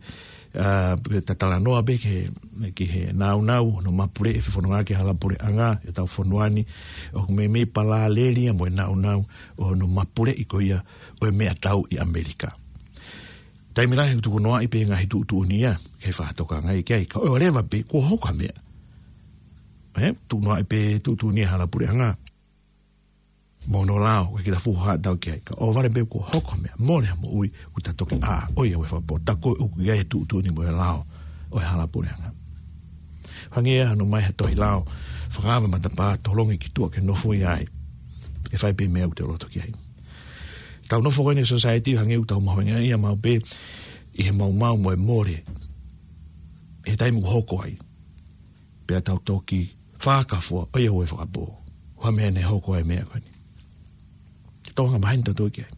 ʻa, ke ta talanoa pē ki he, ki he nāunau, hono mapuleʻi e fefononga ki he hala puleʻanga, ʻetau fonua ni, ʻoku meimei palāleli ia mo e nāunau, ʻo hono mapuleʻi ko ia, ʻo e meʻatau ʻi ʻAmelika. Taimi lahi ʻoku tukunoaʻi pē ngaahi tuʻutuʻuni ia, ke fakatokangaʻi ki ai, ka ʻoua leva pē, kuo hoko ha meʻa. ʻE, tukunoaʻi pē tuʻutuʻuni ia hala puleʻanga. Mo hono lao, ʻikai ke ta fuʻu haʻatau ki ai. Ka ʻoua leva pē kuo hoko ha meʻa, mole ha moʻui, ʻoku ta toki ʻā, ʻoiauē fakapō, tā ko ē ʻoku ʻi ai e tuʻutuʻuni mo e lao, ʻo e hala puleʻanga. Hangē ia hano ʻomai ha tohi lao, fakaava matapā, tolongi ki tuʻa ke nofo ai. Ke fai pē meʻa ʻoku te loto ki ai. Tau nofo ko eni he society, hangē ʻoku tau mahuʻingaʻia maʻu pē, ʻi he maumau mo e mole. He taimi ʻoku hoko ai. Pea tau toki fakafua, ʻoiauē fakapō. Ko e hā e meʻa ne hoko ai e meʻa ko eni. Tau hanga maheni tautolu ki ai.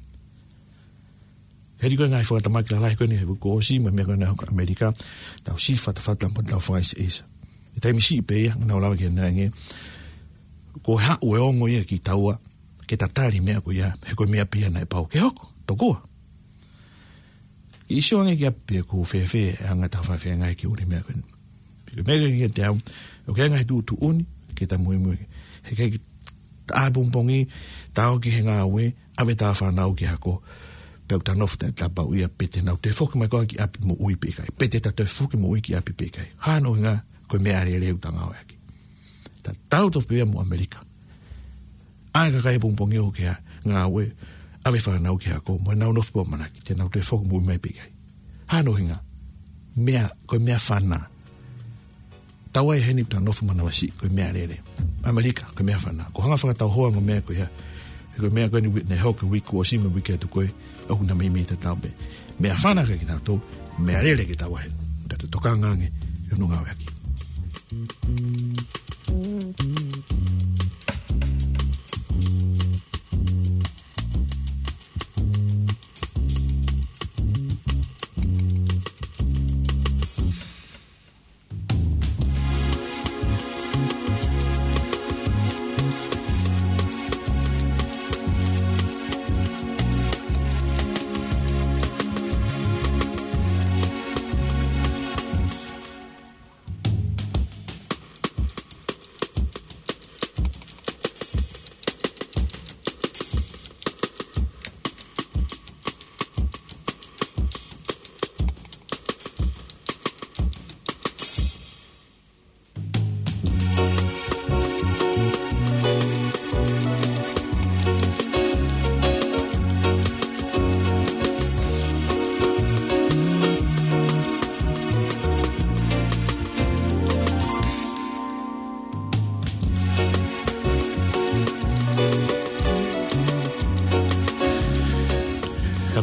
Hili ko e ngaahi fakatamaki lalahi ko eni he uike kuo ʻosi, mo e meʻa ko eni naʻe hoko ʻi ʻAmelika, tau siʻi fatafata mo tau fakaʻiseʻisa. He taimi siʻi pē ia, naʻa ku lave ki ai ange, ko e haʻu e ongo ia kia kitaua, ke ta tali e meʻa ko ia, he ko e meʻa pē ia naʻe pau ke hoko, tokua. ʻIo ange ki ʻapi pe ʻoku fēfē e anga ʻetau fakafeangai ki he ʻū meʻa ko eni. Pea ko e meʻa ko ē kiate au, ʻoku ʻi ai e ngaahi tuʻutuʻuni, ke ta muimui. He ʻikai ke ta ʻā he pongipongi, ta ō ki he ngāue, ʻave ʻeta fānau ki he ako. Pea ʻoku ta nofo taʻetapaʻu ia pe te nau toe foki mai koā ki ʻapi moʻui pe ʻikai. Pe te ta toe foki moʻui ki ʻapi pe ʻikai. Hā hono ʻuhinga, ko e meʻalele ʻoku ta ngāueʻaki. Tatau tofu pē ia mo ʻAmelika. ʻAi e kakai he pongipongi ʻo ō ki he ngāue, ʻave e fānau ki he ako, mo ʻenau nofo pē ʻo ʻamanaki, te nau toe foki moʻui mai pe ʻikai. Hā hono ʻuhinga, meʻa, ko e meʻafana. Taua ʻi heni ʻoku ta nofo manavasiʻi, ko e meʻalele. ʻAmelika, ko e meʻafana. Ko e hanga fakatauhoa mo e meʻa ko ia. He ko e meʻa ko eni naʻe hoko he uike kuo ʻosi mo e uike atu ko ē, ʻoku na meimei tatau pē. Meʻafana kia kinautolu, meʻalele kia taua heni. Tau tokanga ange, ʻi hono ngāueʻaki.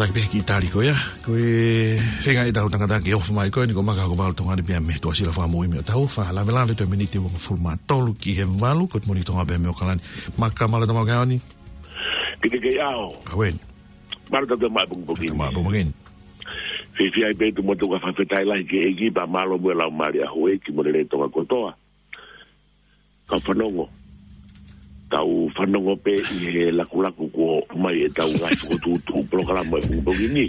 Taki pē ki Tali ko ia, ko e feinga ʻetau tangata ke ʻofa mai ko eni ko Maka Hokovalu Tonga ni pea mei Tuʻasila Fakamoʻui mei ʻOtahuhu, fakalavelave toe miniti uangofulu mā tolu ki he valu, ko e Moʻoni Tonga pea mei ʻAokalani. Maka, mālō e tama ke aoni. Ki te kei ao. Awen. Mālō e tama pongipongi. Tama pongipongi. Fiefia ai pē tu motu ka fakafetaʻi lahi ki he ʻEiki pea mālō mo e laumālie ʻa houʻeiki mo e lelei Tonga kotoa. Ka fanongo. Tau fanongo pē ʻi he lakulaku kuo mai ʻetau ngaahi fokotuʻutuʻu polokalama e pongipongi ni.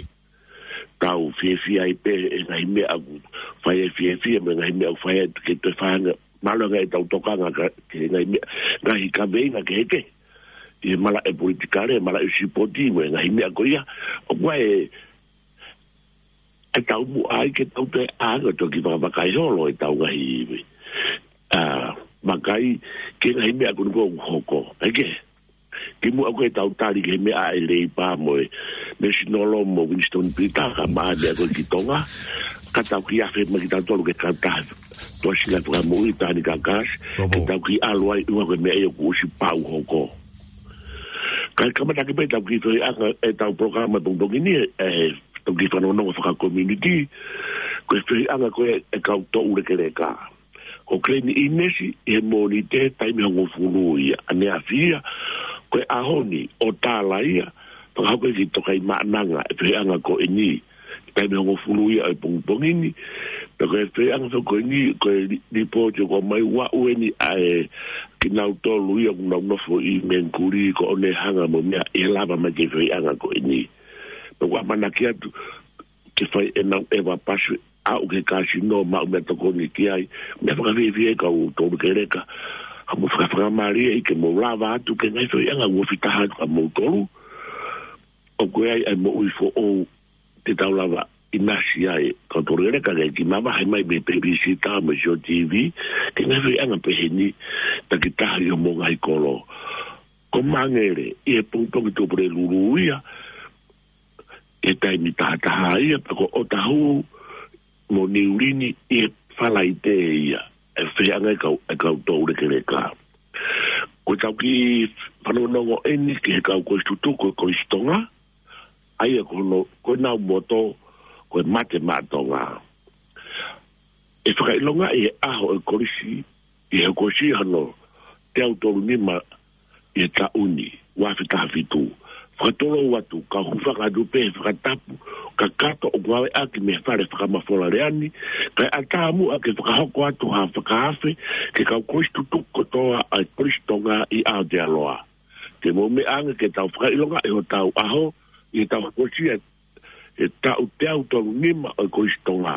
Tau fiefia ai pē e ngaahi meʻa ʻoku fai e fiefia mo e ngaahi meʻa ʻoku fai e ke toe fai ange. Mālō ange ʻetau tokanga ka, ke ngaahi meʻa, ngaahi kaveinga kehekehe. ʻI he malaʻe politikale, malaʻe sipoti mo e ngaahi meʻa ko ia. ʻOku ʻi ai e ʻetau muʻa ai ke tau toe ʻā ange ʻo toki vakavakai holo ʻetau ngaahi, ʻa, vakai ki he ngaahi meʻa ko eni ʻoku hoko. ʻEke. Kimuʻa ko ē ʻetau tali ki he meʻa ʻa e Leipa mo e National mo Winston Peters, ka maʻa e meʻa ko ē ki Tonga. Ka tau kiʻi afe mai kitautolu ki he kautaha Tuʻasila Fakamoʻui, Tani Kakasi, ke tau kiʻi ʻalu ai ʻi he ʻuhinga ko e meʻa ia kuo ʻosi pau hoko. Kae kamata ki ai pē ʻetau kiʻi feohiʻanga ʻetau polokalama pongipongi ni, ē, ʻetau kiʻi fanongonongo fakakomiunitī, ko e feohiʻanga ko ē e kau toʻulekeleka. Ko Glenn Innes ʻi he Mōnite taimi hongofulu ia, ʻaneafi ia, ko e ʻaho ni ʻo Tala ia, fakahoko ia ki Tokaimaʻananga e feohiʻanga ko eni, taimi hongofulu ia ʻo e pongipongi ni. Pea ko e feohiʻanga foki ko eni, ko e li-, lipooti ʻoku ʻomai ʻoku aʻu eni ʻa e kinautolu ia ʻoku nau nofo ʻi Mengikuli, ko ʻene hanga mo e meʻa ʻe lava mai ki he feohiʻanga ko eni. Pea ʻoku ʻamanaki atu ke fai ʻenau ʻeva pasi aʻu ki he kāsino, maʻu meʻatokoni ki ai, meʻa fakafiefia e kau toʻulekeleka, ha mo fakafakamālieʻi ke mou lava atu ki he ngaahi feohiʻanga ʻoku ofi taha atu kia moutolu. ʻOku ʻi ai e moʻui foʻou te tau lava ʻinasi ai, kau toʻulekeleka ke kiʻi mavahe mai mei he pēpisita mo e sio TV, ki he ngaahi feohiʻanga pehē ni, takitaha ʻi homou ngaahi kolo. Ko Mangere, ʻi he pongipongi Tuʻapulelulu ia, ʻi he taimi tahataha ia, pea ko ʻOtahuhu mo Niulini ʻi he Falaite ia, e feohiʻanga e kau, e kau toʻulekeleka. Ko ʻetau kiʻi fanongonongo eni ki he kau kolisi tutuku e Kolisi Tonga, ʻa ia ko hono, ko ʻenau moto, ko e Mate Maʻa Tonga. ʻE fakaʻilongaʻi e ʻaho e kolisi, ʻi he hokosia hono teau tolu nima ʻi he taʻu ni, ua afe taha fitu. Fakatolou atu, kau hūfanga atu pē he fakatapu kakato ʻoku ngāueʻaki mei he Fale Fakamafola Lea ni, kae ʻatā muʻa ke fakahoko atu ha fakaafe ki he kau kolisi tutuku kotoa ʻa e Kolisi Tonga ʻi Aotearoa. Ke mou meʻa ange ke tau fakaʻilongaʻi hotau ʻaho, ʻi heʻetau hokosia e taʻu teau tolu nima ʻo e Kolisi Tonga.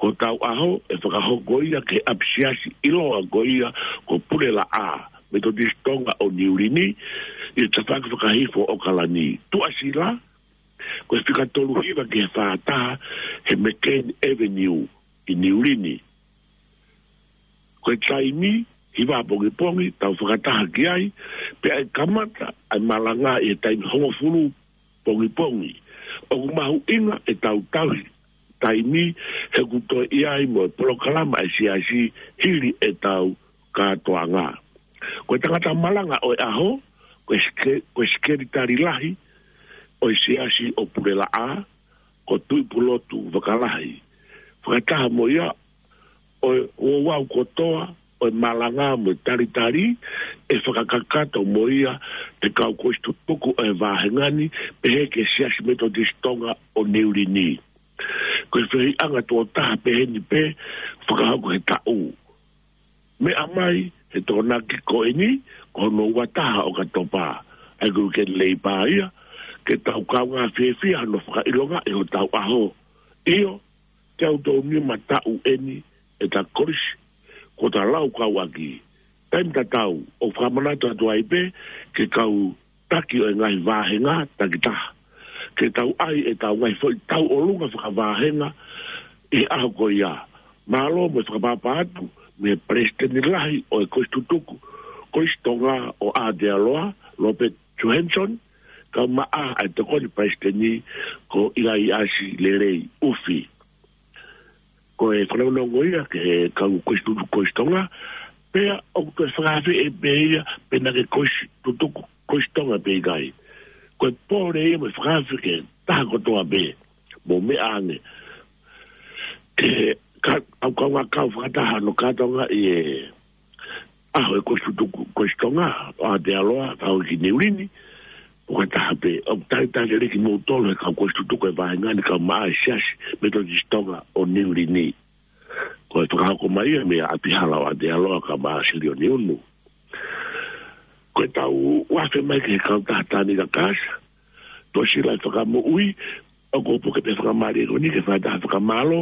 Ko hotau ʻaho ʻe fakahoko ia ki he ʻapisiasi ʻiloa ko ia ko Pulelaʻā, Metotisi Tonga ʻo Niulini, ʻi he tafaʻaki fakahifo ʻo ʻAokalani. Tuʻasila, ko e fika tolu hiva ki he fā taha he McCain Avenue ʻi Niulini. Ko e taimi, hiva pongipongi, tau fakataha ki ai, pea ʻe kamata ʻa e malanga ʻi he taimi hongofulu pongipongi. ʻOku mahuʻinga ʻetau tauhi taimi he ʻoku toe ʻi ai mo e polokalama e siasi hili ʻetau kātoanga. Ko e tangata malanga ʻo e ʻaho, ko e seke-, ko e sekelitali lahi ʻo e siasi ʻo Pulelaʻā, ko Tuʻipulotu Vakalahi. Fakataha mo ia, ʻo e ouau kotoa ʻo e malanga mo e talitali, ʻe fakakakato mo ia ʻe he kau kolisi tutuku ʻo e vāhenga ni, pehē ki he Siasi Metotisi Tonga ʻo Niulini. Ko e feohiʻanga tuʻo taha pehē ni pē, fakahoko he taʻu. Meʻa mai he Tokonaki ko eni, ko hono ua taha ʻOkatopa, ʻa ia ko e uike Leipa ia, ke tau kaungā fiefia hono fakaʻilongaʻi hotau ʻaho. ʻIo, teau tolu nima taʻu eni ʻeta kolisi, kuo ta laukau ʻaki. Taimi tatau, ʻoku fakamanatu atu ai pē ki he kau taki ʻo e ngaahi vāhenga takitaha. Ke tau ʻai ʻetau ngaahi foʻi tauʻolunga fakavāhenga ʻi he ʻaho ko ia. Mālō mo e fakapapau atu mei he Palesiteni Lahi ʻo e Kolisi Tutuku Kolisi Tonga ʻo Aotearoa, Robert Johansson, kae ʻumaʻā ʻa e Tokoni Palesiteni ko ʻIlaiasi Lelei ʻUfi. Ko e fanongonongo ia ki he kau kolisi tutuku Kolisi Tonga, pea ʻoku toe fakaafeʻi pē ia, pe naʻa ke kolisi tutuku Kolisi Tonga pe ʻikai. Ko e pole ia mo e fakaafe ki he fakataha kotoa pē. Mou meʻa ange. Ke ka, au kau ngā kau fakataha no kātoanga ʻi he ʻaho e Kolisi Tutuku, Kolisi Tonga, ʻo Aotearoa, tau ki Niu Lini, ʻo fakataha pē, ʻo talitali lelei kimoutolu he kau Kolisi Tutuku e vāhenga ni, kau maʻa e Siasi Metotisi Tonga ʻo Niu Lini. Ko e fakahoko mai ia meia ʻApihala ʻo Aotearoa, kau maʻa Silioni Unu. Ko e tau ʻoatu mai ki he kautaha Tānika Kasi, Tuʻasila Fakamoʻui, ʻoku ou puke pē fakamālō ko eni ke fakataha fakamālō,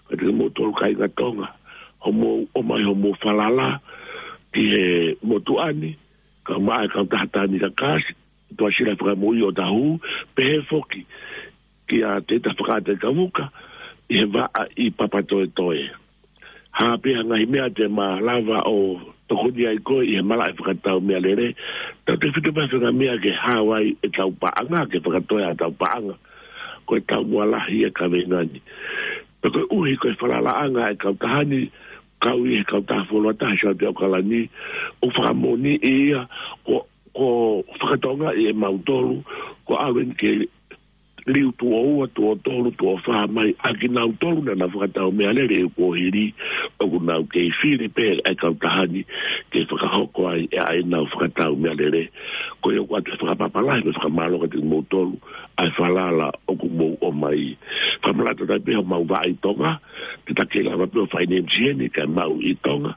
kiate kimoutolu kāinga Tonga, hoʻomou ʻomai hoʻomou falala ki he motuʻa ni, kau maʻa e kautaha Tānika Kasi, Tuʻasila Fakamoʻui ʻo Tahu, pehē foki kia Teita Fakaʻata Kavuka, ʻi he vaʻa ʻi Papatoetoe. Hā pē ha ngaahi meʻa te ma lava ʻo tokoni ai koe ʻi he malaʻe fakatau meʻalele, tautefito pē ha faʻahinga meʻa ke hao ai e tau paʻanga, ke fakatoe ʻa e tau paʻanga. Ko e taumuʻa lahi e kaveinga ni. Pea koeʻuhi ko e falalaʻanga e kautaha ni, kau ʻi he kautaha fuoloa taha Siaote ʻAokalani, ʻoku fakamoʻoniʻi ia, ko, ko fakatokangaʻi ʻe mautolu, ko ʻalu eni ke liu tuʻo ua, tuʻo tolu, tuʻo fā mai, ʻa kinautolu naʻa na fakatau meʻalele ʻi he kuohili, ʻoku nau kei fili pē ʻa e kautaha ni ke fakahoko ai ʻa ʻenau fakatau meʻalele. Ko ia ʻoku ʻoatu e fakapapālangi mo e fakamālō kiate kimoutolu, ʻa e falala ʻoku mou ʻomai. Fakamālō atu pē homau vaʻa ʻi Tonga, te ta kei lava pē ʻo fai ne misieni kae maʻu ʻi Tonga.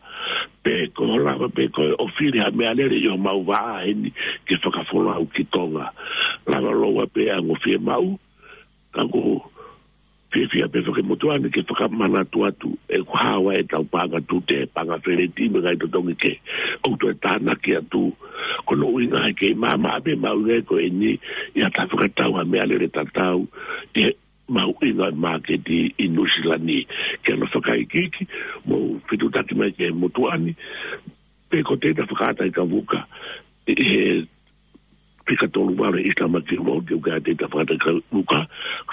Pe ko hoʻo lava pē koe ʻo fili ha meʻalele ʻi homau vaʻa heni ke fakafolau ki Tonga. Lava loa pē ʻa e ongo fiemaʻu, ka ʻoku ou fiefia pē foki motuʻa ni ke fakamanatu atu ʻe kuo hao ai e tau paʻanga tute, paʻanga feleti mo e ngaahi totongi kehe ʻoku toe tānaki atu. Ko hono ʻuhinga he kei maʻamaʻa pē maʻu ngaahi ko eni ʻi ha ta fakatau ha meʻalele tatau ʻi he mahuʻinga māketi ʻi Nuʻusila ni. Ke ʻoua fakaikiiki, mou fetuʻutaki mai ki he motuʻa ni, pe ko Teita Fakaʻata Kavuka, ʻi he fika tolu valu East Tamaki Road, ʻoku ʻi ai Teita Fakaʻata Kavuka,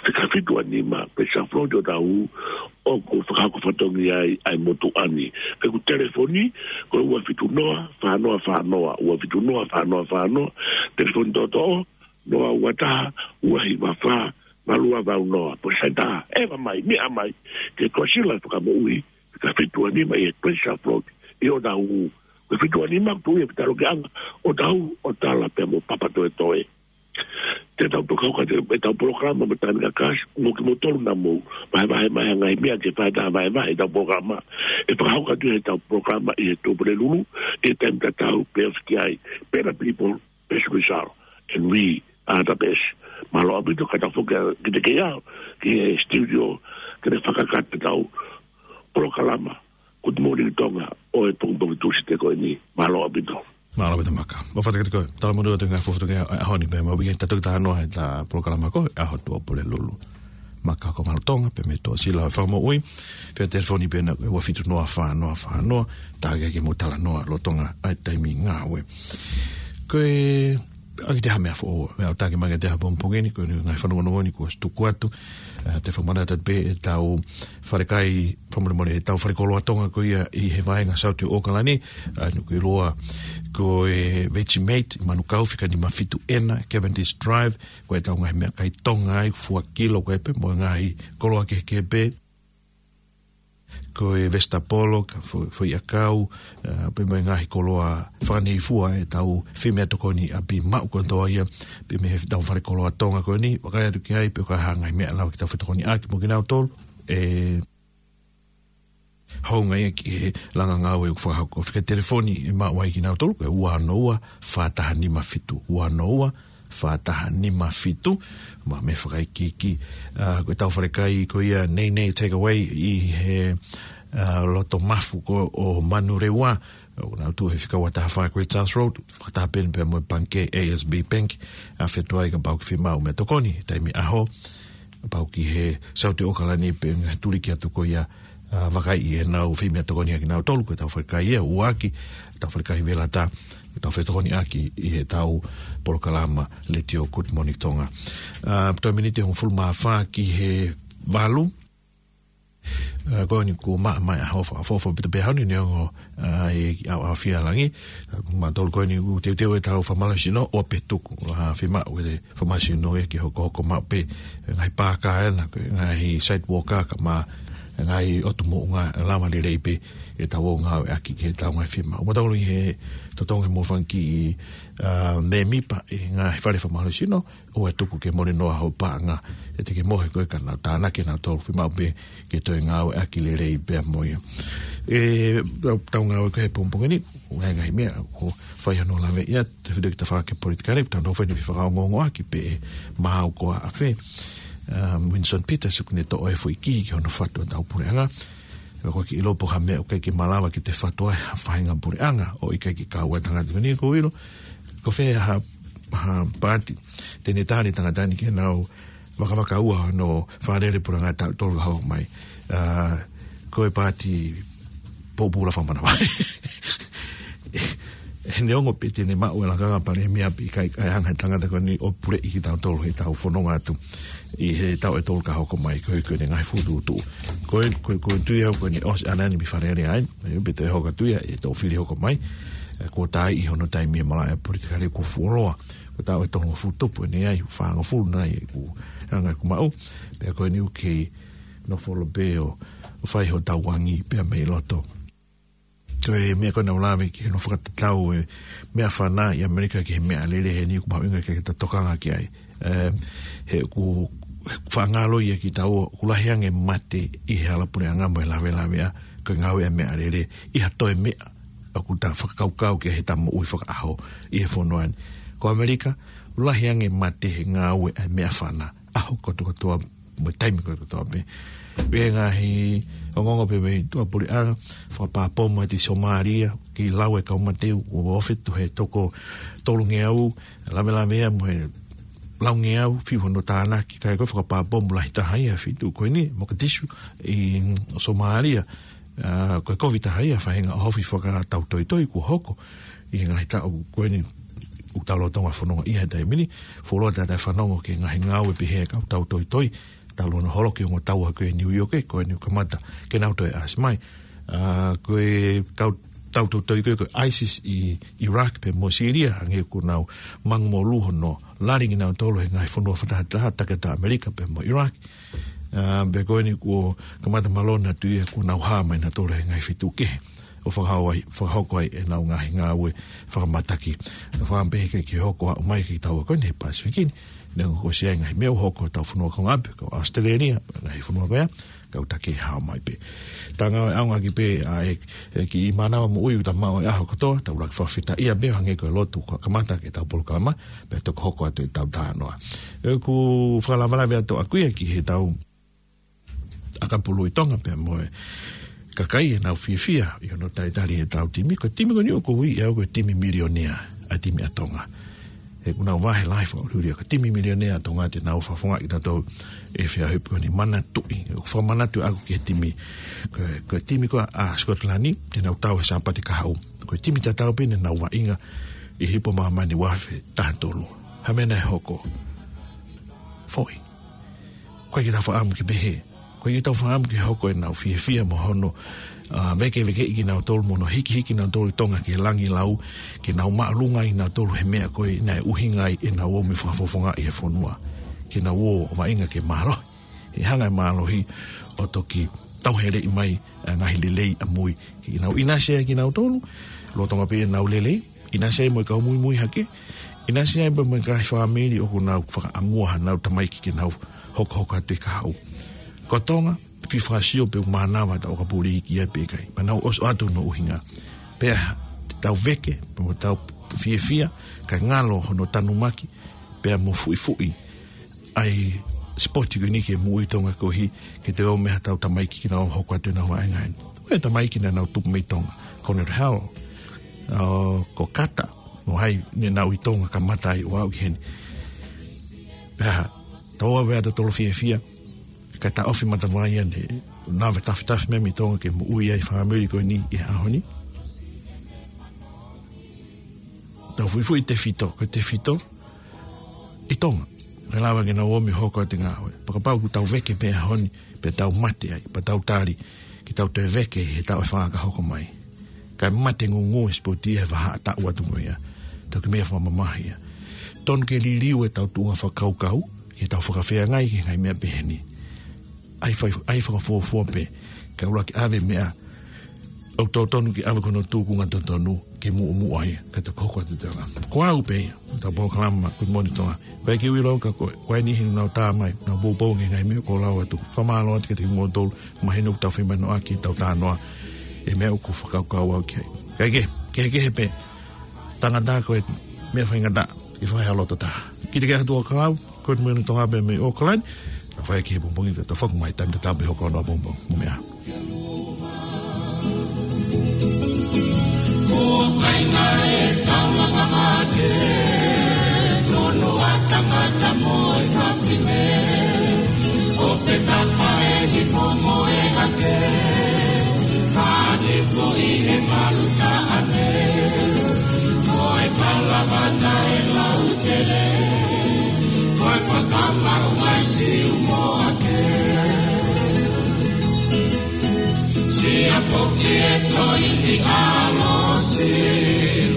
fika fitu ua nima Pressure Float ʻo Tahu, ʻoku fakahoko fatongia ai ʻa e motuʻa ni. Pe ko e telefoni, ko e ua fitu noa, fā noa fā noa, ua fitu noa, fā noa fā noa, telefoni toʻotoʻo, noa ua taha, ua hiva fā, valu ua valu noa, pea sai tā, ʻeva mai, meʻa mai, ke Tuʻasila Fakamoʻui, fika fitu ua nima ʻi he Pressure Float, ʻi ʻo Tahu, ko e fitu ua nima, tuʻu ʻi he fetaulaki ʻanga ʻo Tahu, ʻo tala pea mo Papatoetoe. Te tau toka hoka te, e tau polokalama mo Tānika Kasi, mo kimoutolu naʻa mou vahevahe mai ha ngaahi meʻa ke fai ha vahevahe e tau polokalama. ʻE fakahoko atu e tau polokalama ʻi he Tuʻapulelulu, ʻi he taimi tatau pē ʻosi ki ai. Better people, best result, and we are the best. Mālō ʻaupito ka tau foki ā kiate koe ʻi he studio, ke ne fakakakato e tau polokalama Good Morning Tonga ʻo e pongipongi Tūsite ko eni. Mālō ʻaupito. Mālō ʻaupito Maka. Mau fakafetaʻi kiate koe. Tala manu atu e ngaahi fuofua tokonia ʻaho ni pea mau ʻi he tatau ki he taha noa he tau polokalama ko e ʻaho Tuʻapulelulu. Maka Komalutonga pea mo Tuʻasila Fakamoʻui. Fai telefoni pē ena ua fitu noa fā noa fā noa, tā ke ke mo talanoa lolotonga ʻa e taimi ngāue. Ko e ʻaki te ha meʻa foʻou, meʻa ʻoku taki mai kiate au he pongipongi ni, ko e ngaahi fanongonongo ni kuo ʻosi tuku atu, ʻa, te u fakamanatu atu pē e tau falekai, fakamolemole, e tau falekoloa Tonga ko ia ʻi he vaenga Saute ʻo ʻAokalani, ʻa, ʻoku ʻiloa ko e Vegemite, Manukau, fika nima fitu ena, Cavendish Drive, ko e tau ngaahi meʻakai Tonga ai, fua kilo ko ē pē, mo e ngaahi koloa kehekehe pē, ko e vesitapolo, ka fo-, foʻi ʻakau, ʻa, pea mo e ngaahi koloa fakaneifua e tau feimeʻatokoni ʻapi maʻu kotoa ia, pea mei he tau falekoloa Tonga ko eni, vakai atu ki ai, pe ko e hā e ngaahi meʻa ʻe lava ke tau fetokoniʻaki mo kinautolu, ʻe hounga ia ki he langa ngāue ʻoku fakahoko. Fika telefoni ʻe maʻu ai kinautolu, ko e ua ono ua, fā taha nima fitu, ua ono ua, fā taha nima fitu, mo e meʻa fakaikiiki, ʻa, ko e tau falekai ko ia Nei Nei Takeaway ʻi he, ʻa, loto mafu ko ē ʻo Manurewa, ʻoku nau tuʻu he fika ua taha fā Great South Road, fakataha pē eni pea mo e pangikē A S B Bank, ʻa, fai atu ai kapau ʻoku fiemaʻu meʻatokoni, taimi ʻaho, kapau ki he Saute ʻo ʻAokalani pe ngaahi tuliki atu ko ia, ʻa, vakai ʻi heʻenau feimeʻatokoni ʻa kinautolu, ko e tau falekai ia, ʻuluaki, tau falekai Velata, ko e tau fetokoniʻaki ʻi he tau polokalama Letiō Good Morning Tonga. ʻA, toe miniti hongofulu mā fā ki he valu. Ā, ko eni kuo maʻa mai ʻa e ʻaho fakaʻofoʻofa pita pē ʻaho ni neongo, ā, ʻi he ʻaoʻaofia ʻa langi. Ā, mautolu ko eni ʻoku teuteu ʻetau fakamālohisino ʻo pē tuku, ā, fiemaʻu ʻe he fakamālohisino ia ke hokohoko maʻu pē, ē, ngaahi paaka ena, ko e ngaahi sidewalk ā, kae ʻumaʻā e ngaahi ʻotu moʻunga, lava lelei pē ʻetau ō ngāueʻaki ki heʻetau ngaahi fiemaʻu. Mautolu ʻi he totongi mo fanga kiʻi, ā, mēmipa ʻi he ngaahi fale fakamālohisino, ʻoua ʻe tuku ke mole noa hoʻo paʻanga, ʻe te ke mohe koe ka nau tānaki nautolu, fiemaʻu pē ke toe ngāueʻaki lelei pea mo ia. ʻE, tau, tau ngāue ko ē he pongipongi ni, ʻoku ʻi ai e ngaahi meʻa ʻoku fai hono laveʻi atu, tefito ki he tafaʻaki politikale, tau nofo eni ʻo fakaongoongoʻaki pē ʻe Maau ko ā ʻa fē, um, Winston Peters, ʻoku ne toʻo e foʻi kī ki hono fatu ʻetau puleʻanga. Pea ko e kiʻi lopo ha meʻa ʻoku ʻikai ke malava ke te fatu ai ha faʻahinga puleʻanga, ʻo ʻikai ke kau ai e tangata ko eni, ʻoku ou ʻilo. Ko fē ha, ha paati te ne tali e tangata ni ke nau vakavakaua hono fakalele puleʻanga taʻu tolu ka hoko mai. Ā, ko e paati pōpula fakamanavahē. He neongo pē te ne maʻu e lakanga palēmia pea ʻikai, ʻikai hanga ʻe he tangata ko eni ʻo puleʻi kitautolu heʻetau fononga atu ʻi he taʻu ʻe tolu ka hoko mai, koeʻuhi ko ʻene ngaahi fokotuʻutuʻu. Ko e, ko e, ko e tui au ko eni ʻosi ʻaneafi ʻene fakalele ai, ē, pea toe hoko atu ia ʻi he toʻo fili hoko mai. Ē, kuo tā ʻi hono taimi ʻi he malaʻe politikale, kuo fuoloa. Ko e taʻu ʻe tolungofulu tupu eni ai, fāngofulu nai ʻoku hanga ʻeku maʻu. Pea ko eni ʻoku kei nofo holo pē ʻo, ʻo fai hotau angi pea mei loto. Ko e meʻa ko ē naʻa ku lave ki he hono fakatatau e meʻafana ʻi ʻAmelika ki he meʻalele, heni ʻoku mahuʻinga ke ta tokanga ki ai. Ē, he ʻoku, he ʻoku faʻa ngalo ia kiate kitaua, ʻoku lahi ange e mate ʻi he hala puleʻanga mo e lavelavea ko e ngāue ʻa e meʻalele ʻi ha toe meʻa ʻoku ta fakakaukau ki ai heʻeta moʻui fakaʻaho ʻi he fonua ni. Ko ʻAmelika, ʻoku lahi ange e mate he ngāue ʻa e meʻafana ʻaho kotokotoa mo e taimi kotokotoa pē. Pea ʻi he ngaahi ongoongo pē mei tuʻapuleʻanga, fakapā pomu atu ʻi Somālia, kei lau e kau mate ʻoku ofi atu he toko tolungeau, lavelavea mo e laungeau, fiu hono tānaki, kae ko e fakapā pomu lahi taha ia he feituʻu ko eni, Mogadishu, ʻi Somālia. Ā, ko e kovi taha ia e faʻahinga ʻohofi fakatautoitoi kuo hoko ʻi he ngaahi taʻu ko eni ʻoku tau lolotonga fononga ʻi he taimi ni. Fuoloa te ta fanongo ki he ngaahi ngāue pehē ʻa e kau tautoitoi, talu hono holoki ongo tau ʻa ko ē ʻi New York, ē, ko eni ʻoku kamata ke nau toe ʻasi mai. Ā, ko e kau tautoitoi ko ē, ko e ISIS ʻi Iraq pea mo Syria, hangē kuo nau mangu mo lū hono lali kinautolu he ngaahi fonua fakatahataha, taki atu ʻa ʻAmelika pea mo Iraq. Ā, pea ko eni kuo kamata malona atu ia kuo nau hā mai nautolu he ngaahi feituʻu kehe ʻo fakahoko ai, fakahoko ai ʻenau ngaahi ngāue fakamataki. Ka fakamatala pē ke, ke hoko atu mai ki he taua ko eni he Pasifiki ni, neongo kuo ʻosi ʻi ai e ngaahi meʻa ʻoku hoko ʻi hotau fonua kaungāʻapi, ko ʻAositelēlia, ngaahi fonua ko ia, kau taki hao mai pē. Ta ngāue ʻaonga ki pē ʻa e, e kiʻi mānava moʻui ʻoku ta maʻu he ʻaho kotoa, tau ʻuluaki fakafetaʻia pē hangē ko e lotu kuo kamata ki heʻetau polokalama, pea toki hoko atu ʻetau talanoa. ʻOku fakalavelave atu ʻaʻaku ia ki heʻetau ʻakapulu ʻi Tonga pea mo e kakai ʻenau fiefia ʻi hono talitali ʻetau timi. Ko e timi ko eni ʻoku ui ʻe au ko e timi milionea ʻa e timi ʻa Tonga. He ʻoku nau vahe lahi fakaʻuliʻuli ia ko e timi milionea ʻa Tonga te nau fakafofongaʻi kitautolu ʻi he feʻauhi ko eni. Manatuʻi, ʻoku fakamanatu ʻaʻaku ki he timi, ko e, ko e timi ko ē ʻa Scotland, te nau tau he Sāpate kahaʻu. Ko e timi tatau pē ne nau vaʻinga ʻi he Hipo Māmani ua afe taha tolu. Ha meʻa naʻe hoko? Foʻi. ʻOku ʻikai ke tau fakaʻamu ke pehē. ʻOku ʻikai ke tau fakaʻamu ke hoko ʻenau fiefia mo hono, ā, vekevekeʻi kinautolu mo hono hikihiki kinautolu ʻi Tonga ki he langilau, ke nau māʻolunga ai kinautolu he meʻa ko ē naʻe ʻuhinga ai ʻenau ō mo fakafofongaʻi e fonua. Ke nau ō ʻo vaʻinga ke mālohi. He hanga ʻe mālohi ʻo toki tauheleʻi mai ʻa e ngaahi lelei ʻamui. Ke nau ʻinasi ai kinautolu, lolotonga pē ʻenau lelei, ʻinasi ai mo e kau muimui hake, ʻinasi ai pē mo e ngaahi fāmili ʻoku nau fakaʻamua hanau tamaiki ke nau hokohoko atu ʻi he kahaʻu. Ko Tonga, fie fakasio pe ʻoku mānava ʻetau ʻakapulu iiki ia pe ʻikai. Pea nau ʻosi ʻoatu hono ʻuhinga. Pea te tau veke, pea mo tau fiefia, kae ngalo hono tanumaki, pea mo fuʻifuʻi ʻa e sipoti ko eni ki he moʻui ʻa Tonga koeʻuhi ke toe ō mai haʻatau tamaiki ke nau hoko atu ʻenau vaʻinga eni. Ko e tamaiki naʻa nau tupu mei Tonga, ko Conrad Howell, ā, ko Carter, mo hai naʻa nau ʻi Tonga kamata ai ʻo aʻu ki heni. Pea tau ō ʻo ʻave ʻa tautolu fiefia, kae taʻofi matavai ʻa e lave tafitafi mai mei Tonga ke moʻui ai e fāmili ko eni ʻi he ʻaho ni. Tau fuʻifuʻi tefito, ko e tefito ʻi Tonga. Kae lava ke nau ō mai ʻo hoko atu e ngāue. Pea kapau ʻoku tau veke pē he ʻaho ni, pea tau mate ai, pea tau tali, ke tau toe veke he taʻu ʻe fā ka hoko mai. Kae mate ngūngū e sipoti he vahaʻa taʻu atu ko ia. Tau kiʻi meʻa fakamamahi ia. Tonu ke liliu ʻetau tuʻunga fakakaukau, ke tau fakafeangai ki he ngaahi meʻa pehē ni. ʻAi fai, ʻai fakafuofua pē, kae ʻuluaki ʻave meʻa ʻoku totonu ke ʻave ko hono tūkunga totonu, ke muʻomuʻa ia, kae toki hoko atu e toenga. Ko au pē ia, ʻetau polokalama, Good Morning Tonga. Ko e kiʻi ʻilo ka ko, ko e niʻihi naʻa nau tā mai, naʻa nau poupou ki he ngaahi meʻa kuo lau atu. Fakamālō atu kiate kimoutolu, mahino ʻoku tau feimanoʻaki ʻetau talanoa, e meʻa ʻoku fakakaukau au ki ai. Kae kehe, kehekehe pē, tangata ko e meʻa faingataʻa, ʻi he fai ha loto taha. Kiate kimoutolu kau, Good Morning Tonga pē mei ʻAokalani, ka fai ki he pongipongi, tau foki mai taimi tatau pē hoko atu ʻapongipongi, mo meʻa. Kuo kaina e taulanga mate, nunu ʻa tangata mo e fafine, ʻo fetapa e hifo mo e hake, fānifo ʻi he malu taʻane, ko e kalavana e lautele, ko e fakamaʻu mai Siu mo ake. Siʻa poki e toiʻi ʻalosi,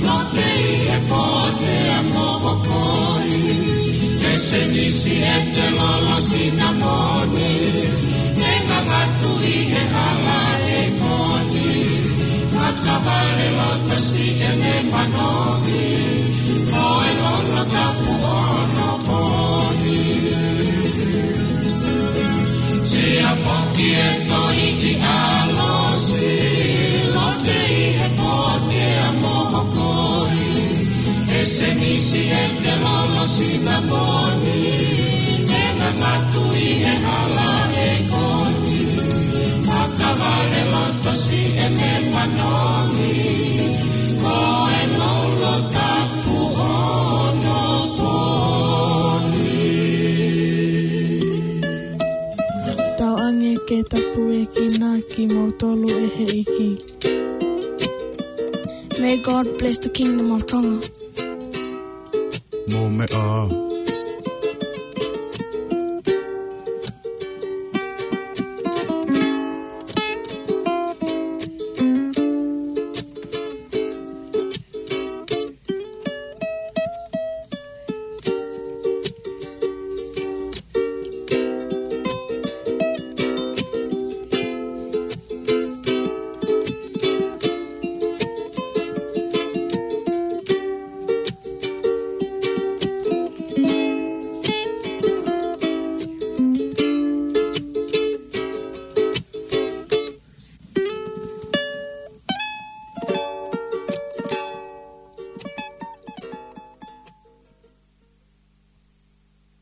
lote ʻi he pote ʻa mohokoi. E senisi ʻete lolo sinamoni, ʻe ngangatu ʻi he hala ʻi he koni. Fakavale loto siʻene manongi, ko e lolo tapu ʻo onopooni. Siʻa poki e toiʻi ʻalosi, lote ʻi he pote ʻa mohokoi. E senisi ʻete lolo sinamoni, ʻe ngangatu ʻi he hala ʻi he koni. Fakavale loto siʻene manongi, ko e lolo tapu ʻo onopooni. Tauange ke tapuekina kimoutolu ʻe he ʻEiki. May God bless the Kingdom of Tonga. Mo meʻa.